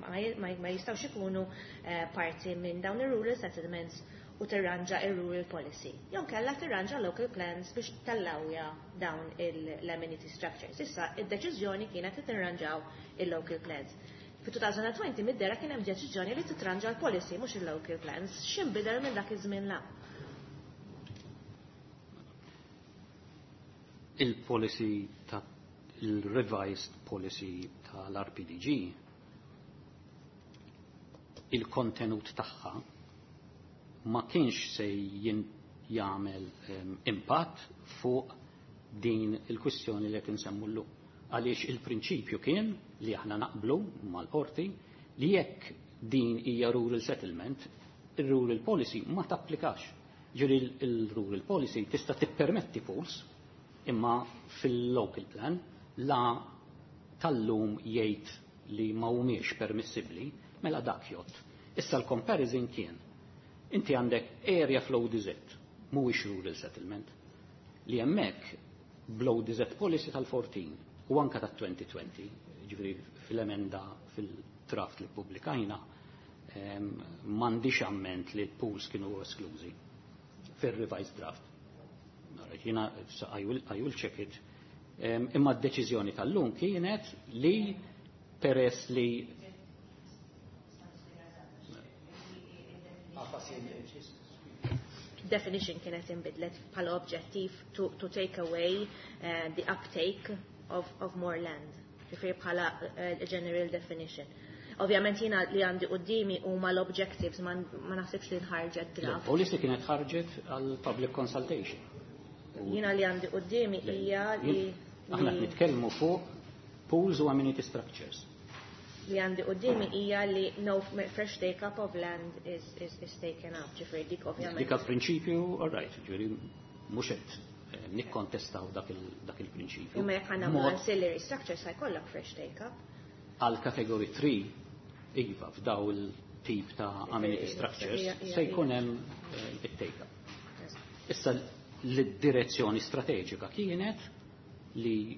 ma, ma jistgħux ikunu uh, parti minn dawn ir-rural settlements u tirranġa ir-rural policy. Jew kellha tirranġa local plans biex tallawja dawn l-amenity structures. Issa, id-deċiżjoni kienet li tirranġaw il-local plans. Fi twenty twenty mid-dehra kien hemm deċiżjoni li titranġa l-policy, mhux il-local plans. X'inbidel minn dak iż-żmien la? Il-policy ta' il-revised policy tal-R P D G, il-kontenut tagħha ma kienx se jagħmel um, impatt fuq din il-kwistjoni li qed insemmu llum. Għaliex il-prinċipju kien li aħna naqblu mal-qorti li jekk din hija rural settlement, il-rural policy ma tapplikax. Ġifieri il-rural policy tista' tippermetti pools, imma fil-local plan la tal-lum jgħid li ma humiex permissibbli, mela dak jgħodd. Issa l-comparison kien inti għandek area fl-O D Z, mhuwiex rural settlement, li hemmhekk bl-O D Z policy tal-fourteen u anka tat-twenty twenty, ġifieri fil-emenda fil-draft li pubblikajna, m'għandix amment li l-pools kienu esklużi fil-revised draft. Jiena, I will, I will check it. Imma d-deċiżjoni tal-lum kienet li peress li Definition kienet inbidlet bħala objective to, to take away uh, the uptake of, of more land. Ġifieri bħala uh, general definition. Ovvjament jiena li għandi qudiemi huma l-objectives, ma, ma naħsibx li nħarġet draft. Policy kienet ħarġet għal public consultation. Jiena li għandi qudiemi hija li Aħna nitkellmu fuq pools u amenity structures. Li għandi qudiemi hija li no fresh take up of land is, is, is taken up. Ġifieri dik ovvjament. Dik prinċipju, all right, ġifieri mhux qed eh, nikkontestaw dak il-prinċipju. Imma jekk għandna ancillary structures sa jkollok fresh take up. Għal category three, iva, f'daw il-tip ta' amenity structures se jkun hemm eh, it-take up. Issa l-direzzjoni strateġika kienet li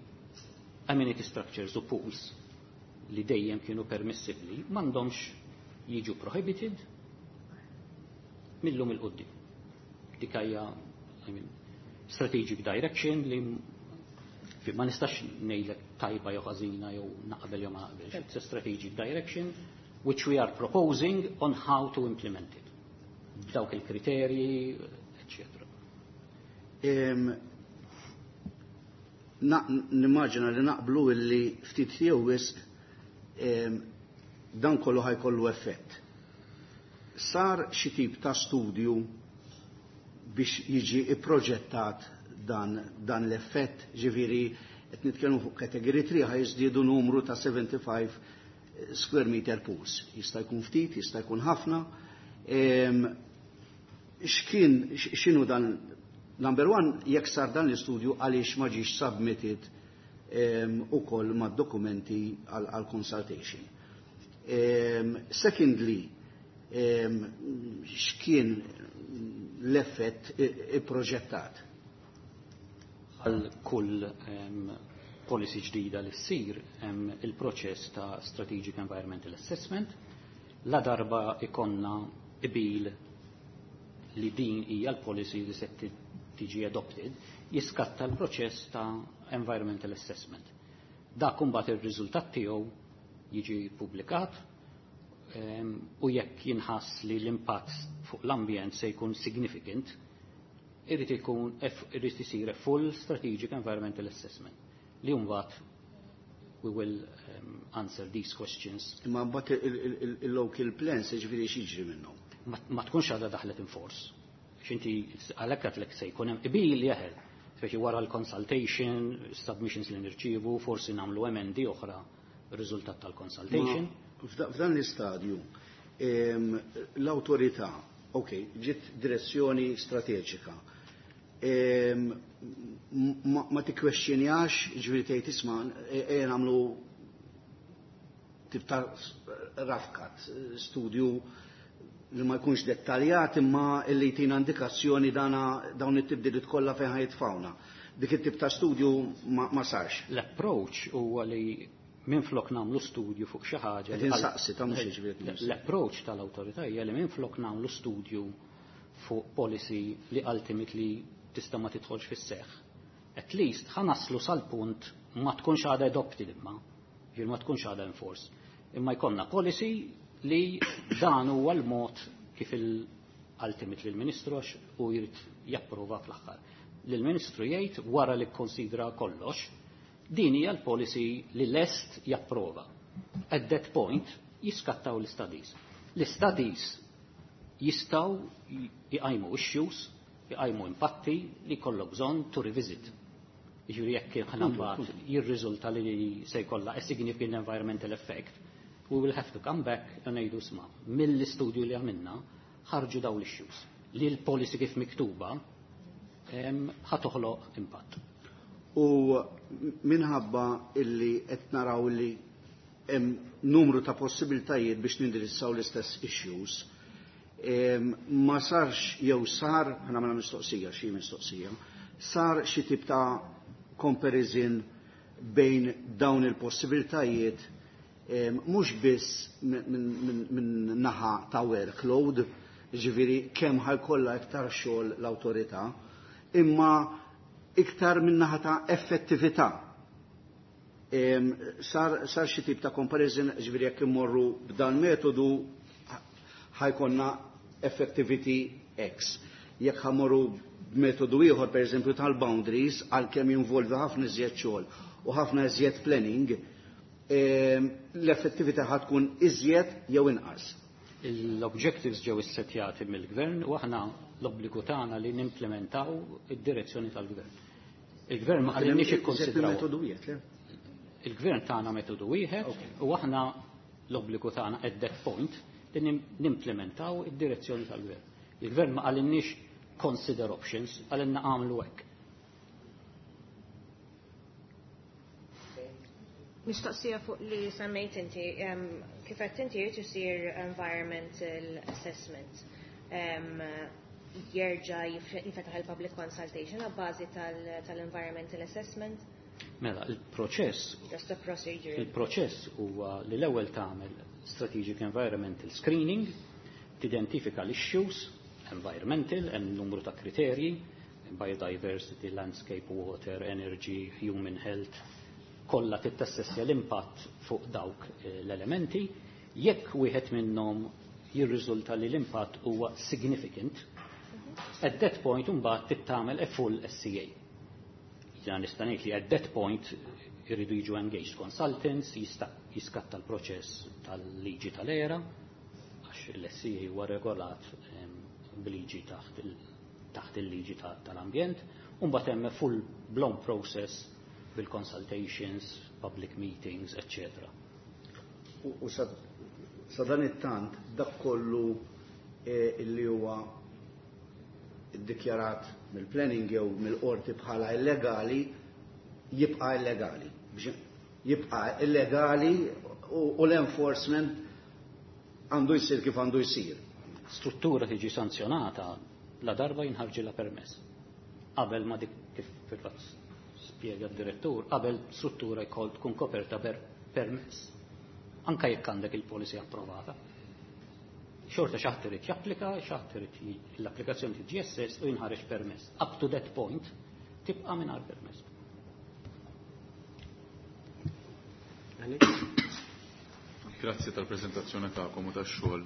amenity structures u pools li dejjem kienu permissibli m'għandhomx jiġu prohibited mil-lum 'il quddiem. Dik hija, I mean, strategic direction li ma nistax ngħidlek tajba jew ħażina jew naqbel jew ma naqbelx. It's a strategic direction which we are proposing on how to implement it. Dawk il-kriterji, eccetera. Nimmaġina li naqblu illi ftit jew wisq dan kollu ħa jkollu effett. Sar xi tip ta' studju biex jiġi ipproġettat dan, dan l-effett, ġifieri qed nitkellmu fuq category three, ħa jiżdiedu numru ta' sebgħa u ħamsin square meter pools. Jista' jkun ftit, jista' jkun ħafna. X'kien, x'inhu dan, number one, jekk sar dan l-istudju, għaliex ma ġiex submitted ukoll mad-dokumenti għal consultation? Secondly, x'kien l-effett ipproġettat? Għal kull policy ġdida li ssir il-proċess ta' Strategic Environmental Assessment. La darba ikonna qbil li din hija l-policy li se tiġi adopted, jiskatta l-proċess ta' environmental assessment. Dak imbagħad ir-riżultat tiegħu jiġi publikat u jekk jinħass li l-impatt fuq l-ambjent se jkun significant, irid ikun irid isir full strategic environmental assessment li mbagħad we will um, answer these questions. Imma mbagħad il-local plans, ġifieri x'jiġri minnhom? Ma tkunx għadha daħlet in force. X'inti għalhekk għedtlek se jkun hemm qbil jeħel. Speċi wara l-consultation, submissions li nirċievu, forsi nagħmlu emendi oħra riżultat tal-consultation. F'dan l-istadju l-awtorità, ok, ġiet direzzjoni strateġika. Ma tikkwestjonjax, ġifieri tgħid isma' ejja nagħmlu tip ta' rough cut, studju li ma jkunx dettaljat imma li jtina indikazzjoni dana dawn it-tibdiliet kollha fejn ħajtfawna. Dik it-tip ta' studju ma, ma sarx. L-approach huwa li minflok nagħmlu studju fuq xi ħaġa. Qed insaqsi ta' mhux jiġifieri. L-approach tal-awtorità hija li minflok nagħmlu studju fuq policy li ultimately tista' ma tidħolx fis-seħħ. At least ħa naslu sal-punt ma tkunx għadha adopted imma, ġifieri ma tkunx għadha enforced. Imma jkollna policy li dan huwa l-mod kif il-ultimately l-Ministru għax u jrid japprova fl-aħħar. L-Ministru jgħid wara li kkonsidra kollox, din hija l-policy li lest japprova. At that point jiskattaw l-studies. L-studies jistgħu jqajmu issues, jqajmu impatti li kollok bżonn to revisit. Jiġifieri jekk ħana mbagħad jirriżulta li se jkollha a significant environmental effect, we will have to come back and ngħidu isma' mill-istudju li għamilna ħarġu dawn l-issues li l-policy kif miktuba ħa toħloq impatt. U minħabba illi qed naraw illi hemm numru ta' possibiltajiet biex nindirizzaw l-istess issues, ma sarx jew sar, ħa nagħmel mistoqsija, xi mistoqsija, sar xi tip ta' comparison bejn dawn il-possibiltajiet mhux biss minn naħa ta' workload, ġifieri kemm ħa jkollha iktar xogħol l-awtorità, imma iktar minn naħa ta' effettività. Sar, sar xi tip ta' comparison, ġifieri jekk immorru b'dan metodu ħa jkollna effectivity X. Jekk ħa mmorru b'metodu ieħor, pereżempju tal-boundaries, għalkemm jinvolvi ħafna iżjed xogħol u ħafna iżjed planning, l-effettività ħa tkun iżjed jew inqas. L-objectives ġew issettjati mill-gvern u aħna l-obbligu tagħna li nimplementaw id-direzzjoni tal-gvern. Il-gvern ma qalilniex ikkonsidraw. Metodu wieħed, le? Il-gvern tagħna metodu wieħed u aħna l-obbligu tagħna at that point li nimplementaw id-direzzjoni tal-gvern. Il-gvern ma qalilniex consider options, qalilna għamlu hekk. Mistoqsija fuq li semmejt inti, kif qed inti jrid isir environmental assessment. Jerġa' jinfetaħ il-public consultation għabbażi tal-environmental assessment? Mela, il-proċess Just a procedure. Il-proċess huwa li l-ewwel tagħmel strategic environmental screening, tidentifika l-issues environmental, hemm numru ta' kriterji, biodiversity, landscape, water, energy, human health, kollha tittassessja l-impatt fuq dawk l-elementi. Jekk wieħed minnhom jirriżulta li l-impatt huwa significant, at that point imbagħad tittamel a full S E A. Jiena nista' ngħid li at that point irridu jiġu engaged consultants, jiskatta l-proċess tal-liġi tal-E R A, għax l-S E A huwa regolat b'liġi taħt il-liġi tal-ambjent, u mbagħad hemm full blown process bil-consultations, public meetings, et cetera. U sa dan it-tant dak kollu illi huwa iddikjarat mill-planning jew mill-qorti bħala illegali jibqa' illegali. Jibqa' illegali u l-enforcement għandu jsir kif għandu jsir. Struttura tiġi sanzjonata la darba jinħarġilha permess. Qabel ma dik, kif fil-fatt spjega d-direttur, qabel struttura jkoll tkun koperta per permess. Anka jekk għandek il-policy approvata. Xorta xi ħadd irid japplika, xi ħadd irid l-applikazzjoni tiġi assessed u jinħareġ permess. Up to that point tibqa' mingħajr permess. Alex? Grazzi tal-prezentazzjoni tagħkom u tax-xogħol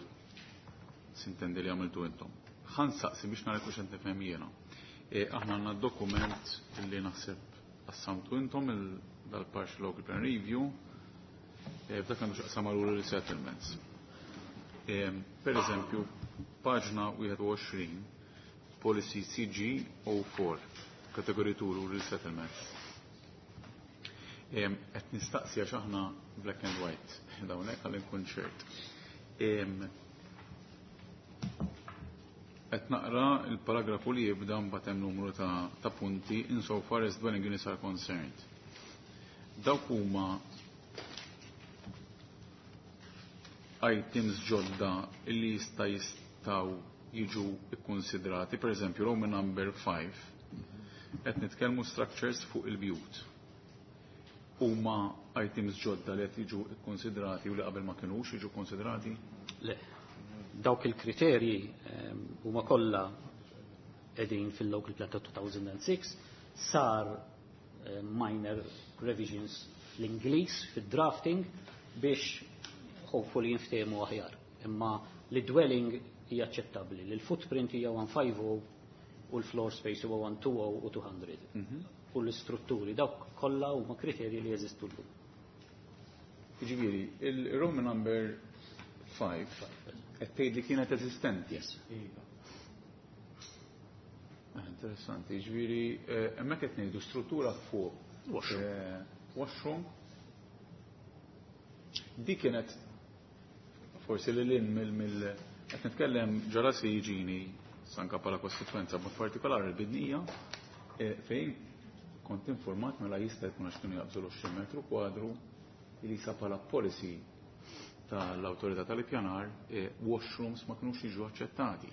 sintendi li għamiltu intom. Ħa nsaqsi biex nara kux qed nifhem jiena. E, aħna għandna dokument li naħseb qassamtu intom dal-partial local plan review e, f'dak għandu x'jaqsam rural resettlements. E, per eżempju, paġna wieħed u għoxrin, policy C G zero four, category two rural settlements. Qed nistaqsi għax aħna black and white, dawnek għal nkun ċert. Qed naqra il-paragrafu li jibda, mbagħad hemm numru ta', ta punti insofar as dwelling units are concerned. Dawk huma items ġodda illi jista' jistgħu jiġu ikkonsidrati, per eżempju, Roman number five, qed nitkellmu structures fuq il-bjut. Huma items ġodda li qed jiġu ikkonsidrati u li qabel ma kinux jiġu konsidrati? Le, dawk il-kriterji ehm, huma kollha qegħdin fil-local plan ta' two thousand six, sar eh, minor revisions fl-Ingliż, fil-drafting, biex hopefully jinftehmu aħjar. Imma li dwelling hija aċċettabbli, li l-footprint hija one fifty u l-floor space huwa one twenty u two hundred. Mhm. U l-istrutturi dawk kollha huma kriterji li jeżistu llum. Jiġifieri, il-Roman number five qed tgħid li kienet eżistenti. Yes. Ah, interessanti, jiġifieri eh, hemmhekk qed ngħidu struttura fuq Washroom. eh, washroom. Di kienet forsi li lin mill mill qed nitkellem ġara se jiġini sanka bħala kostituenza, b'mod partikolari l-Bidnija, eh, fejn kont informat, mela jista' jkun għax kienu jaqbżu l-għoxrin metru kwadru, li sa bħala policy tal-awtorità tal-ippjanar eh, washrooms ma kinux jiġu aċċettati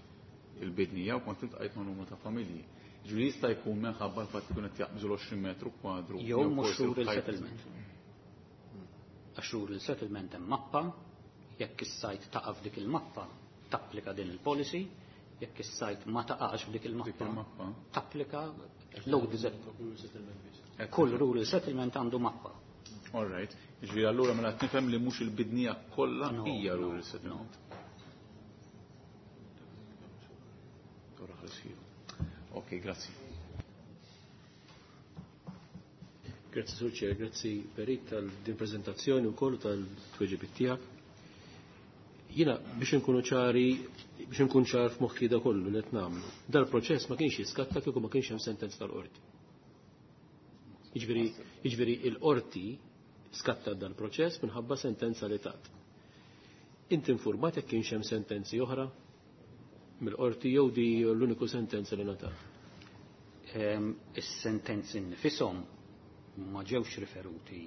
il-Bidnija u kont iltqajt ma' numru ta' familji. Ġifieri jista' jkun minħabba l-fatt li kienu qed jaqbżu l-għoxrin metru kwadru. Jew mhux forsi rural l-ħajt. settlement. Għax rural settlement hemm mappa, jekk is-site taqa' f'dik il-mappa, tapplika din il-policy, jekk is-site ma taqax f'dik Dik il-mappa, il-mappa. tapplika low design. Kull rural settlement għandu mappa. All right. Ġifieri allura mela qed nifhem li mhux il-Bidnija kollha No, hija no, rural settlement. Ora ħarsiju. Ok, grazzi. Grazzi, Sur Chair, grazzi, Perit, tal-din prezentazzjoni u kollu tal-tweġibiet tiegħek. Jiena biex nkunu ċari, biex nkun ċar f'moħħi da kollu li qed nagħmlu. Dal-proċess ma kienx jiskatta kieku ma kienx hemm sentenza tal-qorti. Jiġifieri jiġifieri il-qorti skatta dal-proċess minħabba sentenza li tat. Inti informat jekk kienx hemm sentenzi oħra mill-qorti jew di l-uniku sentenza li ngħatat? Ehm, Is-sentenzi nfishom ma ġewx riferuti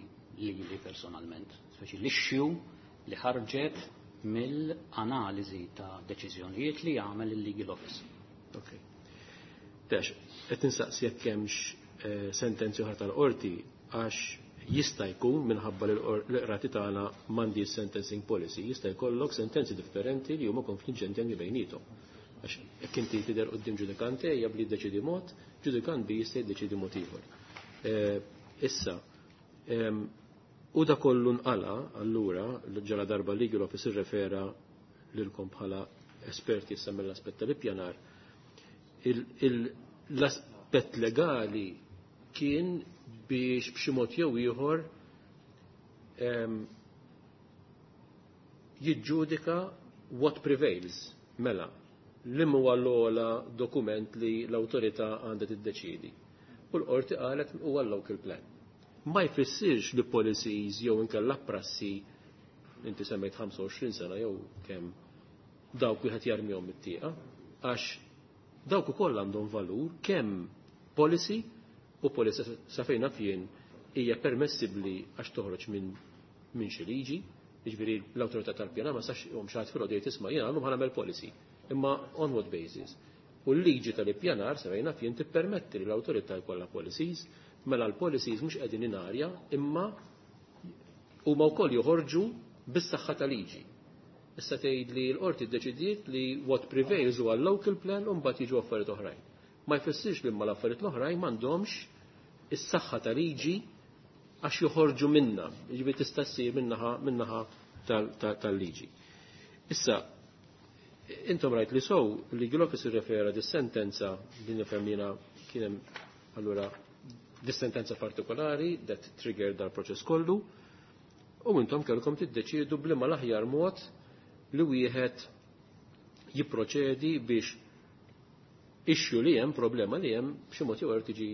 lili personalment, speċi l-issue li ħarġet mill-analiżi ta' deċiżjonijiet li jagħmel il-legal office. Ok. Tex, qed insaqsi jekk hemmx eh, sentenzi oħra tal-qorti għax jista' jkun minħabba li l-qrati tagħna m'għandi sentencing policy, jista' jkollok sentenzi differenti li huma konfliġġenti anke bejniethom. Għax jekk inti tidher quddiem ġudikant A jabli jiddeċidi mod, ġudikant B jista' jiddeċidi mod ieħor. Eh, Issa, em, u da kollu nqala, allura, ġala darba legal office irrefera lilkom bħala esperti issa mill-aspett tal-ippjanar, l-aspett legali kien biex b'xi mod jew ieħor em, jiġġudika what prevails, mela li huwa l-ogħla dokument li l-awtorità għandha tiddeċiedi. U l-qorti qalet huwa l-local plan. Ma jfissirx li policies jew inkella prassi, inti semmejt ħamsa u għoxrin sena jew kemm, dawk wieħed jarmihom mit-tieqa, għax dawk ukoll għandhom valur kemm policy u policy sa fejn naf jien hija permessibbli għax toħroġ minn minn xi liġi, jiġifieri l-awtorità tal-pjana ma sax jom xi ħadd filgħodu jgħid, "Isma', jiena llum ħa nagħmel policy", imma on what basis? U l-liġi tal-ippjanar sa fejn naf jien tippermetti li l-awtorità jkollha policies, mela l-policies mhux qegħdin in arja imma huma wkoll joħorġu bis-saħħa tal-liġi. Issa tgħid li l-qorti ddeċidiet li what prevails huwa local plan u mbagħad jiġu affarijiet oħrajn. Ma jfissirx li imma l-affarijiet l-oħrajn m'għandhomx is-saħħa tal-liġi għax joħorġu minna, jiġifieri tista' ssir minnaħa minnaħa tal-liġi. Issa, intom rajt li sow li Office irrefera dis-sentenza li nifhem jiena kien hemm allura dis-sentenza partikolari that triggered dal-proċess kollu u intom kellkom tiddeċiedu b'liema l-aħjar mod li wieħed jipproċedi biex issue li hemm, problema li hemm, b'xi mod jew tiġi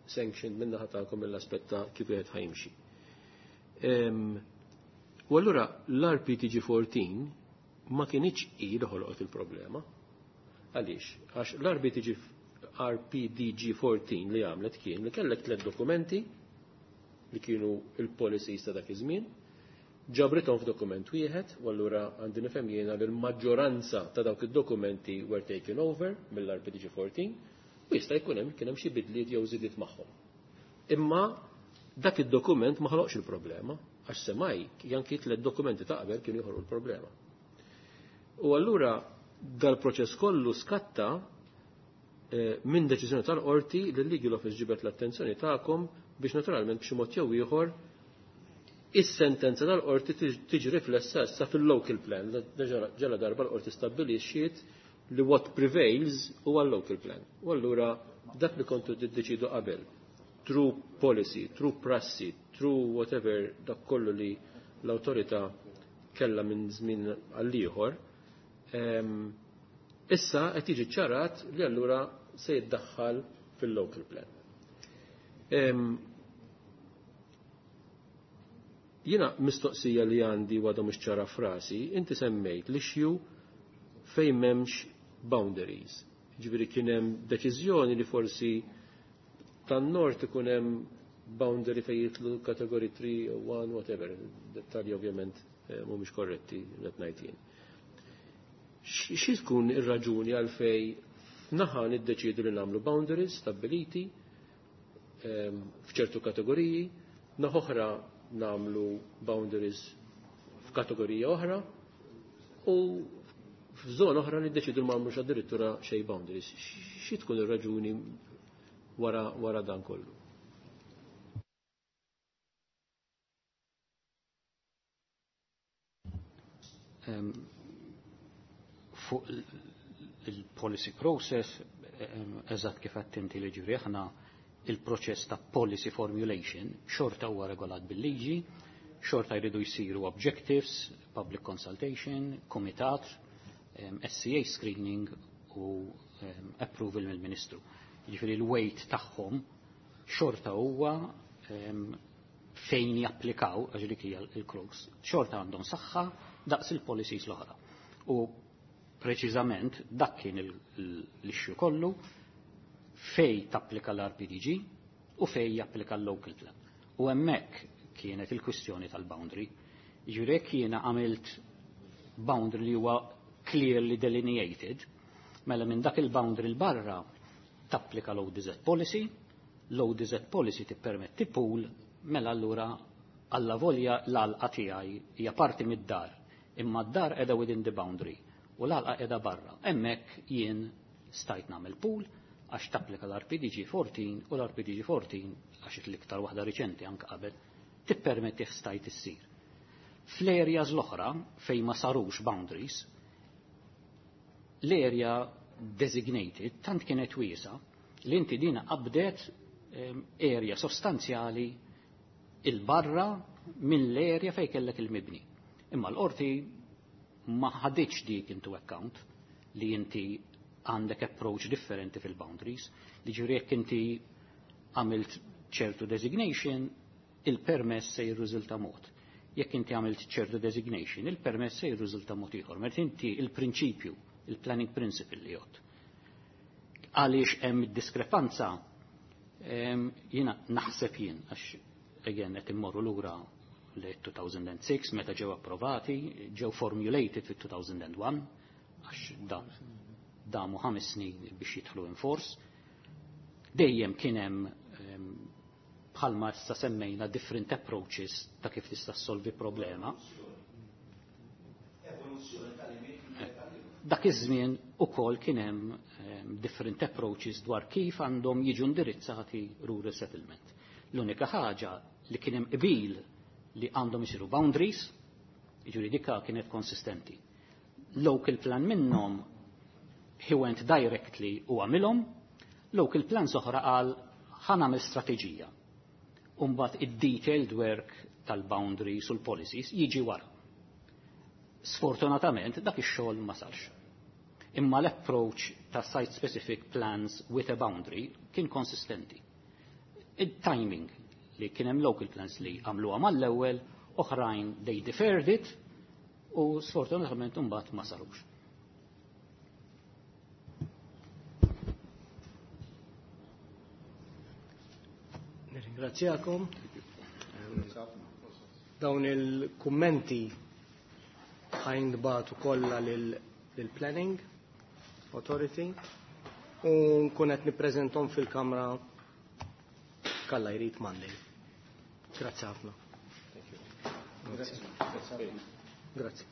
sanctioned min-naħa tagħkom mill-aspett ta' kif wieħed ħa jimxi. U allura l-R P D G fourteen ma kienx hi li ħolqot il-problema. Għaliex? Għax l-R P D G R P D G fourteen li għamlet kien li kellek tliet dokumenti li kienu il-policies ta' dak iż-żmien, Ġabrithom f'dokument wieħed, u allura għandi nifhem jiena li l-maġġoranza ta' dawk id-dokumenti were taken over mill-R P D G fourteen u jista' jkun hemm kien hemm xi bidliet jew żidiet magħhom. Imma dak id-dokument ma ħloqx il-problema, għax semmai anki tliet dokumenti ta' qabel kienu joħolqu l-problema. U allura dal-proċess kollu skatta eh, minn deċiżjoni tal-qorti li l-Legal Office ġibet l-attenzjoni tagħkom biex naturalment b'xi mod jew ieħor is-sentenza tal-qorti tiġi riflessa issa fil-local plan. Ġala darba l-qorti stabbilixxiet li what prevails huwa l-local plan. U allura dak li kontu tiddeċidu qabel, through policy, through prassi, through whatever, dak kollu li l-awtorità kella minn żmien għall-ieħor, issa qed jiġi ċarat li allura se jiddaħħal fil-local plan. Jiena mistoqsija li għandi għadha mhux ċara frasi, inti semmejt l-issue fejn m'hemmx boundaries. Ġifieri kien hemm deċiżjoni li forsi tan-nord ikun hemm boundary fejn jidħlu category three, one, whatever. Dettalji ovvjament eh, mhumiex korretti qed ngħid jien. Xi tkun ir-raġuni għalfej naħa niddeċidu li nagħmlu boundaries stabbiliti ehm, f'ċertu kategoriji, naħa oħra nagħmlu boundaries f'kategorija oħra u f'żona oħra niddeċidu li ma nagħmlux addirittura xejn boundaries? Xi tkun ir-raġuni wara, wara dan kollu? Um, fuq il-policy process, eżatt kif għedt inti li ġifieri aħna il-proċess ta' policy formulation xorta huwa regolat bil-liġi, xorta jridu jsiru objectives, public consultation, komitat, S C A screening u approval mill-Ministru. Ġifieri l-weight tagħhom xorta huwa fejn japplikaw, għax dik hija l-crux, xorta għandhom saħħa daqs il-policies l-oħra. U preċiżament dak kien l-issue kollu fej tapplika l-R P D G u fej japplika l-local plan. U hemmhekk kienet il-kwistjoni tal-boundary. Ġifieri jekk jiena għamilt boundary li huwa clearly delineated, mela minn dak il-boundary l-barra tapplika l-O D Z policy, l-O D Z policy tippermetti pool, mela allura alla volja l-għalqa tiegħi hija parti mid-dar, imma d-dar qiegħda within the boundary u l-għalqa qiegħda barra. Hemmhekk jien stajt nagħmel pool għax tapplika l-R P D G fourteen u l-R P D G fourteen, għax l-iktar waħda riċenti, anke qabel, tippermetti stajt issir. Fl-areas l-oħra fejn ma sarux boundaries, l-area designated tant kienet wiesa li inti dina qabdet area sostanzjali il-barra mill-area fej kellek il-mibni. Imma l-qorti ma ħaditx dik into account li inti għandek approach differenti fil-boundaries, li ġifieri jekk inti għamilt ċertu designation, il-permess se jirriżulta mod. Jekk inti għamilt ċertu designation, il-permess se jirriżulta mod ieħor. Meta inti il-prinċipju, il-planning principle li jgħod. Għaliex hemm diskrepanza, jiena naħseb jien, għax again qed immorru lura li two thousand and six meta ġew approvati, ġew formulated fit-two thousand and one, għax da damu ħames snin biex jidħlu in force. Dejjem kien hemm, bħalma issa semmejna, different approaches ta' kif tista' solvi problema. Dak iż-żmien ukoll kien hemm different approaches dwar kif għandhom jiġu indirizzati rural settlement. L-unika ħaġa li kien hemm qbil li għandhom isiru boundaries, jiġifieri dika kienet konsistenti. Local plan minnhom, he went directly u għamilhom, local plan oħra qal ħa nagħmel strateġija. Umbat id-detailed work tal-boundaries u l-policies jiġi wara. Sfortunatament dak ix-xogħol ma sarx. Imma l-approach ta' site specific plans with a boundary kien konsistenti. Il-timing li kien hemm local plans li għamluha mal-ewwel, oħrajn they deferred it u sfortunatament imbagħad ma sarux. Nirringrazzjakom. Dawn il-kummenti ħa jintbagħtu kollha lill-Planning Authority u nkun qed nippreżentahom fil-Kamra jekk Alla jrid Monday. Grazzi ħafna. Grazzi. Grazzi.